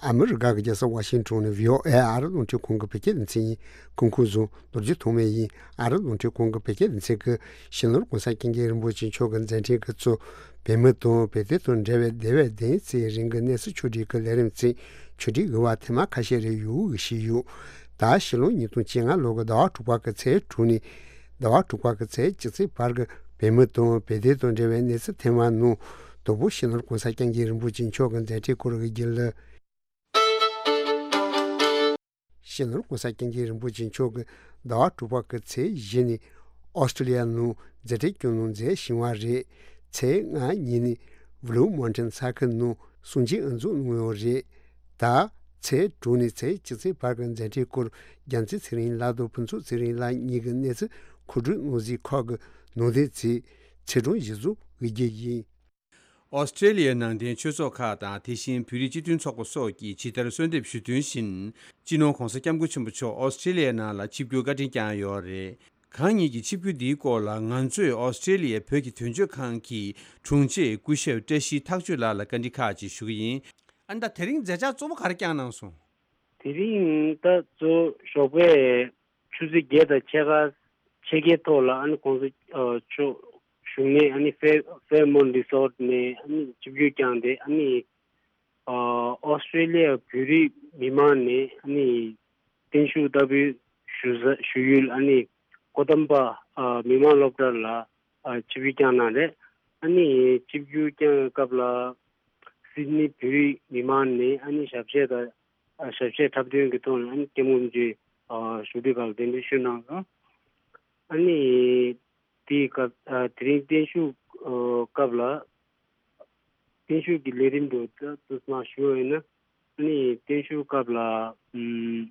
ཨ་མི་རི་ཀ་གི་རྒྱལ་ས་ཝ་ཤིང་ཊོན་ནས་བྷི་ཨོ་ཨེ་ཨ་རི་རླུང་འཕྲིན་ཁང་གི་བོད་སྐད་སྡེ་ཚན་ཡིན། སྐུ་ཁམས་བཟང་། རྡོ་རྗེ་ཐོགས་མེད་ཡིན། ཨ་རི་རླུང་འཕྲིན་ཁང་གི་བོད་སྐད་སྡེ་ཚན་གྱིས་སྤྱི་ནོར་༸གོང་ས་༸སྐྱབས་མགོན་རིན་པོ་ཆེ་མཆོག་གི་མཛད་འཕྲིན་གྱིས་གཙོས་བོད་མི་དང་བོད་དོན་དང་འབྲེལ་བའི་འདས་པའི་ཟླ་བ་བདུན་ཙམ་རིང་གི་གནས་ཚུལ་ཕྱོགས་སྒྲིག་གི་ལས་རིམ་ཚོའི་ཕྱོགས་སྒྲིག་གི་བར་ཐེངས་མ་ཁ་ཤས་རེ་ཡོང་གི་ཞིག་ཡོད། ད་ཕྱི་ལོ་ཉིས་སྟོང་བཅོ་ལྔ་ལོ་གི་ཟླ་བ་དྲུག་པ་གི་ཚེས་དྲུག་ནས་ཟླ་བ་དྲུག་པ་གི་ཚེས་བཅུ་གཅིག་བར་གྱི་བོད་མི་དང་བོད་དོན་དང་འབྲེལ་བའི་གནས་ཚུལ་ཐེངས་མ་ནང་དང་པོ་སྤྱི་ནོར་༸གོང་ས་༸སྐྱབས་མགོན་རིན་པོ་ཆེ་མཆོག་གི་མཛད་འཕྲིན་སྐོར་གྱི་རྒྱུན་ལས། སྤྱི་ནོར་༸གོང་ས་༸སྐྱབས་མགོན་རིན་པོ་ཆེ་མཆོག་གིས་ཟླ་བ་དྲུག་པ་གི་ཚེས་བཞི་ནས་ཨོ་སི་ཀྲི་ལི་ཡ་ནང་མཛད་འཕྲིན་སྐྱོང་གནང་མཛད་བཞིན་པ་རེད། ཚེས་ལྔ་ཉིན་ནས་བྷི་ལུ་མོན་ཊེན་ས་ཁུལ་ནང་གསུང་ཆོས་དབུ་འཛུགས་གནང་ཡོད་རེད། ད་ཚེས་དྲུག་ནས་ཚེས་བཅུ་ཚེས་བར་གྱི་མཛད་འཕྲིན་སྐོར་རྒྱལ་མཚན་ཚེ་རིང་ལགས་དང་ཕུན་ཚོགས་ཚེ་རིང་ལགས་གཉིས་ཀྱི་གནས་ཚུལ་མཁོ་སྒྲུབ་གནང་གཟིགས་ཁག་གི་ནང་དོན་ཚོའི་ཚེས་གྲངས་གཞི་བཟུང་འོས་བསྡུ་ཡིན། ཨོ་སི་ཀྲི་ལི་ཡའི་ནང་བསྟན་ཆོས་ཚོགས་ཁག་དང་དེ་བཞིན་བོད་རིགས་སྤྱི་མཐུན་ཚོགས་པ་སོགས་ཀྱིས་ཇི་ལྟར་གསོལ་འདེབས་ཞུ་དོན་བཞིན། སྤྱི་ནོར་༸གོང་ས་༸སྐྱབས་མགོན་ཆེན་པོ་མཆོག་ཨོ་སི་ཀྲི་ལི་ཡའི་ནང་ལ་ཆིབས་བསྒྱུར་བཀའ་དྲིན་བསྐྱངས་ཡོད་རེད། གང་ཉིད་ཀྱི་ཆིབས་བསྒྱུར་འདིའི་སྐོར་ལ་ང་ཚོས་ཨོ་སི་ཀྲི་ལི་ཡའི་བོད་ཀྱི་དོན་གཅོད་ཁང་གི་དྲུང་ཆེ་སྐུ་ཞབས་བཀྲ་ཤིས་ཐག་ཆོད་ལགས་ལ་བཀའ་འདྲི་ཁག་ཅིག་ཞུ་གི་ཡིན། ཨ་ནི་ད་དེ་རིང་མཛད་འཆར་གཙོ་བོ་ག་རེ་བསྐྱངས་གནང་སོང་། དེ་རིང་ད་གཙོ་བོ་ཞོགས་པའི་ཆུ་ཚོད་བརྒྱད་དང་ཕྱེད་ཀ་ཕྱེད་ཀའི་ཐོག་ལ་ཨ་ནི་༸གོང་ས་མཆོག་བཞུགས་གནས་ཨ་ནི་ཧྥེ་ཧྥེར་མོན་རི་སོར་ནས་ཨ་ནི་ཆིབས་བསྒྱུར་བསྐྱངས་ཏེ། ཨ་ནི་ཨོ་སི་ཀྲི་ལི་ཡ་བོད་རིགས་མི་མང་ནས་ཨ་ནི་བརྟན་བཞུགས་ལྟ་བུའི་ཞུ་ས་ཞུ་ཡུལ་ཨ་ནི་ཀོ་དམ་པ་མི་དམངས་སློབ་གྲྭ་ལ་ཆིབས་བསྒྱུར་བསྐྱངས་གནང་རེད། ཨ་ནི་ཆིབས་བསྒྱུར་བསྐྱངས་སྐབས་ལ་སིད་ནི་བོད་རིགས་མི་མང་ནས་ཨ་ནི་ཞབས་གཞས་དང་ཞབས་གཞས་འཁྲབ་སྟོན་གྱི་ཐོག་ནས་ཨ་ནི་སྐྱབས་མགོན་རིན་པོ་ཆེ་བཞུགས་སའི་སྒང་ལ་གདན་འདྲེན་ཞུས་གནང་སོང་། ཨ་ནི་དེའི་སྐབས་དེ་རིང་བརྟན་བཞུགས་སྐབས་ལ་བརྟན་བཞུགས་ཀྱི་ལས་རིམ་དུ་ད་ཚོད་མ་ཞུ་བ་ཡིན་ན། ཨ་ནི་བརྟན་བཞུགས་སྐབས་ལ་ཨམ་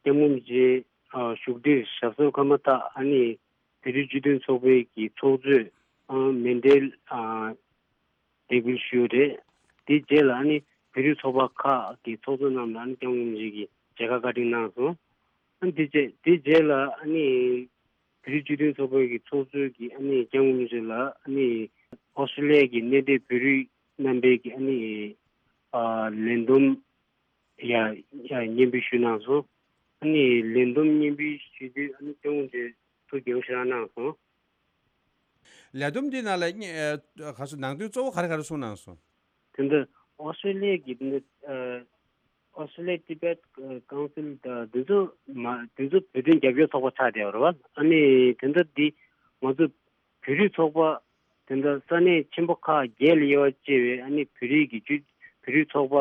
སྐྱབས་མགོན་རིན་པོ་ཆེ་ཨ་བཞུགས་ཁྲིར་ཞབས་སོར་འཁོད་མ་ཐག་ཨ་ནི་བོད་རིགས་སྤྱི་མཐུན་ཚོགས་པའི་གི་ཚོགས་གཙོས་ཨ་མཎྜལ་ཨ་འདེགས་འབུལ་ཞུས་ཡོད་རེད། དེའི་རྗེས་ལ་ཨ་ནི་བོད་རིགས་ཚོགས་པ་ཁག་གི་ཚོགས་གཙོ་རྣམས་ལ་ཨ་ནི་སྐྱབས་མགོན་རིན་པོ་ཆེ་གིས་མཇལ་ཁ་བཀའ་དྲིན་གནང་སོང་། ཨ་ནི་དེ་རྗེས་དེའི་རྗེས་ལ་ཨ་ནི་བོད་རིགས་སྤྱི་མཐུན་ཚོགས་པའི་གི་ཚོགས་གཙོས་ཀྱི་ཨ་ནི་སྐྱབས་མགོན་རིན་པོ་ཆེ་ལ་ཨ་ནི་ཨོ་སི་ཀྲི་ལི་ཡ་གི་གནས་སྡོད་བོད་རིགས་རྣམ་པའི་གི་ཨ་ནི་ཨ་ལས་བསྡོམས་ཡ་ཡ་སྙན་འབུལ་ཞུས་གནང་སོང་། ཨ་ནི་ལས་བསྡོམས་སྙན་འབུལ་ཞུས་དུས་ཨ་ནི་སྐྱབས་མགོན་རིན་པོ་ཆེ་ཐུགས་དགྱེས་པོ་ཞེ་དྲག་གནང་སོང་། ལས་བསྡོམས་འདི་ནང་ལ་ག་སོ་ནང་དོན་གཙོ་བོ་ག་རེ་ག་རེ་གསུངས་གནང་སོང་། དེ་འདི་ཨོ་སི་ཀྲི་ལི་ཡ་གི་འདི་ཨོ་སི་ཀྲི་ལི་ཡ་ཏི་བེད་ཀའུན་སིལ་དང་འདི་ཚོ་མ་འདི་ཚོ་བོད་དོན་རྒྱབ་སྐྱོར་ཚོགས་པ་ཆགས་བསྡད་པ་རེད་བ། ཨ་ནི་དེ་འདི་འདི་ང་ཚོ་བོད་རིགས་ཚོགས་པ་དེ་འདི་ས་གནས་ཆེན་པོ་ཁག་བརྒྱད་ལ་དབྱེ་བ་ཕྱེ་བའི་ཨ་ནི་བོད་རིགས་ཀྱི་སྤྱི་བོད་རིགས་ཚོགས་པ་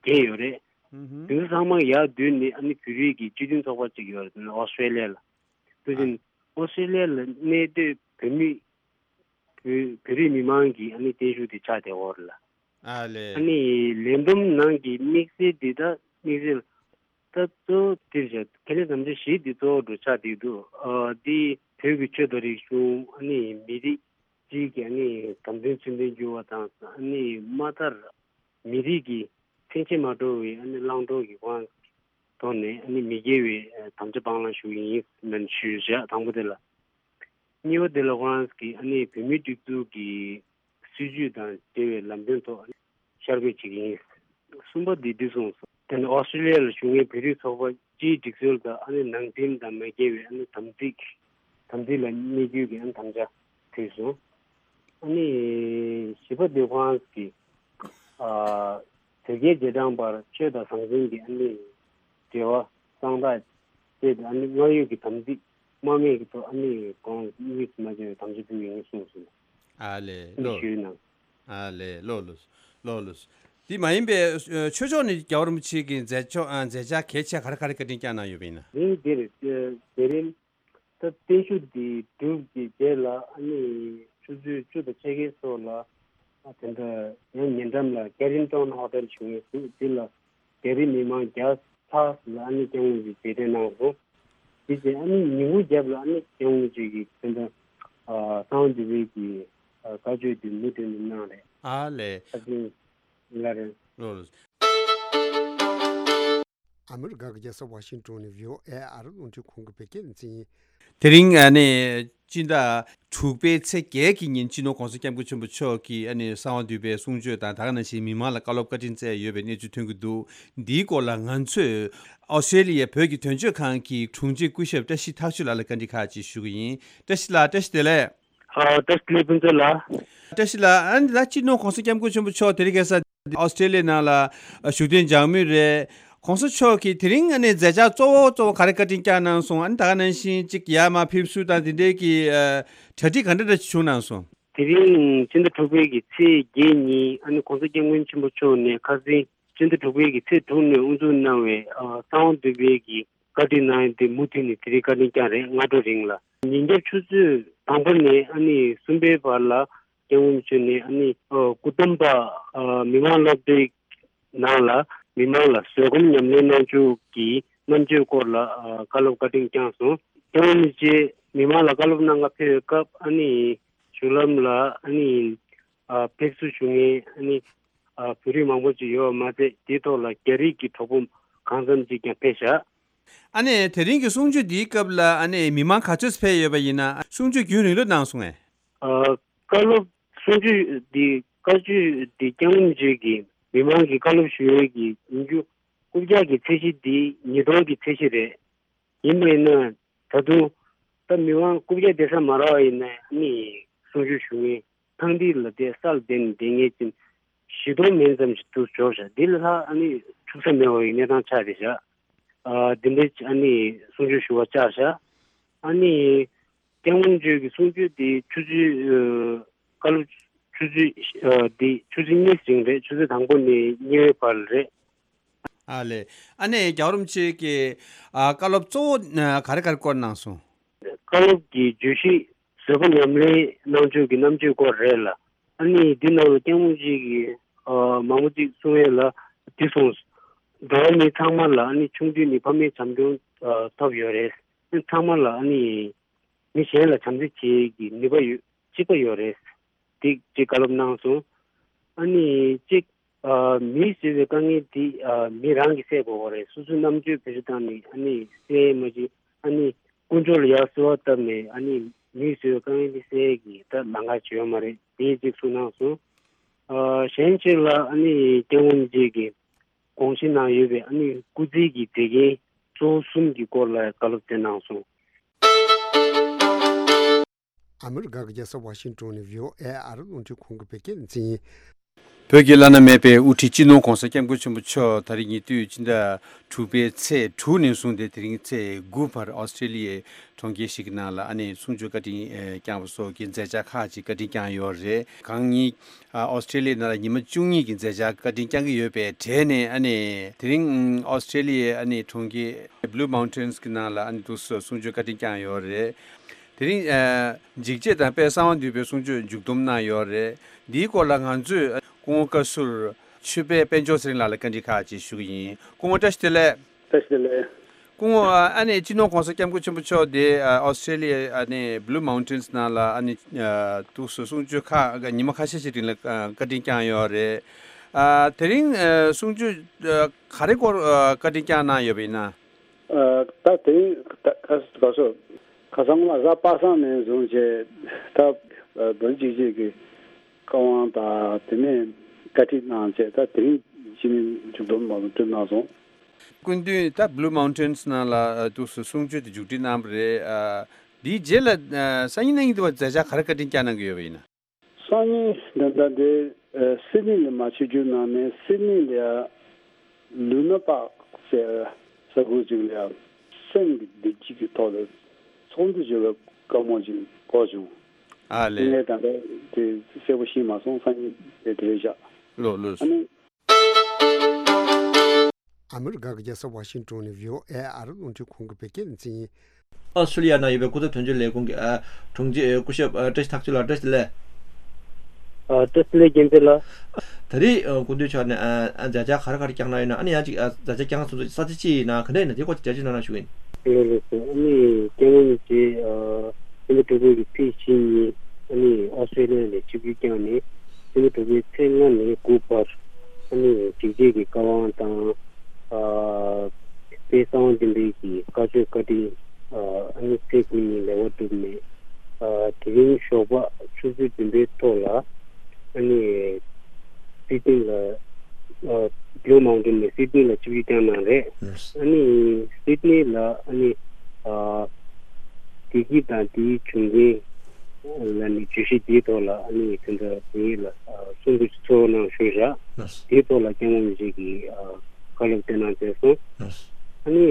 བརྒྱད་ཡོད་རེད། ཨུ་ཧུམ། དེ་ཚོ་ཚང་མ་ཡར་བསྡུས་ནས་ཨ་ནི་བོད་རིགས་ཀྱི་སྤྱི་མཐུན་ཚོགས་པ་གཅིག་ཡོད་རེད། དེ་ནི་ཨོ་སི་ཀྲི་ལི་ཡ་ལ། དེ་བཞིན་ཨོ་སི་ཀྲི་ལི་ཡ་ལ་གནས་སྡོད་བོད་མི་བོད་བོད་རིགས་མི་མང་གི་ཨ་ནི་བརྟན་བཞུགས་དེ་ཆགས་བསྡད་ཡོད་རེད་ལ། ཨ་ལས། ཨ་ནི་ལས་བསྡོམས་ནང་གི་དམིགས་བསལ་འདི་ད་དམིགས་བསལ་ད་གཙོ་བོ་དེ་བྱས་ཁེ་ལས་དམ་བཅའ་བཞི་འདི་གཙོ་བོ་འགྲོ་ཆགས་བསྡད་འདུག་ཨ་འདི་བོད་ཀྱི་ཆོས་དང་རིག་གཞུང་ཨ་ནི་མི་རིགས་གཅིག་གི་ཨ་ནི་དམ་དོན་ཚུལ་ལྡན་འགྱུར་བ་དང་ཨ་ནི་མ་མཐར་ མི་རིགས་ཀྱི་འཚེ་མེད་མ་འགྲོ་བའི་ཨ་ནི་བླང་དོར་གྱི་དབང་ཐོག་ནས་ཨ་ནི་མི་དགེ་བའི་དམ་བཅའ་སྤང་བླང་ཞུ་གི་ཡིན་ལབ་ཞུས་བཞག་དང་པོ་དེ་ལ། གཉིས་པ་དེ་ལ་ཁོ་རང་གིས་ཨ་ནི་བོད་མིའི་སྒྲིག་འཛུགས་ཀྱི་སྲིད་བྱུས་དང་འབྲེལ་བའི་ལམ་སྟོན་ཐོག་ཤར་བསྐྱོད་བྱེད་ཀྱི་ཡིན། གསུམ་པ་དེ་འདི་གསུངས་སོང་། དེ་ནི་ཨོ་སི་ཀྲི་ལི་ཡ་ལ་བཞུགས་མཁན་བོད་རིགས་ཚོགས་པ་སྤྱིའི་སྒྲིག་སྲོལ་དང་ཨ་ནི་ནང་འགྲིམ་དང་མ་འགལ་བའི་ཨ་ནི་དམ་ཚིག་དམ་ཚིག་ལ་གནས་རྒྱུ་གི་ཨ་ནི་དམ་བཅའ་ཕུལ་སོང་། ཨ་ནི་བཞི་པ་དེ་ཁོ་རང་གིས་ཨ་དོལ་རྒྱལ་རྗེས་འབྲང་བར་ཆོས་དང་ཟང་ཟིང་གི་ཨ་ནི་འབྲེལ་བ་གཙང་དག་བཅས་ཨ་ནི་སྔར་ཡོད་ཀྱི་དམ་ཚིག་རྨ་མེད་ཀྱི་ཐོག་ཨ་ནི་གོང་དམིགས་སུ་མ་བྱས་པའི་དམ་བཅའ་ཕུལ་གྱི་ཡིན་གསུངས་སོང་། ཨ་ལས་ཨ་ནི་ལོ། ཞུས་གནང་། ཨ་ལས་ལོ་ལོ། ལོ་ལོ། དེ་མ་ཡིན་པའི་ཨ་ཆོས་ཕྱོགས་ནས་རྒྱལ་བ་རིན་པོ་ཆེ་གི་མཛད་ཕྱོགས་ཨ་མཛད་འཆར་གལ་ཆེ་ག་རེ་ག་རེ་བཀའ་དྲིན་བསྐྱངས་གནང་ཡོད་པ་ཡིན་ན། ཉིན་དེར་ཨ་མཛད་རིམ་ད་བརྟན་བཞུགས་འདི་གྲུབ་ཀྱི་རྗེས་ལ་ཨ་ནི་ཆུ་ཚོད་བཅུ་དང་ཕྱེད་ཀའི་སོགས་ལ་ཨ་དེ་འདྲ་ཡང་ཉེ་འགྲམ་ལ་ཀེ་རིང་ཊོན་ཧོ་ཊེལ་བྱུང་བའི་གཟུགས་འདི་ལ་རྒྱ་རིགས་མི་མང་བརྒྱ་ལྷག་ལ་ཨ་ནི་སྐྱབས་མགོན་གྱིས་མཛད་འཕྲིན་གནང་སོང་། དེ་རྗེས་ཨ་ནི་ཉིན་གུང་རྒྱབ་ལ་ཨ་ནི་སྐྱབས་མགོན་ཆེ་གིས་དེ་འདྲ་ཨ་གསང་བ་འདུས་པའི་གི་ཨ་བཀའ་ཆོས་འདི་མུ་མཐུད་ནས་གནང་རེད། ཨ་ལས། ཨ་ཙི་ལ་རེད། ལོ་ལོ། ཨ་མི་རི་ཀ་གི་རྒྱལ་ས་ཝ་ཤིང་ཊོན་ནས་བྷི་ཨོ་ཨེ་ཨ་རི་རླུང་འཕྲིན་ཁང་གི་བོད་སྐད་སྡེ་ཚན་ཡིན། དེ་རིང་ཨ་ནི་སྤྱི་ཟླ་དྲུག་པའི་ཚེས་བརྒྱད་ཀྱི་ཉིན་སྤྱི་ནོར་༸གོང་ས་༸སྐྱབས་མགོན་ཆེན་པོ་མཆོག་གིས་ཨ་ནི་གསང་བ་འདུས་པའི་གསུང་ཆོས་དང་ད་ག་ནང་བཞིན་མི་མང་ལ་བཀའ་སློབ་བཀའ་དྲིན་སྩལ་ཡོད་པའི་གནས་ཚུལ་ཐོན་གྱི་འདུག་འདིའི་སྐོར་ལ་ང་ཚོས་ཨོ་སི་ཀྲེ་ལི་ཡའི་བོད་ཀྱི་དོན་གཅོད་ཁང་གི་དྲུང་ཆེ་སྐུ་ཞབས་བཀྲ་ཤིས་ཐར་ཆོས་ལགས་ལ་བཀའ་འདྲི་ཁག་ཅིག་ཞུ་གི་ཡིན། བཀྲ་ཤིས་ལགས། བཀྲ་ཤིས་བདེ་ལེགས། ཨ་བཀྲ་ཤིས་བདེ་ལེགས་ཕུན་ཚོགས་ལགས། བཀྲ་ཤིས་ལགས། ཨ་ནི་ད་སྤྱི་ནོར་༸གོང་ས་༸སྐྱབས་མགོན་ཆེན་པོ་མཆོག་དེ་རིང་ཁ་སང་ཨོ་སི་ཀྲེ་ལི་ཡའི་ནང་ལ་བཞུགས་གདན་འཇགས་མུས་རེད། ༸གོང་ས་མཆོག་གིས་དེ་རིང་ཨ་ནི་མཛད་འཆར་གཙོ་བོ་གཙོ་བོ་ག་རེ་བཀའ་དྲིན་བསྐྱངས་གནང་སོང་། ཨ་ནི་ད་ག་ནང་བཞིན་གཅིག་ཡར་མར་ཕེབས་བསུ་དང་དེ་འབྲེལ་གྱི་ཨ་གྲ་སྒྲིག་ག་འདྲ་འདྲ་ཞིག་བྱུང་གནང་སོང་། དེ་རིང་སྤྱི་ཟླ་དྲུག་པའི་གི་ཚེས་བརྒྱད་ཉིན་ཨ་ནི་༸གོང་ས་༸སྐྱབས་མགོན་ཆེན་པོ་མཆོག་ནས་ཁ་སང་སྤྱི་ཟླ་དྲུག་པའི་གི་ཚེས་དྲུག་ནས་དབུ་འཛུགས་གནང་བའི་ཨ་གསང་བ་འདུས་པའི་གི་བཀའ་དྲིན་གནང་ཡ་དེ་མུ་མཐུད་ནས་དེ་རིང་བཀའ་དྲིན་བསྐྱངས་རེད། སྔ་དྲོ་རིང་ལ། ཉིན་རྒྱབ་ཆུ་ཚོད་དང་པོ་ནས་ཨ་ནི་གསུམ་པའི་བར་ལ་༸སྐྱབས་མགོན་མཆོག་ནས་ཨ་ནི་ཨ་སྐུ་བལྟམས་པ་ཨ་མི་དམངས་སློབ་གྲྭའི་ནང་ལ་མི་མང་ལ་བཟོད་སྒོམ་ཉམས་ལེན་གནང་ཕྱོགས་ཀྱི་རྣམ་དཔྱོད་སྐོར་ལ་ཨ་བཀའ་སློབ་བཀའ་དྲིན་བསྐྱངས་སོང་། ༸སྐྱབས་མགོན་རིན་པོ་ཆེ་མི་མང་ལ་བཀའ་སློབ་གནང་ག་ཕེབས་པའི་སྐབས་ཨ་ནི་བཞུགས་ལམ་ལ་ཨ་ནི་ཨ་ཕེབས་བསུ་ཞུ་མཁན་ཨ་ནི་ཨ་བོད་རིགས་མང་པོ་ཅིག་ཡོད་པ་མ་ཟད། དེའི་ཐོག་ལ་རྒྱ་རིགས་ཀྱི་གྲོགས་པོ་གང་འཚམ་ཅིག་ཀྱང་ཕེབས་བཞག་ཨ་ནི་དེ་རིང་གི་གསུང་ཆོས་འདིའི་སྐབས་ལ་ཨ་ནི་མི་མང་ག་ཚོད་ཕེབས་ཡོད་པ་ཡིན་ན། གསུང་ཆོས་རྒྱུན་རིང་ལོས་གནང་སོང་ངས། ཨ་བཀའ་སློབ་གསུང་ཆོས་འདི་བཀའ་ཆོས་འདི་༸སྐྱབས་མགོན་རིན་པོ་ཆེ་གིས་མི་མང་གི་བཀའ་སློབ་ཞུ་ཡས་ཀྱི་ཉིན་རྒྱུན་རྐུབ་བཀྱག་གི་ཚད་གཞི་འདི་ཉིས་སྟོང་གི་ཚད་གཞི་རེད། ཡིན་པ་ཡིན་ན་ད་དུང་ད་མི་མང་རྐུབ་བཀྱག་བསྡད་ས་མ་རག་པ་ཡིན་ན་ཨ་ནི་གསུང་ཆོས་ཞུ་མཁན་ཐང་སྟེང་ལ་བསྡད་ས་ལ་བསྡད་ནས་བསྡད་མཁན་ཅན་བཞི་སྟོང་མན་ཙམ་ཞིག་འདུག་འབྱོར་བཞག་འདི་ལ་ལྷག་ཨ་ནི་ཆུག་ས་མེད་པའི་གནས་སྟངས་ཆགས་བསྡད་བཞག་ཨ་འདི་འདྲའི་ཨ་ནི་གསུང་ཆོས་ཞུ་བར་བཅར་བཞག་ཨ་ནི་༸སྐྱབས་མགོན་མཆོག་གི་གསུང་ཆོས་འདི་ཆུ་ཚོད་ཨ་བཀའ་སློབ་ཆུ་ཚོད་ཨ་འདི་ཆུ་ཚོད་གཉིས་རིང་རེད། ཆུ་ཚོད་དང་པོ་ནས་གཉིས་པའི་བར་རེད། ཨ་ལས། ཨ་ནི་རྒྱལ་བ་རིན་པོ་ཆེ་གི་ཨ་བཀའ་སློབ་གཙོ་བོ་ཨ་ག་རེ་ག་རེ་སྐོར་གནང་སོང་། བཀའ་སློབ་ཀྱི་བརྗོད་གཞི་བཟོད་པ་ཉམས་ལེན་གནང་ཕྱོགས་ཀྱི་རྣམ་དཔྱོད་སྐོར་རེད་ལ། ཨ་ནི་འདི་ནང་ལ་༸སྐྱབས་མགོན་མཆོག་གིས་ཨ་མང་པོ་ཅིག་གསུང་ཡས་ལ་འདི་གསུངས། འགྲོ་བ་མི་ཚང་མ་ལ་ཨ་ནི་ཆུང་དུས་ནས་ཕ་མའི་བྱམས་སྐྱོང་ཨ་ཐོབ་ཡོད་རེད། ཨ་ཚང་མ་ལ་ཨ་ནི་མི་གཞན་ལ་བྱམས་བརྩེ་བྱེད་ཀྱི་ནུས་པ་ཡོད་གཅིག་པ་ཡོད་རེད། འདི་གཅིག་བཀའ་སློབ་གནང་སོང་། ཨ་ནི་གཅིག་ཨ་མིས་བཟོས་པའི་དཀའ་ངལ་འདི་ཨ་མི་རང་གིས་སེལ་དགོས་པ་རེད། སོ་སོའི་རྣམ་དཔྱོད་བེད་སྤྱོད་བཏང་ནས་ཨ་ནི་སེལ་མ་བྱེད་ཨ་ནི་དཀོན་མཆོག་ལ་ཡར་གསོལ་བ་བཏབ་ནས་ཨ་ནི་མིས་བཟོས་པའི་དཀའ་ངལ་འདི་སེལ་གྱི་ད་ལམ་ཁ་ཅིག་ཡོད་མ་རེད། དེ་གཅིག་གསུངས་གནང་སོང་། ཨ་གཞན་གཅིག་ལ་ཨ་ནི་༸སྐྱབས་མགོན་རིན་པོ་ཆེ་གིས་དགོངས་གཞི་ནང་ཡོད་པའི་ཨ་ནི་སྐུ་ཚེ་གི་དེ་གའི་གཙོ་བོ་གསུམ་གྱི་སྐོར་ལ་བཀའ་སློབ་སྩལ་གནང་སོང་། ཨ་མི་རི་ཀ་གི་རྒྱལ་ས་ཝ་ཤིང་ཊོན་ནས་བྷི་ཨོ་ཨེ་ཨ་རི་རླུང་འཕྲིན་ཁང་གི་བོད་སྐད་སྡེ་ཚན་ཡིན། བོད་ཀྱི་བླ་ན་མེད་པའི་དབུ་ཁྲིད་སྤྱི་ནོར་༸གོང་ས་༸སྐྱབས་མགོན་ཆེན་པོ་མཆོག་ད་རེས་ཉེ་དུས་སྤྱི་ཟླ་དྲུག་པའི་ཚེས་དྲུག་ནས་བཟུང་སྟེ་དེ་རིང་ཚེས་དགུ་བར་ཨོ་སི་ཀྲེ་ལི་ཡའི་གྲོང་ཁྱེར་ཞིག་གི་ནང་ལ་ཨ་ནི་གསུང་ཆོས་བཀའ་དྲིན་ཨེ་བསྐྱངས་པ་སོགས་ཀྱི་མཛད་འཆར་ཁག་ཅིག་བཀའ་དྲིན་བསྐྱངས་ཡོད་རེད། གང་ཉིད་ཨ་ཨོ་སི་ཀྲེ་ལི་ཡའི་ནང་ལ་ཉི་མ་བཅུ་གཉིས་ཀྱི་མཛད་འཆར་བཀའ་དྲིན་བསྐྱང་གི་ཡོད་པའི་གྲས་ནས་ཨ་ནི་དེ་རིང་ཨོ་སི་ཀྲེ་ལི་ཡའི་ཨ་ནི་གྲོང་ཁྱེར་Blue Mountains་གི་ནང་ལ་ཨ་ནི་འདུག་སེ་གསུང་ཆོས་བཀའ་དྲིན་བསྐྱངས་ཡོད་རེད། དེ་རིང་ཨ་འཇིགས་བྱེད་དང་དཔལ་གསང་བ་འདུས་པའི་གསུང་ཆོས་མཇུག་བསྡོམས་གནང་ཡོད་རེད། འདིའི་སྐོར་ལ་ང་ཚོས་སྐུ་ངོ་བཀའ་ཟུར་ཆོས་དཔལ་དཔལ་འབྱོར་ཚེ་རིང་ལགས་ལ་བཀའ་འདྲི་ཁག་ཅིག་ཞུ་གི་ཡིན། སྐུ་ངོ་བཀྲ་ཤིས་བདེ་ལེགས། བཀྲ་ཤིས་བདེ་ལེགས། སྐུ་ངོ་ཨ་ནི་སྤྱི་ནོར་༸གོང་ས་༸སྐྱབས་མགོན་ཆེན་པོ་མཆོག་དེ་ཨ་ཨོ་སི་ཀྲེ་ལི་ཡ་ཨ་ནི་Blue Mountains་ནང་ལ་ཨ་ནི་ཨ་འདུག་སེ་གསུང་ཆོས་ཁག་ཉི་མ་ཁ་ཤས་ཤིག་རིང་ལ་ཨ་བཀའ་དྲིན་བསྐྱངས་ཡོད་རེད། ཨ། དེ་རིང་ཨ་གསུང་ཆོས་ཨ་ག་རེ་སྐོར་ཨ་བཀའ་དྲིན་བསྐྱངས་གནང་ཡོད་པ་ཡིན་ན། ཨ། ད་དེ་རིང་ད་ག་ག་སོ་ཁ་སང་ལ་གཟའ་པ་སངས་ནས་བཟུང་བྱས་ད་ཨ་བོད་གཅིག་སྒྲིལ་གྱི་བཀའ་དབང་དང་དེ་ནས་བཀའ་ཁྲིད་གནང་བྱས། ད་དེ་རིང་ཕྱི་ནས་མཇུག་སྡོམ་མ་གཏོང་གནང་སོང་། སྐུ་མདུན་ད་Blue Mountains ནང་ལ་ཨ་འདུག་སེ་གསུང་ཆོས་དེ་མཇུག་སྒྲིལ་གནང་བ་རེད། ཨ་འདིའི་རྗེས་ལ་ཨ་སང་ཉིན་གནངས་ཉིན་དུ་བ་མཛད་འཆར་ག་རེ་བཀའ་དྲིན་བསྐྱངས་གནང་གི་ཡོད་པ་ཡིན་ན། སང་ཉིན་ད་ལྟ་འདི་ཨ་སིད་ནི་ལ་མར་ཆིབས་བསྒྱུར་གནང་ནས། སིད་ནི་ལ་ལུ་ན་པག་ཟེར་ས་ཁུལ་ཅིག་ལ་སེམས་ཀྱི་བདེ་སྐྱིད་ཀྱི་ཐོག་ལ་ཚོགས་འདུ་བྱེད་པའི་བཀའ་མོལ་ཅིག་གོ་བྱུང་། ཨ་ལེ། ངས་ད་ལྟ་དེ་གསལ་པོ་ཤེས་མ་སོང་། སང་ཉིན་དེ་དེ་རེད་བཞག། ལོ་ལོ། ཨ་ནི། ཨ་མི་རི་ཀ་གི་རྒྱལ་ས་ཝ་ཤིང་ཏོན་ནས་བྷི་ཨོ་ཨེ་ཨ་རི་རླུང་འཕྲིན་ཁང་གི་བོད་སྐད་སྡེ་ཚན་ཡིན། ཨོ་སི་ཀྲི་ལི་ཡ་ནང་ཡོད་པའི་སྐུ་ཚབ་དོན་གཅོད་ལས་ཁུངས་ཀྱི་ཨ་དྲུང་ཆེ་སྐུ་ཞབས་ཨ་བཀྲ་ཤིས་ཐག་ཆོད་ལགས། བཀྲ་ཤིས་བདེ་ལེགས། ཨ་བཀྲ་ཤིས་བདེ་ལེགས་རྒྱལ་མཚན་ལགས། ད་རེས་ཨ་སྐུ་མདུན་མཆོག་ནས་ཨ་ཨ་མཛད་འཆར་ག་རེ་ག་རེ་བསྐྱངས་གནང་ཡོད་ན། ཨ་ནི་ཡང་ཅིག་ཨ་མཛད་འཆར་བསྐྱངས་ཚུན་ཚོད་ས་ཆ་ཅི་ཡིན་ན་ག་འདྲ་ཡིན་ན་དེ་སྐོར་ཅིག་འགྲེལ་བརྗོད་གནང་ན་ཞུ་གི་ཡིན། ལགས་ལགས་སོ། ཨ་ནི་སྐྱབས་མགོན་རིན་པོ་ཆེ་ཨ་སྤྱི་ཟླ་དྲུག་པའི་གི་ཚེས་བཞི་ཉིན་ཨ་ནི་ཨོ་སི་ཀྲི་ལི་ཡ་ནས་ཆིབས་བསྒྱུར་བསྐྱངས་ནས། སྤྱི་ཟླ་དྲུག་པའི་ཚེས་ལྔ་ནས་དགུ་བར་ཨ་ནི་སྒྲིག་འཛུགས་ཀྱི་བཀའ་དབང་དང་། ཨ་དཔལ་གསང་བ་བདེ་ལེགས་ཀྱི་བཀའ་ཆོས་བཀའ་དྲིན་ཨ་ཨ་ནི་ཚེས་དགུ་ཉིན་ལེགས་པར་གྲུབ་ནས། ཨ་དེ་རིང་ཞོགས་པ་ཆུ་ཚོད་བདུན་པའི་ཐོག་ལ་ཨ་ནི་སིད་ནི་ལ་ཨ་Blue Mountain ནས་སིད་ནི་ལ་ཆིབས་བསྒྱུར་བསྐྱངས་གནང་རེད། ཨ་ནི་སིད་ནི་ལ་ཨ་ནི་ཨ་བདེ་སྐྱིད་དང་དེའི་བྱུང་རྐྱེན་ལ་ནི་བརྗོད་གཞི་དེའི་ཐོག་ལ་ཨ་ནི་དེ་འདྲ་དེ་ལ་ཨ་གསུང་འབུལ་ཚོགས་གནང་ཞུས་བཞག། དེའི་ཐོག་ལ་སྐྱབས་མགོན་རིན་པོ་ཆེ་གིས་ཨ་བཀའ་སློབ་སྩལ་གནང་མཛད་སོང་། ཨ་ནི་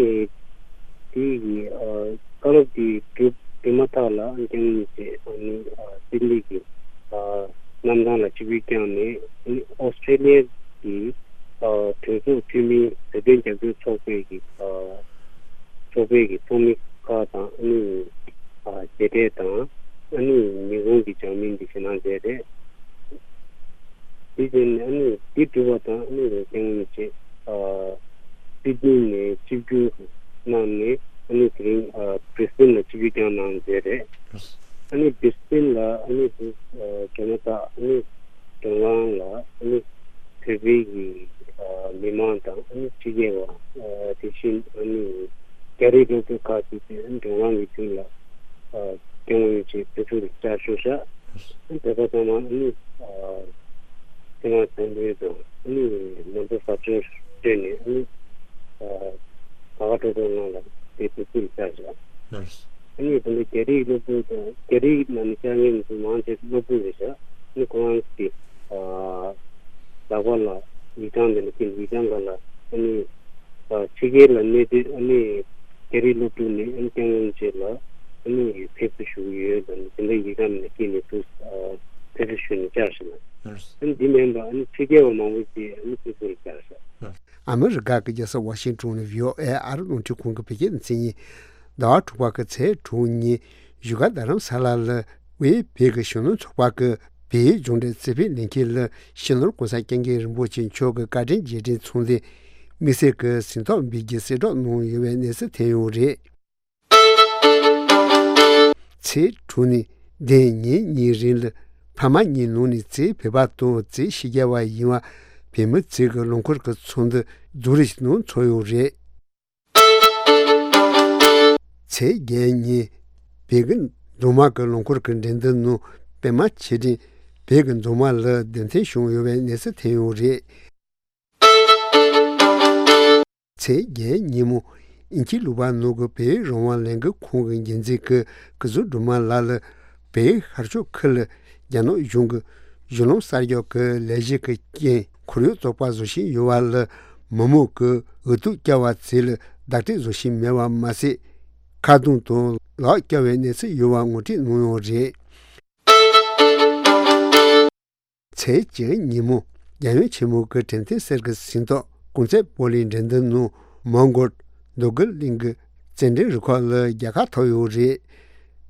དེ་ཡི་ཨ་བཀའ་སློབ་དེ་གྲུབ་གྲུབ་མ་ཐག་ལ་སྐྱབས་མགོན་རིན་པོ་ཆེ་ཨ་ནི་ཨ་སིད་ནི་གི་ཨ་གནམ་ཐང་ལ་ཆིབས་བསྒྱུར་བསྐྱངས་ནས། ཨ་ནི་ཨོ་སི་ཀྲི་ལི་ཡ་གི་ཨ་གྲོས་ཚོགས་འཐུས་མི་བོད་དོན་རྒྱབ་སྐྱོར་ཚོགས་པའི་གི་ཨ་ཚོགས་པའི་གི་ཚོགས་མི་ཁག་དང་། ཨ་ནི་ཨ་མཇལ་འཕྲད་དང་། ཨ་ནི་ཉིན་གུང་གི་ཇག་མིན་འདི་ཞུ་གནང་མཛད་རེད། དེ་བཞིན་ཨ་ནི་འདི་གྲུབ་པ་དང་། ཨ་ནི་སྐྱབས་མགོན་རིན་པོ་ཆེ་ཨ་སིད་ནི་ནས་ཆིབས་བསྒྱུར་གནང་ནས། ཨ་ནི་དེ་རིང་ཨ་བྷི་རི་སི་བྷེན་ལ་ཆིབས་བསྒྱུར་བསྐྱངས་གནང་མཛད་རེད། ཨ་ནི་བྷི་རི་སི་བྷེན་ལ་ཨ་ནི་ཨ་གྲོས་མོལ་དག་ཨ་ནི་མགྲོན་ཁང་ལ་ཨ་ནི་བོད་པའི་གི་ཨ་མི་མང་དང་། ཨ་ནི་ཕྱི་རྒྱལ་བ་ཨ་དེ་བཞིན་ཨ་ནི་རྒྱ་རིགས་སློབ་ཕྲུག་ཁག་ཅིག་དེ་མགྲོན་ཁང་གི་མདུན་ལ་ཨ་སྐྱབས་མགོན་རིན་པོ་ཆེ་ཕེབས་བསུ་ལ་བཅར་ཞུ་བཞག། ཨ་ནི་བོད་པ་ཚང་མ་ཨ་ནི་ཨ་སེམས་དང་སེམས་པའི་དང་། ཨ་ནི་ནང་དོ་ཟབ་སྦྱོང་སྤྲད་ནས། ཨ་ནི་ཨ་ག་ག་ཏོག་ཏོག་ངང་ལ་དེ་ཕེབས་བསུ་ལ་བཅར་བཞག། ཨ་ནི་དེ་འདྲ་རྒྱ་རིགས་སློབ་ཕྲུག་དང་། རྒྱ་རིགས་ནང་ནས་བཅར་མཁན་ཚོ་མང་ཆེ་སློབ་ཕྲུག་རེད་ཤག། ཨ་ནི་ཁོ་རང་གི་ཨ་ལག་པ་ལ་ཡིག་ཆ་འདི་འདྲ་བསྐྱིས། ཡིག་ཆ་སྒང་ལ་ཨ་ནི་ཨ་ཕྱི་རྒྱལ་ལ་གནས་སྡོད། ཨ་ནི་རྒྱ་རིགས་སློབ་ཕྲུག་ནས་ཨ་ནི་སྐྱབས་མགོན་རིན་པོ་ཆེ་ལ་ཨ་ནི་ཕེབས་བསུ་ཞུ་གི་ཡོད་དང་། དེ་འདྲ་ཡིག་ཆ་འདི་འདྲ་བསྐྱིས་ནས་འདུག། ཨ་ཕེབས་བསུ་ཞུས་ནས་བཅར་ཞིག་ལ། ཨ་ནི་འདི་མིན་པ་ཨ་ནི་ཕྱི་རྒྱལ་བ་མང་པོ་ཅིག་ཨ་ནི་ཕེབས་བསུ་ལ་བཅར་ཤག། ཨ་མི་རི་ཀ་གི་རྒྱལ་ས་ཝ་ཤིང་ཏོན་ནས་བྷི་ཨོ་ཨེ་ཨ་རི་རླུང་འཕྲིན་ཁང་གི་བོད་སྐད་སྡེ་ཚན་ཡིན། ཟླ་བ་དྲུག་པ་གི་ཚེས་དྲུག་ཉིན་བཞུགས་སྒར་རྡ་རམ་ས་ལ་ལ་དབུས་བོད་ཀྱི་གཞོན་ནུ་ཚོགས་པ་གི་བོད་ཡིག་སྦྱོང་འབྲེལ་རྩིས་སྤེལ་ལས་འཁྱུར་ལ་སྤྱི་ནོར་༸གོང་ས་༸སྐྱབས་མགོན་རིན་པོ་ཆེ་མཆོག་གི་བཀའ་དྲིན་རྗེས་དྲན་ཚོགས་འདུ་དམིགས་བསལ་གྱི་ཟིན་ཐོ་འབུལ་རྒྱུའི་གསལ་བསྒྲགས་གནང་ཡོད་པའི་གནས་ཚུལ་ཐོན་ཡོད་རེད། ཚེས་དྲུག་ནས་བདུན་ཉིན་གཉིས་རིང་ལ་ཕ་མ་གཉིས་ནང་ནས་གཅིག་བོད་པ་དང་གཅིག་ཕྱི་རྒྱལ་བ་ཡིན་པ་བོད་མི་གཅིག་གི་ལུང་འཁོར་གྱི་ཚོགས་འདུ་རྫོང་རིམ་ཞིག་ནང་ཚོགས་ཡོད་རེད། ཚེས་བརྒྱད་ཉིན་བོད་ཀྱི་མདོ་སྨད་ཀྱི་ལུང་འཁོར་གྱི་འགྲན་བསྡུར་ནང་པད་མ་ཆོས་སྒྲོན་བོད་ཀྱི་མདོ་སྨད་ལ་རྒྱལ་མཚན་བྱུང་ཡོད་པའི་གནས་ཚུལ་ཐོན་ཡོད་རེད། ཚེས་བརྒྱད་ཉིན་མོ་དབྱིན་ཇིའི་ལུང་པ་ནང་གི་བོད་རང་དབང་ལས་འགུལ་ཁང་གི་འགན་འཛིན་གྱི་སྐུ་ཟུར་སྒྲོལ་མ་ལགས་ལ་བོད་ཤར་ཕྱོགས་ཁུལ་ལ་རྒྱ་ནག་གཞུང་གི་གཞུང་ལམ་གསར་རྒྱག་གི་ལས་གཞི་གི་རྐྱེན་ཁོར་ཡུག་བཙོག་པ་བཟོ་བཞིན་ཡོད་པ་ལ་མི་མང་གིས་འུ་ཐུག་བཀྱག་པ་བཅས་ལ་བདག་སྐྱོང་བཟོ་བཞིན་མེད་པ་མ་ཟད། ཁ་རྡུང་དང་ལག་བཀྱག་པའི་གནས་ཚུལ་ཡོད་པ་ངོ་སྤྲོད་གནང་ཡོད་རེད། ཚེས་བཅུ་ཉིན་མོ་རྒྱལ་ཡུམ་ཆེན་མོ་གི་དྲན་རྟེན་གསེར་གྱི་ཟིན་ཐོ་གོང་ཚེ་སྤོ་ལོའི་འགྲན་བསྡུར་ནང་མོན་གྷོ་རྡོ་རྒུ་གླིང་གི་རྩེད་འགྲན་རུ་ཁག་ལ་རྒྱལ་ཁ་ཐོབ་ཡོད་རེད།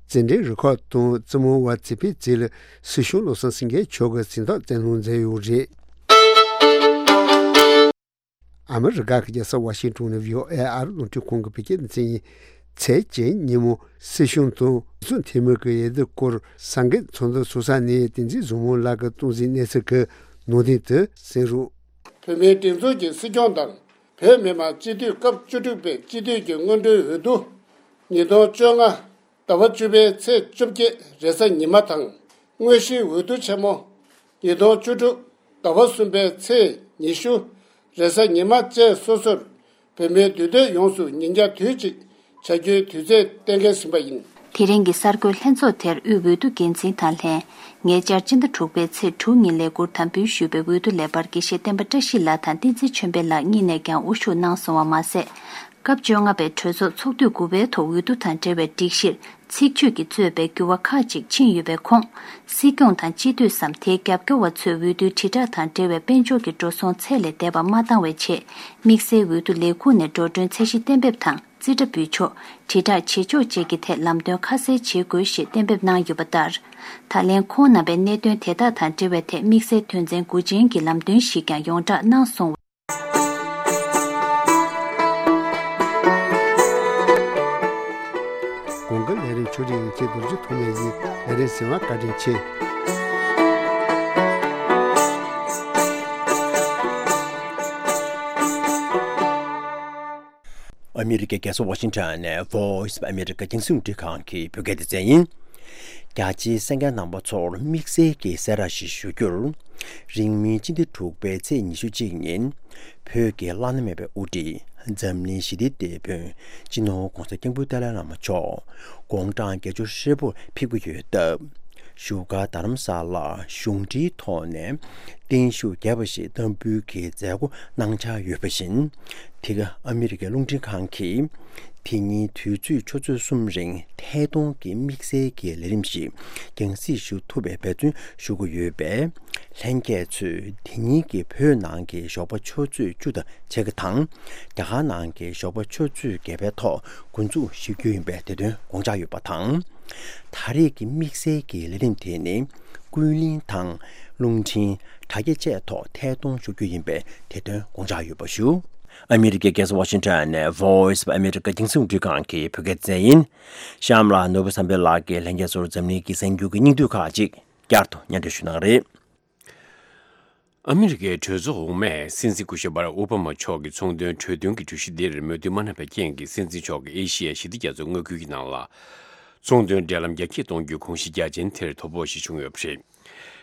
རྩེད་འགྲན་རུ་ཁག་དང་རྩེད་མོ་བ་རྩེ་ཕུད་བཅས་ལ་སྲིད་སྐྱོང་བློ་བཟང་སེང་གེ་མཆོག་གིས་ཟིན་ཐོ་བསྩལ་གནང་མཛད་ཡོད་རེད། ཨ་མི་རི་ཀ་གི་རྒྱལ་ས་ཝ་ཤིང་ཏོན་ནས་བྷི་ཨོ་ཨེ་ཨ་རི་རླུང་འཕྲིན་ཁང་གི་བོད་སྐད་སྡེ་ཚན་ཡིན། ཚེས་བཅུ་ཉིན་མོ་སྲིད་སྐྱོང་དང་སྲིད་འཛིན་འཐུས་མི་གི་འོས་བསྡུ་སྐོར་ས་འགན་ཚོགས་འདུ་ཚོགས་ས་ནས་བསྟན་འཛིན་བཟང་མོ་ལགས་ཀྱིས་གཏོང་གཟིགས་གནས་ཚུལ་གྱི་ནང་དོན་དེ་གསན་རོགས། བོད་མིའི་སྒྲིག་འཛུགས་ཀྱི་སྲིད་སྐྱོང་དང་བོད་མི་མང་སྤྱི་འཐུས་སྐབས་བཅུ་དྲུག་པའི་སྤྱི་འཐུས་ཀྱི་སྔོན་འགྲོའི་འོས་བསྡུ། ཉིས་སྟོང་བཅོ་ལྔ་ཟླ་བ་བཅུ་པའི་ཚེས་བཅོ་བརྒྱད་རེས་གཟའ་ཉི་མ་དང་། དངོས་གཞིའི་འོས་བསྡུ་ཆེན་མོ། ཉིས་སྟོང་བཅུ་དྲུག་ཟླ་བ་གསུམ་པའི་ཚེས་ཉི་ཤུ་རེས་གཟའ་ཉི་མ་བཅས་སོ་སོར། བོད་མིའི་འདུས་སྡོད་ཡོངས་སུ་ཉིན་རྒྱང་དུས་གཅིག་བྱ་རྒྱུའི་དུས་ཚོད་གཏན་འཁེལ་ཟིན་པ་ཡིན། དེ་རིང་གི་གསར་འགོད་ལྷན་ཚོགས་དེར་དབུས་འོས་བསྡུ་འགན་འཛིན་དང་ལྷན། ཉེ་ཆར་སྤྱི་ཟླ་དྲུག་པའི་ཚེས་དྲུག་ཉིན་ལས་འཁུར་དམ་འབུལ་ཞུས་པའི་འོས་བསྡུ་ལས་འཕར་དགེ་བཤེས་བསྟན་པ་བཀྲ་ཤིས་ལགས་དང་བསྟན་འཛིན་ཆོས་འཕེལ་ལགས་གཉིས་ནས་ཀྱང་དབུ་བཞུགས་གནང་སོང་བ་མ་ཟད། སྐབས་བཅོ་ལྔ་པའི་གྲོས་ཚོགས་ཚོགས་དུས་དགུ་པའི་ཐོག་འོས་བསྡུ་དང་འབྲེལ་བའི་སྒྲིག་གཞིར་ཚིག་བརྗོད་ཀྱིས་གཙོས་པའི་འགྱུར་བ་ཁག་ཅིག་ཕྱིན་ཡོད་པའི་ཁོངས། སྲིད་སྐྱོང་དང་སྤྱི་འཐུས་སམ་དེའི་རྒྱབ་སྐྱོར་བ་ཚོས་འོས་བསྡུའི་དྲིལ་བསྒྲགས་དང་འབྲེལ་བའི་དཔལ་འབྱོར་གྱི་འགྲོ་སོང་ཚད་ལས་འདས་པ་མ་བཏང་བའི་ཆེད། དམིགས་བསལ་འོས་བསྡུ་ལས་ཁུངས་ནས་འགྲོ་གྲོན་ཚད་གཞི་གཏན་འབེབས་དང་། རྩིས་ཁྲ་འབུལ་ཕྱོགས། དྲིལ་བསྒྲགས་བྱེད་ཕྱོགས་བཅས་ཀྱི་ཐད་ལམ་སྟོན་ཁ་གསལ་བྱེད་དགོས་ཞེས་གཏན་འབེབས་གནང་ཡོད་པ་ལྟར། ད་ལན་ཁོང་རྣམ་པས་གནད་དོན་དེ་དག་དང་འབྲེལ་བའི་ཐད་དམིགས་བསལ་དོན་ཚན་དགུ་ཅན་གྱི་ལམ་སྟོན་ཞིག་ཀྱང་ཡོངས་བསྒྲགས་གནང་སོང་བ། དགུན་ཁ་ལས་རིམ་ཆུ་རིང་ཁྱེད་རྡོ་རྗེ་ཐོགས་མེད་ཡིན། ལས་རིམ་གཟིགས་པར་བཀའ་དྲིན་ཆེ། ཨ་མི་རི་ཀའི་རྒྱལ་ས་ཝ་ཤིང་ཊོན་ནས་Voice of America རྒྱང་སྲིང་རླུང་འཕྲིན་ཁང་གི་བོད་སྐད་སྡེ་ཚན་ཡིན། རྒྱ་ཆེའི་གསན་མཁན་རྣམ་པ་ཚོར་དམིགས་བསལ་གྱི་གསལ་བསྒྲགས་ཤིག་ཞུ་རྒྱུར། རིང་མིན་སྤྱི་ཟླ་དྲུག་པའི་ཚེས་ཉི་ཤུ་གཅིག་ཉིན། བོད་ཀྱི་བླ་ན་མེད་པའི་དབུ་ཁྲིད་འཛམ་གླིང་ཞི་བདེའི་དེད་དཔོན་སྤྱི་ནོར་༧གོང་ས་༧སྐྱབས་མགོན་ཏཱ་ལའི་བླ་མ་མཆོག་དགུང་གྲངས་བརྒྱད་ཅུ་ཧྲིལ་པོར་ཕེབས་ཀྱི་ཡོད་སྟབས། བཞུགས་སྒར་རྡ་རམ་ས་ལར་གཞུང་འབྲེལ་ཐོག་ནས་བརྟན་བཞུགས་རྒྱས་པ་ཞིག་བསྟར་འབུལ་གྱི་མཛད་སྒོ་གནང་འཆར་ཡོད་པ་བཞིན། འདི་ག་ཨ་མི་རི་ཀའི་རླུང་འཕྲིན་ཁང་གིས་དེ་ཉིན་དུས་ཚོད་ཆུ་ཚོད་གསུམ་རིང་ཐད་གཏོང་གི་དམིགས་བསལ་གྱི་ལས་རིམ་ཞིག་རྒྱང་སྲིང་ཞུ་ཐུབ་པའི་འབད་བརྩོན་ཞུ་གི་ཡོད་པས། ལྷན་རྒྱས་ཚོས་དེ་ཉིན་གྱི་བོད་ནང་གི་ཞོགས་པ་ཆུ་ཚོད་བཅུ་དང་ཕྱེད་ཀ་དང་། རྒྱ་གར་ནང་གི་ཞོགས་པ་ཆུ་ཚོད་བརྒྱད་པའི་ཐོག་འགོ་འཛུགས་ཞུ་རྒྱུ་ཡིན་པའི་དེ་དོན་དགོངས་འཇགས་ཡོད་པ་དང་། ད་རེས་ཀྱི་དམིགས་བསལ་གྱི་ལས་རིམ་དེ་ནི། ཀུན་གླེང་དང་། རླུང་འཕྲིན། དྲ་རྒྱ་བཅས་ཐོག་ཐད་གཏོང་ཞུ་རྒྱུ་ཡིན་པའི་དེ་དོན་དགོངས་འཇགས་ཡོད་པ་ཞུ། ཨ་མི་རི་ཀའི་རྒྱལ་ས་ཝ་ཤིང་ཊོན་ནས་Voice of America རྒྱང་སྲིང་རླུང་འཕྲིན་ཁང་གི་བོད་སྐད་སྡེ་ཚན་ཡིན། གཤམ་ལ་ནོར་བུ་བསམ་འཕེལ་ལགས་ཀྱིས་ལྷན་རྒྱས་ཚོར་འཛམ་གླིང་གི་གསར་འགྱུར་གྱི་སྙིང་བསྡུས་ཁག་ཅིག་བསྐྱར་དུ་སྙན་སྒྲོན་ཞུ་གནང་རེད། ཨ་མི་རི་ཀའི་གྲོས་ཚོགས་འོག་མས་སྲིད་འཛིན་སྐུ་ཞབས་སྦ་རག་ཨོ་བྷ་མ་མཆོག་གི་ཚོང་དོན་གྲོས་མཐུན་གྱི་གྲོས་གཞི་འདིར་མོས་མཐུན་མ་གནང་བའི་རྐྱེན་གྱིས། སྲིད་འཛིན་མཆོག་གིས་ཨེ་ཤི་ཡའི་ཞི་བདེ་རྒྱ་མཚོའི་མངའ་ཁུལ་གྱི་ནང་ལ་ཚོང་དོན་འབྲེལ་ལམ་རྒྱ་སྐྱེད་གཏོང་རྒྱུའི་དགོངས་གཞི་རྒྱ་ཆེན་དེར་དོ་ཕོག་ཞིག་བྱུང་ཡོད་པ་རེད།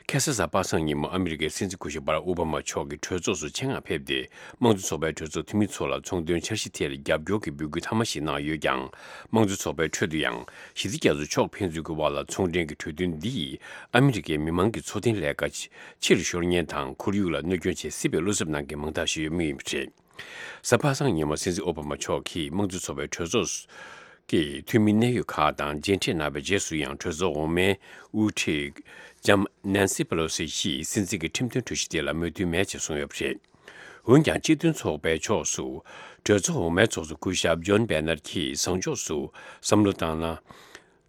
ཁ་སང་གཟའ་པ་སངས་ཉིན་མོ་ཨ་མི་རི་ཀའི་སྲིད་འཛིན་སྐུ་ཞབས་སྦ་རག་ཨོ་བྷ་མ་མཆོག་གིས་གྲོས་ཚོགས་སུ་ཆེད་མངགས་ཕེབས་ཏེ། དམངས་གཙོ་ཚོགས་པའི་གྲོས་ཚོགས་འཐུས་མི་ཚོ་ལ་ཚོང་དོན་འཆར་གཞི་དེར་རྒྱབ་སྐྱོར་གྱི་འབོད་སྐུལ་མཐའ་མ་ཞིག་གནང་ཡོད་ཀྱང་། དམངས་གཙོ་ཚོགས་པའི་ཁྲོད་དུ་ཡང་། ཞི་བདེ་རྒྱ་མཚོ་ཕྱོགས་ཕན་ཚུན་གྱི་དབར་ལ་ཚོང་འབྲེལ་གྱི་གྲོས་མཐུན་འདི་ཡིས་ཨ་མི་རི་ཀའི་མི་མང་གི་འཚོ་རྟེན་ལས་ཀ་ཆེ་ཕྱིར་ཤོར་ཉེན་དང་ཁོར་ཡུག་ལ་གནོད་སྐྱོན་བྱེད་སྲིད་པའི་བློ་འཚབ་གནང་མཁན་མང་དག་ཞིག་ཡོད་མུས་ཡིན་པ་རེད། གཟའ་པ་སངས་ཉིན་མོ་སྲིད་འཛིན་ཨོ་བྷ་མ་མཆོག་གིས་དམངས་གཙོ་ཚོགས་པའི་གྲོས་ཚོགས་ཀྱི་འཐུས་མི་གནད་ཡོད་ཁག་དང་མཇལ་འཕྲད་གནང་བའི་རྗེས་སུ་ཡང་གྲོས་ཚོགས་འོག་མའི་དབུ་ཁྲིད་ལྕམ་ནན་སི་པེ་ལོ་སི་ཡིས་སྲིད་འཛིན་གྱི་ཁྲིམས་མཐུན་གྲོས་གཞི་དེ་ལ་མོས་མཐུན་མེད་ཅེས་གསུངས་ཡོད་པ་རེད། འོན་ཀྱང་སྤྱི་མཐུན་ཚོགས་པའི་ཕྱོགས་སུ་གྲོས་ཚོགས་འོག་མའི་ཚོགས་གཙོ་སྐུ་ཞབས་ཇོན་བེ་ནར་གྱིས་བཟང་ཕྱོགས་སུ་བསམ་བློ་བཏང་ན།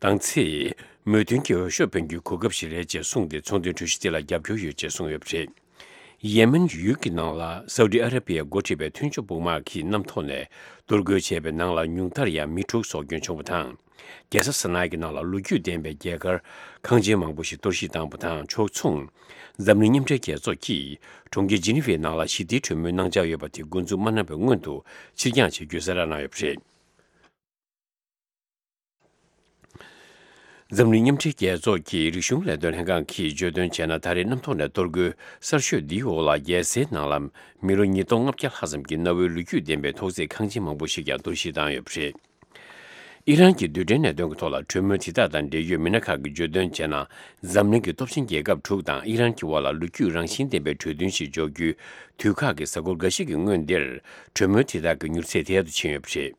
དང་ཚེ། མོས་མཐུན་གྱི་འོས་ཤོག་འཕེན་རྒྱུའི་གོ་སྐབས་ཤིག་རེད་ཅེས་གསུངས་ཏེ་ཚོང་དོན་གྲོས་གཞི་དེ་ལ་རྒྱབ་སྐྱོར་ཡོད་ཅེས་གསུངས་ཡོད་པ་རེད། ཡེ་མེན་ཡུལ་གྱི་ནང་ལ་སའུ་ཏི་ཨ་ར་པི་ཡས་འགོ་ཁྲིད་པའི་མཐུན་ཕྱོགས་དཔུང་དམག་གིས་གནམ་ཐོག་ནས་གཏོར་རྒོལ་བྱས་པའི་ནང་ལ་ཉུང་མཐར་ཡང་མི་དྲུག་སྲོག་སྐྱོན་བྱུང་བ་དང་། རྒྱལ་ས་ས་ན་ཡ་གི་ནང་ལ་ལོ་རྒྱུས་ལྡན་པའི་རྒྱལ་དཀར་ཁང་ཆེན་མང་པོ་ཞིག་གཏོར་བཤིག་བཏང་བ་དང་ཕྱོགས་མཚུངས། འཛམ་གླིང་མཉམ་འབྲེལ་རྒྱལ་ཚོགས་ཀྱིས་གྲོང་ཁྱེར་ཇི་ནི་ཝའི་ནང་ལ་ཞི་བདེའི་གྲོས་མོལ་གནང་འཆར་ཡོད་པ་དེ་འགོ་འཛུགས་མ་གནང་བའི་སྔོན་དུ་ཕྱིར་འགྱངས་བྱེད་རྒྱུའི་གསལ་བསྒྲགས་གནང་ཡོད་པ་རེད། འཛམ་གླིང་མཉམ་འབྲེལ་རྒྱལ་ཚོགས་ཀྱི་རིག་གཞུང་ལས་དོན་ལྷན་ཁང་གིས་བརྗོད་དོན་བྱས་ན། ད་རེས་གནམ་ཐོག་ནས་གཏོར་རྒོལ་གསར་ཤོས་འདིའི་འོག་ལ་རྒྱལ་སའི་ནང་ལ་མི་ལོ་ཉིས་སྟོང་ལྔ་བརྒྱ་ལྷག་ཙམ་གྱི་གནའ་བོའི་ལོ་རྒྱུས་ལྡན་པའི་ཐོག་བརྩེགས་ཁང་ཆེན་མང་པོ་ཞིག་ཀྱང་གཏོར་བཤིག་བཏང་ཡོད་པ་རེད། ཨི་རན་གྱི་རྡུལ་ཕྲན་གནད་དོན་གྱི་ཐོག་ལ་གྲོས་མོལ་དེ་དག་དང་འབྲེལ་ཡོད་མི་སྣ་ཁག་གིས་བརྗོད་དོན་བྱས་ན། འཛམ་གླིང་གི་སྟོབས་ཆེན་རྒྱལ་ཁབ་དྲུག་དང་ཨི་རན་གྱི་དབར་ལ་ལོ་རྒྱུས་རང་བཞིན་ལྡན་པའི་གྲོས་མཐུན་ཞིག་འཇོག་རྒྱུའི་དུས་ཁག་གི་གཟའ་འཁོར་འགའ་ཤས་ཀྱི་སྔོན་འདིར། གྲོས་མོལ་དེ་དག་གི་མྱུར་ཚད་ཐད་དུ་ཕྱིན་ཡོད་པ་རེད།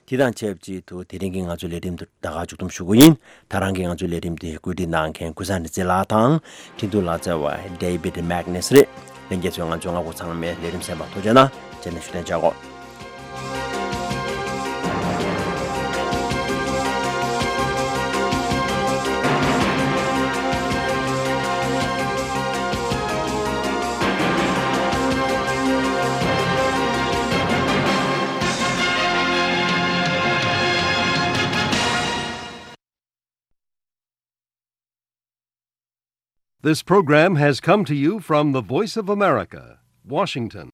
དེ་དང་ཆབས་ཅིག་ཏུ་དེ་རིང་གི་ང་ཚོའི་ལས་རིམ་དུ་ད་ག་མཇུག་བསྡོམས་ཞུ་རྒྱུ་ཡིན། ད་རང་གི་ང་ཚོའི་ལས་རིམ་དེ་བཀོད་སྒྲིག་གནང་མཁན་ཀུན་བཟང་རིག་འཛིན་ལགས་དང་། འཕྲིན་ཐུང་ལག་རྩལ་བ་David Magnus རེད། ལྷན་རྒྱས་ཚོས་ང་ཚོའི་སྔ་དགོང་ཚང་མའི་ལས་རིམ་གསན་པར་ཐུགས་རྗེ་གནང་། རྗེས་ནས་བཞུགས་གདན་འཇགས་གོ། This program has come to you from the Voice of America, Washington.